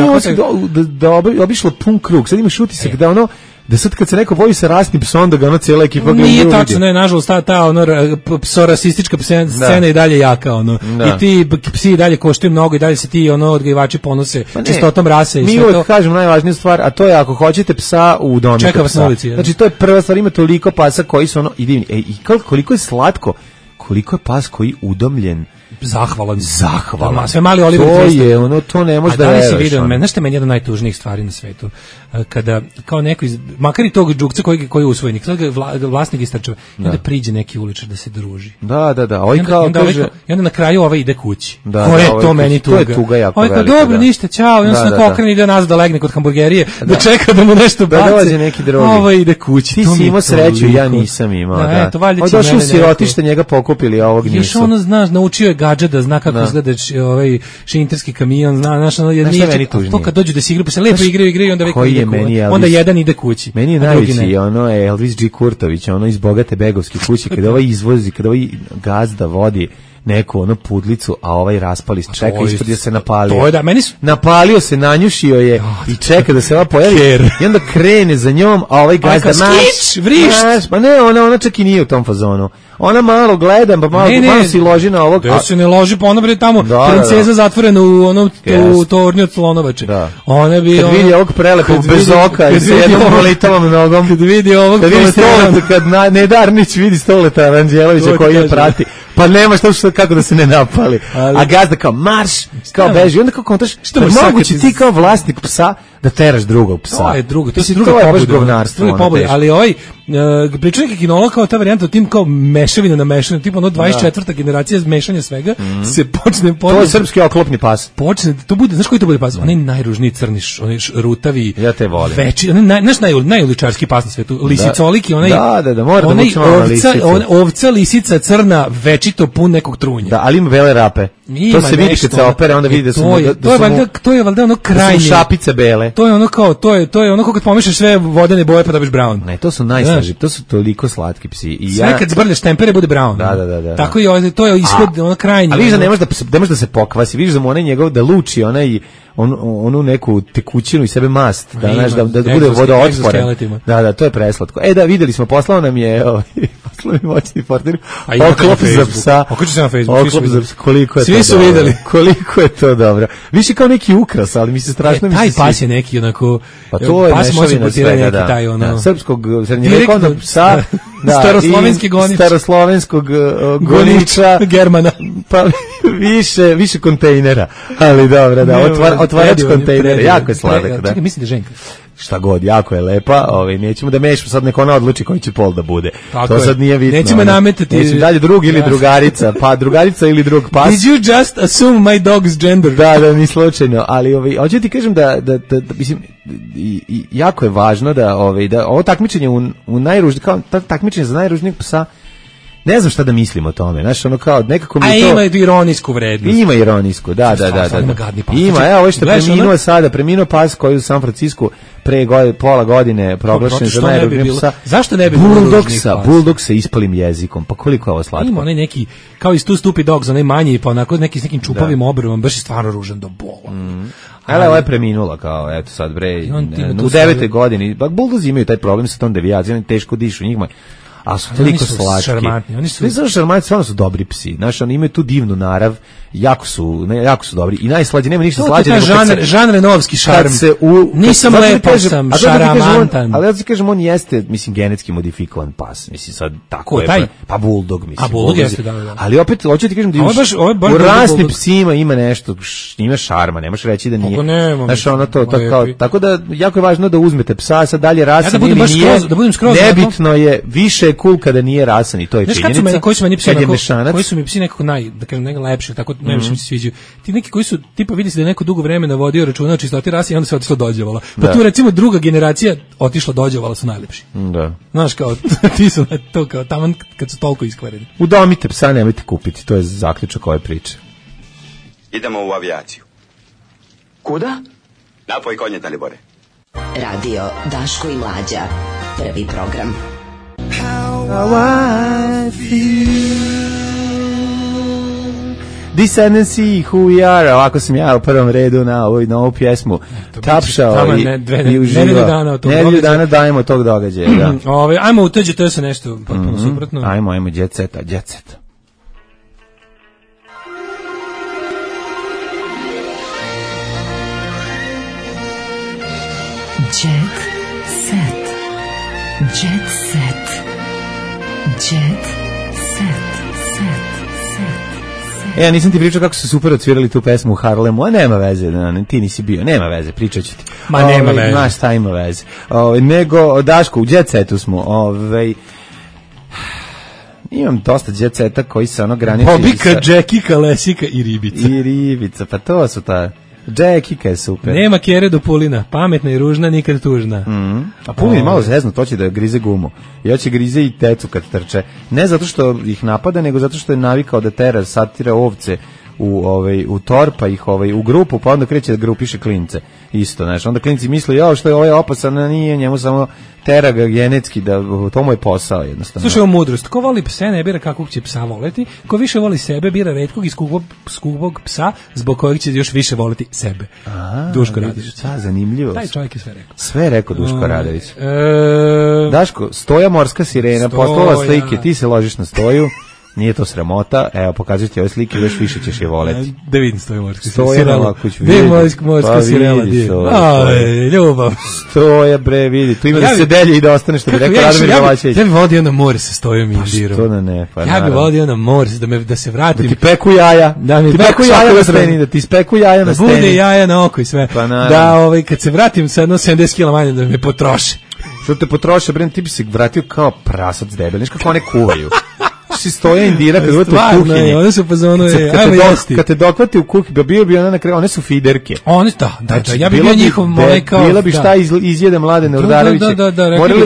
da obišlo pun krug, sad imaš utisak da da sad kad se neko boji sa rasnim psom, da ga cijela ekipa gleda. Nije tačno, ne, nažalost, ta psorasistička scena i dalje jaka, i ti psi i dalje koštaju mnogo i dalje se ti odgajivači ponose čistotom rase i sve to. Mi uvijek kažemo najvažniju stvar, a to je ako hoćete psa u domu. Čeka vas na ulici. Znači, to je prva stvar, ima toliko pasa koji su i divni. I koliko je slatko, koliko je pas koji udomljen zahvalan. Sve mali Oliver Twist. To je, ono, to ne može da veruješ. Da li si vidio, znaš što je meni jedna od najtužnijih stvari na svetu? Kada, kao neko makar i tog džukca koji je usvojenik, sad ga vlasnik istračava, i onda priđe neki uličar da se druži. Da. Ovaj kao kaže... I onda na kraju ovaj ide kući. Ko je to meni tuga? To je tuga jako velika. Ovaj kao, dobro, ništa, ćao. I onda se na okrene ide nazad da legne kod hamburgerije, da čeka da mu nešto baci. Da dolazi neki drugi. Ovo ide kući. Ti si imao sreću, ja nisam imao. On došao u sirotište, njega pokupili, a ovog nisu. Još ono, znaš, naučio je gadžet da zna kako izgleda ovaj šinterski kamion, znaš, to kad dođu da se igraju, pa se lepo igraju i onda jedan ide kući. Meni je najveći, ono je Elvis G. Kurtović, ono iz bogate begovske kuće, kada ovaj izvozi, kada ovaj gazda vodi neku ono pudlicu, a ovaj raspali čeka ispred da se napalio. To je da, napalio se, nanjušio je i čeka da se ova pojavi i onda krene za njom, a ovaj gazda vrišt. Pa ne, ona čak i nije u tom fazonu. Ona malo gleda, pa malo si loži na ovog. Da se ne loži, pa ona bre tamo princeza zatvorena u onom tornju od slonovače. Ona bi kad vidi ovog prelepog bez oka i s jednom molitavom nogom. Kad vidi ovog kad Nedarnić vidi Stoleta Aranđelovića koji je prati. Pa nema što kako da se ne napali. A gazda kao marš, kao beži. Onda kao kontaš, što moguće ti kao vlasnik psa da teraš drugog psa. To je drugo, to je baš govnarstvo. Ali ovaj priča neki kinolog kao ta varijanta tim kao mešavina na mešavinu, tipa ono 24. generacija mešanja svega se počne to je srpski oklopni pas. Počne, to bude, znaš koji to bude pas? Onaj najružniji crni, onaj rutavi. Ja te volim. Veći, naš najuličarski pas na svetu. Lisicoliki, onaj. Da, mora da mučimo na lisicu. Ovca, lisica, crna, večito pun nekog trunja. Da, ali ima bele rape. To se vidi kad se opere, onda vidi da su to je valjda ono krajnje. Šapice bele. To je ono kao, to je ono kad pomešaš sve vodene boje pa dobiš brown. Ne, to su najslađi, to su toliko slatki psi. I sve kad zbrlješ tempere bude brown. Da. Tako i to je ishod ono krajnje. A vidiš da ne može da se pokvasi, vidiš da mu onaj njegov da luči onaj onu neku tekućinu i sebe mast, da bude vodootporan. Da, to je preslatko. Da, videli smo, poslao nam je moćni partner oklop za psa. Oklop za psa, koliko je to dobro. Svi su videli. Koliko je to dobro. Više kao neki ukras, ali mi se strašno taj pas je neki onako, pa to je pas može potirati neki taj srpskog srednjevjekovnog psa, staroslovenskog goniča Germana, pa više kontejnera, ali dobro, otvarač kontejnera, jako je sladak. Čekaj, mislim da Ženka. Šta god, jako je lepa, nećemo da mešamo, sad neko ona odluči koji će pol da bude. To sad nije bitno. Nećemo nametati. Nećemo dalje drug ili drugarica, pa drugarica ili drug pas. Did you just assume my dog's gender? Da, ni slučajno, ali hoću ti kažem da mislim, jako je važno da ovo takmičenje u najružnijeg, kao takmičenje za najružnijeg psa, ne znam šta da mislim o tome, znaš, ono kao nekako mi to... ima ironijsku vrednost. Ima ironijsku, da. Ima, evo što je preminuo pas koji u San Francisku pre pola godine proglašen za najružnijeg psa. Zašto ne bi bilo ružnih pas? Bulldog sa ispalim jezikom, pa koliko je ovo slatko. Ima onaj neki, kao iz tu Stupid Dogs, onaj manji, pa onako neki s nekim čupavim obrvom, baš je stvarno ružan do bola. Ovo je preminula kao, eto sad bre, u 9. godini, Bulldozi imaju taj problem sa tom devijacijom, teško dišu njima. A su toliko slatki. Oni su šarmantni, stvarno su dobri psi. Znaš, oni imaju tu divnu narav, jako su dobri. I najslađi, nema ništa slađe. Žan Renovski šarm. Nisam lepo, sam šaramantan. Ali ja ti kažem, on jeste, mislim, genetski modifikovan pas. Mislim, sad tako je. Pa Bulldog, mislim. A Bulldog jeste, da. Ali opet, hoću ti kažem da u rasnim psima ima nešto, ima šarma, nemaš reći da nije. Znaš, ono to, tako da, jako je važno da uzmete psa, sad dalje rasan ili nije. Nebitno je, više cool kada nije rasan i to je činjenica. Koji su mi psi nekako najlepši, tako najviše mi se sviđaju. Ti neki koji su, tipa vidi se da je neko dugo vremena vodio računa o čistoti rase i onda se otišlo dođevala. Pa tu recimo druga generacija otišla dođevala su najlepši. Da. Znaš, kao, ti su to kao taman kad su toliko iskvareni. Udomite psa, nemojte kupiti, to je zaključak ove priče. Idemo u avijaciju. Kuda? Napoj konje, Dalibore. Radio Daško i Mlađa, prvi program. How I feel. Descendancy, who we are. Ovako sam ja u prvom redu na ovu pjesmu tapšao i uživao. Nedelju dana dajemo tog događaja. Ajmo u tuđe, to je se nešto potpuno suprotno. Ajmo, jet set. Jet set. Jet set. Jet set. Ja nisam ti pričao kako su super odsvirali tu pesmu u Harlemu, a nema veze, ti nisi bio, nema veze, pričat ću ti. Ma nema veze. Znaš šta ima veze. Nego, Daško, u Jet Setu smo, imam dosta Jet Seta koji se graniči... Bobika, Jackie, Kalesika i Ribica. I Ribica, pa to su ta... Jackie je super. Nema kjere do Pulina, pametna i ružna, nikad tužna. A Pulin je malo zezno, to će da grize gumu. I hoće grize i tecu kad trče. Ne zato što ih napada, nego zato što je navikao da tera, satira ovce u tor, pa ih u grupu, pa onda kreće da grupiše klince. Isto, znaš, onda klinci misle, što je ovaj opasan, nije, njemu samo tera ga genetski, da to mu je posao jednostavno. Slušaj, ovo mudrost, ko voli pse ne bira kakvog će psa voleti, ko više voli sebe bira retkog i skugog psa, zbog kojeg će još više voliti sebe. Duško Radović. Zanimljivo. Taj čovjek je sve rekao. Sve rekao Duško Radović. Daško, Stoja morska sirena, poslala slike, ti se ložiš na Stoju. Nije to sramota, evo pokazujem ti ove slike, još više ćeš je voleti. Da vidim Stoja morska sirena. Morska sirena, ljubav. Stoja bre, vidi, tu ima da se delje i da ostane, što bi rekao Radomir Gavačević. Ja bi vodio na more sa Stojom i Indirom. Što da ne, pa ja bi vodio na more, da se vratim. Da ti peku jaja. Da mi peku jaja na steni. Da ti speku jaja na steni. Da bude jaja na oko i sve. Da kad se vratim sa 70 kg manje da me potroše. Što te potroše, bre, ti bi se vratio kao prasac debel, znaš kako one kuvaju. Si Stoja Indira kad uvete u kuhinji. One su pozvano kad te dokvati u kuhinji, bio bi ona na kraju, one su fiderke. One ja bih bio njihov kao... Bila bi šta izjede Mladene Urdareviće.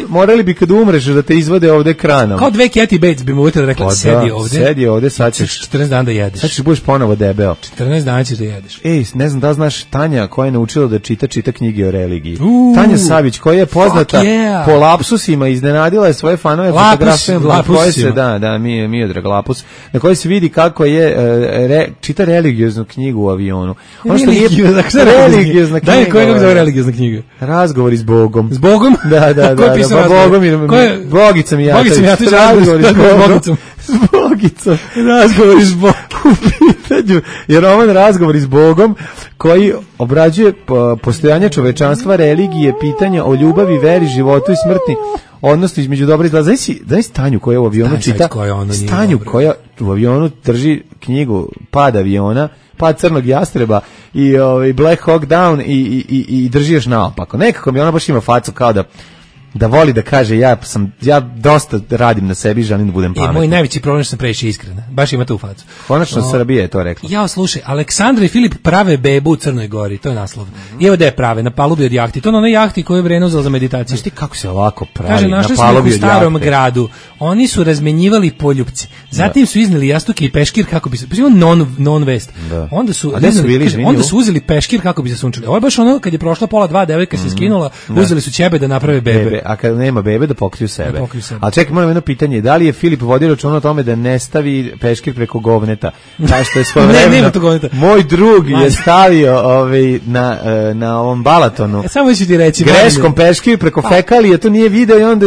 Morali bi kad umreš da te izvode ovde kranom. Kao dve Kathy Bates bi mu uvete da rekla, sedi ovde, sad ćeš 14 dana da jedeš. Sad ćeš budeš ponovo debeo. 14 dana ćeš da jedeš. Ne znam da znaš Tanja koja je naučila da čita knjige o religiji. Tanja Savić koja je poznata po lapsusima, iznenadila je svoje fanove fotografijama koje se Miodrag Lapus, na kojoj se vidi kako je čita religioznu knjigu u avionu. Ono što nije religiozna knjiga. Daj, koja je religiozna knjiga? Razgovori s Bogom. S Bogom? Da. Ko je pisao Bogica Mijatović. Razgovori s Bogom. S Bogicom. Razgovori s Bogom. U pitanju je roman Razgovori s Bogom koji obrađuje postojanje čovečanstva, religije, pitanja o ljubavi, veri, životu i smrti, odnosno između dobra i zla. Znaš Stanju koja u avionu čita, Stanju koja u avionu drži knjigu Pad aviona, Pad crnog jastreba i Black Hawk Down i drži još naopako. Nekako mi ona baš ima facu kao da voli da kaže ja dosta radim na sebi, želim da budem pametan. Moj najveći problem što sam previše iskren. Baš ima tu facu. Konačno Srbija je to rekla. Slušaj, Aleksandra i Filip prave bebu u Crnoj Gori, to je naslov. I evo da je prave, na palubi od jahti. To je na onoj jahti koju je Breno uzela za meditaciju. Znaš ti kako se ovako pravi, kaže, na palubi od jahte? U starom gradu. Oni su razmenjivali poljupce. Zatim su izneli jastuke i peškir kako bi se... non vest. Onda su uzeli peškir kako bi se sunčali. Ovo je baš ono kad je prošla pola 2, devojka se skinula, uzeli su ćebe da naprave bebe. A kada nema bebe da pokriju sebe. Ali čekaj, moram jedno pitanje, da li je Filip vodio računa o tome da ne stavi peškir preko govneta? Kao što je svojevremeno moj drug je stavio na ovom Balatonu. Samo ću ti reći. Greškom peškir preko fekalije, to nije video i onda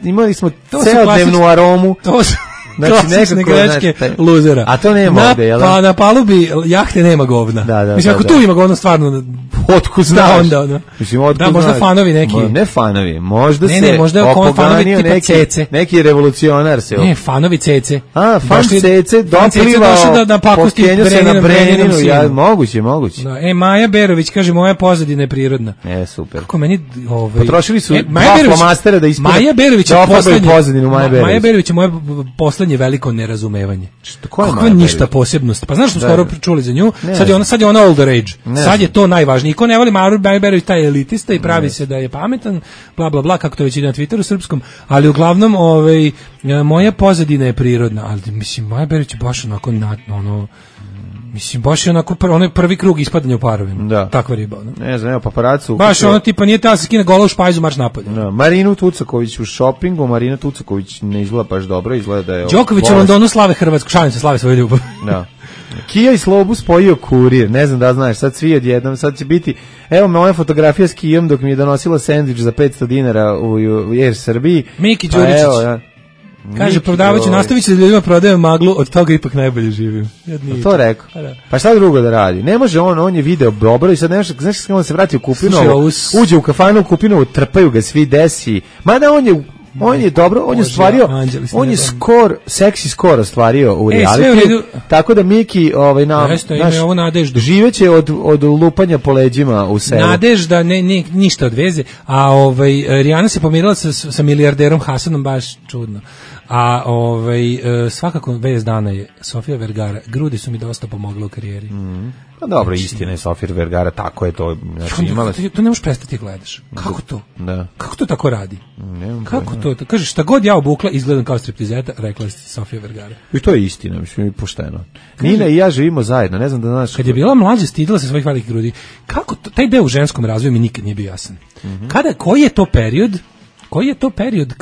imali smo celodnevnu aromu. Klasične greške luzera. A to nema ovde, jel? Pa na palubi jahte nema govna. Mislim, ako tu ima govna, stvarno... Otkud znaš? Da, možda fanovi neki. Ne fanovi, možda se opoganio neki revolucionar se... Ne, fanovi cece. Fan cece doplivao, pokenio se na Brenjaninu. Moguće. Maja Berović kaže, moja pozadina je prirodna. Super. Kako meni... Potrošili su dva flomastera da ispred... Maja Berović je poslednje... Maja Berović je moje poslednje veliko nerazumevanje. Kakva ništa posebnost. Pa znaš što skoro čuli za nju? Sad je ona older age. Sad je to najvažnije. Ko ne voli Maju Berović, taj je elitista i pravi se da je pametan, bla bla bla, kako to već ide na Twitteru srpskom, ali uglavnom moja pozadina je prirodna, ali mislim Maja Berović je baš onako mislim, baš je onako onaj prvi krug ispadanja u parovima. Takva riba. Ne znam, evo paparacu. Baš ono tipa nije ta se skine gola u špajzu, marš napolje. Marinu Tucaković u šopingu, Marina Tucaković ne izgleda baš dobro, izgleda da je... Đoković u Londonu slave Hrvatsku, šalim se, slave svoju ljubav. Kija i Slobu spojio kurir, ne znam da znaš, sad svi odjednom, sad će biti, evo moja fotografija s Kijom dok mi je donosila sendvič za 500 dinara u Air Srbiji. Miki Đuričić. Kaže, prodavaću, nastavit ću da ljudima prodajem maglu, od toga ipak najbolje živim. To rekao. Pa šta drugo da radi? Ne može on je video dobro i sad ne može, znaš kako on se vrati u Kupinovu, uđe u kafanu u Kupinovu, trpaju ga svi desi, mada on je On je dobro, on je ostvario, on je seksi skor ostvario u realitiju, tako da Miki naš živeće od lupanja po leđima u selu. Nadežda, ništa od veze, a Rijana se pomirila sa milijarderom Hasanom, baš čudno. A svakako vez dana je Sofia Vergara. Grudi su mi dosta pomogle u karijeri. Pa dobro, istina je Sofia Vergara, tako je to. Znači, imala... To ne možeš prestati gledaš. Kako to? Da. Kako to tako radi? Kako to? Kažeš, šta god ja obukla, izgledam kao striptizeta, rekla je Sofia Vergara. I to je istina, mislim, pošteno. Nina i ja živimo zajedno, ne znam da znaš... Kad je bila mlađa, stidila se svojih velikih grudi. Kako to? Taj deo u ženskom razvoju mi nikad nije bio jasan. Koji je to period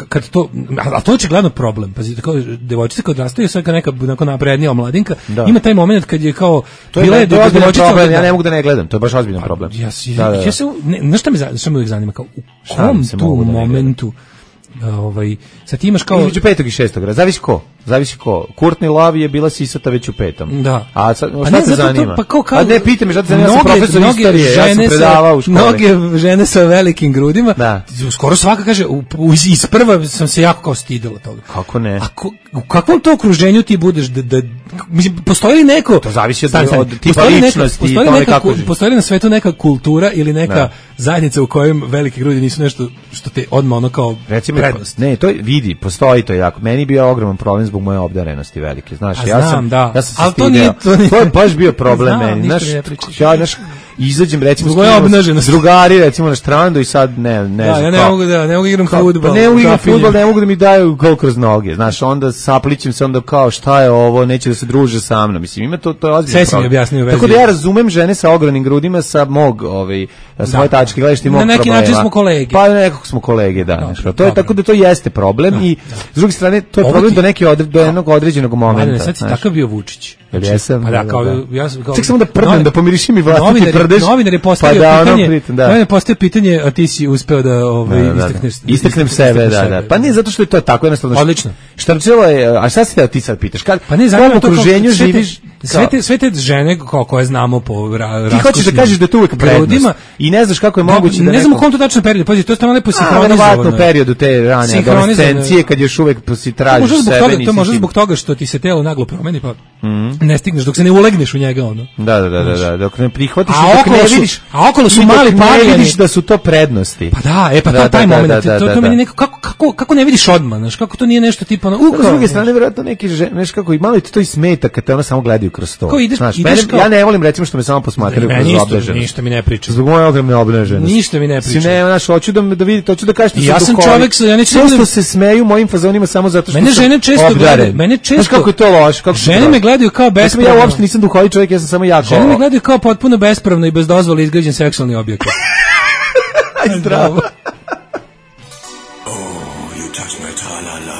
kad to, a to je očigledno problem. Pazite, kao devojčica kad odrastaju, sve kao neka naprednija omladinka, ima taj moment kad je kao bila je devojčica problem, ja ne mogu da ne gledam, to je baš ozbiljan problem. Ja se nešto me uvijek zanima, kao u kom tu momentu sad ti imaš kao između 5. i 6. Zavisi ko. Courtney Love je bila sisata već u 5. Da. A šta te zanima? A ne, pite me, šta te zanima, ja sam profesor istorije, ja sam predavao u školi. Mnoge žene sa velikim grudima, skoro svaka kaže, iz prva sam se jako kao stidela toga. Kako ne? U kakvom to okruženju ti budeš mislim, postoji li neko... To zavisi od tipa ličnosti. Postoji li na svetu neka kultura ili neka zajednica u kojem velike grudi nisu nešto što te odmah ono kao prednost? Ne, to vidi, postoji to jako. Meni bio ogroman problem zbog moje obdarenosti velike, znaš, ja sam se stideo. To je baš bio problem meni, znaš, izađem recimo s drugari recimo na štrandu i sad ne znam. Ja ne mogu igram fudbal. Ne mogu igram fudbal, ne mogu da mi daju gol kroz noge. Znaš, onda saplićem se, onda kao šta je ovo, neće da se druže sa mnom. Mislim, ima to je ozbiljno problem. Tako da ja razumem žene sa ogromnim grudima sa mog svoje tačke gledišta i mog problema. Na neki način smo kolege. Pa nekako smo kolege, da. To je tako da to jeste problem i s druge strane to je problem do jednog određenog momenta. Sad si takav bio Vučić. Jesam. Ček samo da prdnem, da pomirišim i vlastiti prdež. Novinar je postavio pitanje, a ti si uspeo da istaknem sebe, da. Pa nije zato što je to tako jednostavno. Odlično. Štrčilo je, a šta si ti sad pitaš? Pa ne, zanima to okruženju živiš. Sve te žene koje znamo po ti hoćeš da kažeš da je to uvek prednost i ne znaš kako je moguće da ne znam u kom to tačno periodu, pazi, to je tamo lepo sinhronizovano. U periodu te rane adolescencije kad još uvek si tražiš sebe. To može zbog toga što ti se telo naglo promeni, pa ne stigneš dok se ne ulegneš u njega ono. Da, dok ne prihvatiš, dok ne vidiš. A okolo su mali pavljani, ne vidiš da su to prednosti. Pa da, taj moment, to meni neko kako ne vidiš odmah, znaš, kako to nije nešto tipa na s druge strane verovatno neki znaš kako i malo ti to i smeta kad te ono samo gledaju kroz to. Znaš, ja ne volim recimo što me samo posmatraju kroz obnaženost. Ništa mi ne priča. Zbog moje ogromne obnaženosti. Ništa mi ne priča. Ne, znaš, hoću da vidite, hoću da kažete ja sam čovjek, ja neću često se smeju mojim fazonima samo zato što mene žene često gledaju, znaš kako je to loše, kako žene me gledaju kao bespravno. Ja uopšte nisam duhovit čovjek, ja sam samo jako. Žene me gledaju kao potpuno bespravno i bez dozvole izgrađen seksualni objekat. Zdravo.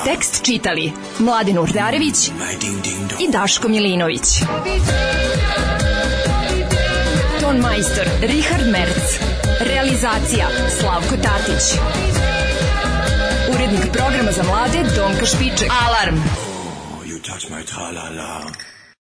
Tekst čitali Mladen Urdarević i Daško Milinović. Ton majstor Richard Merc. Realizacija Slavko Tatić. Urednik programa za mlade Donka Špiček. Alarm! You touch my tra-la-la.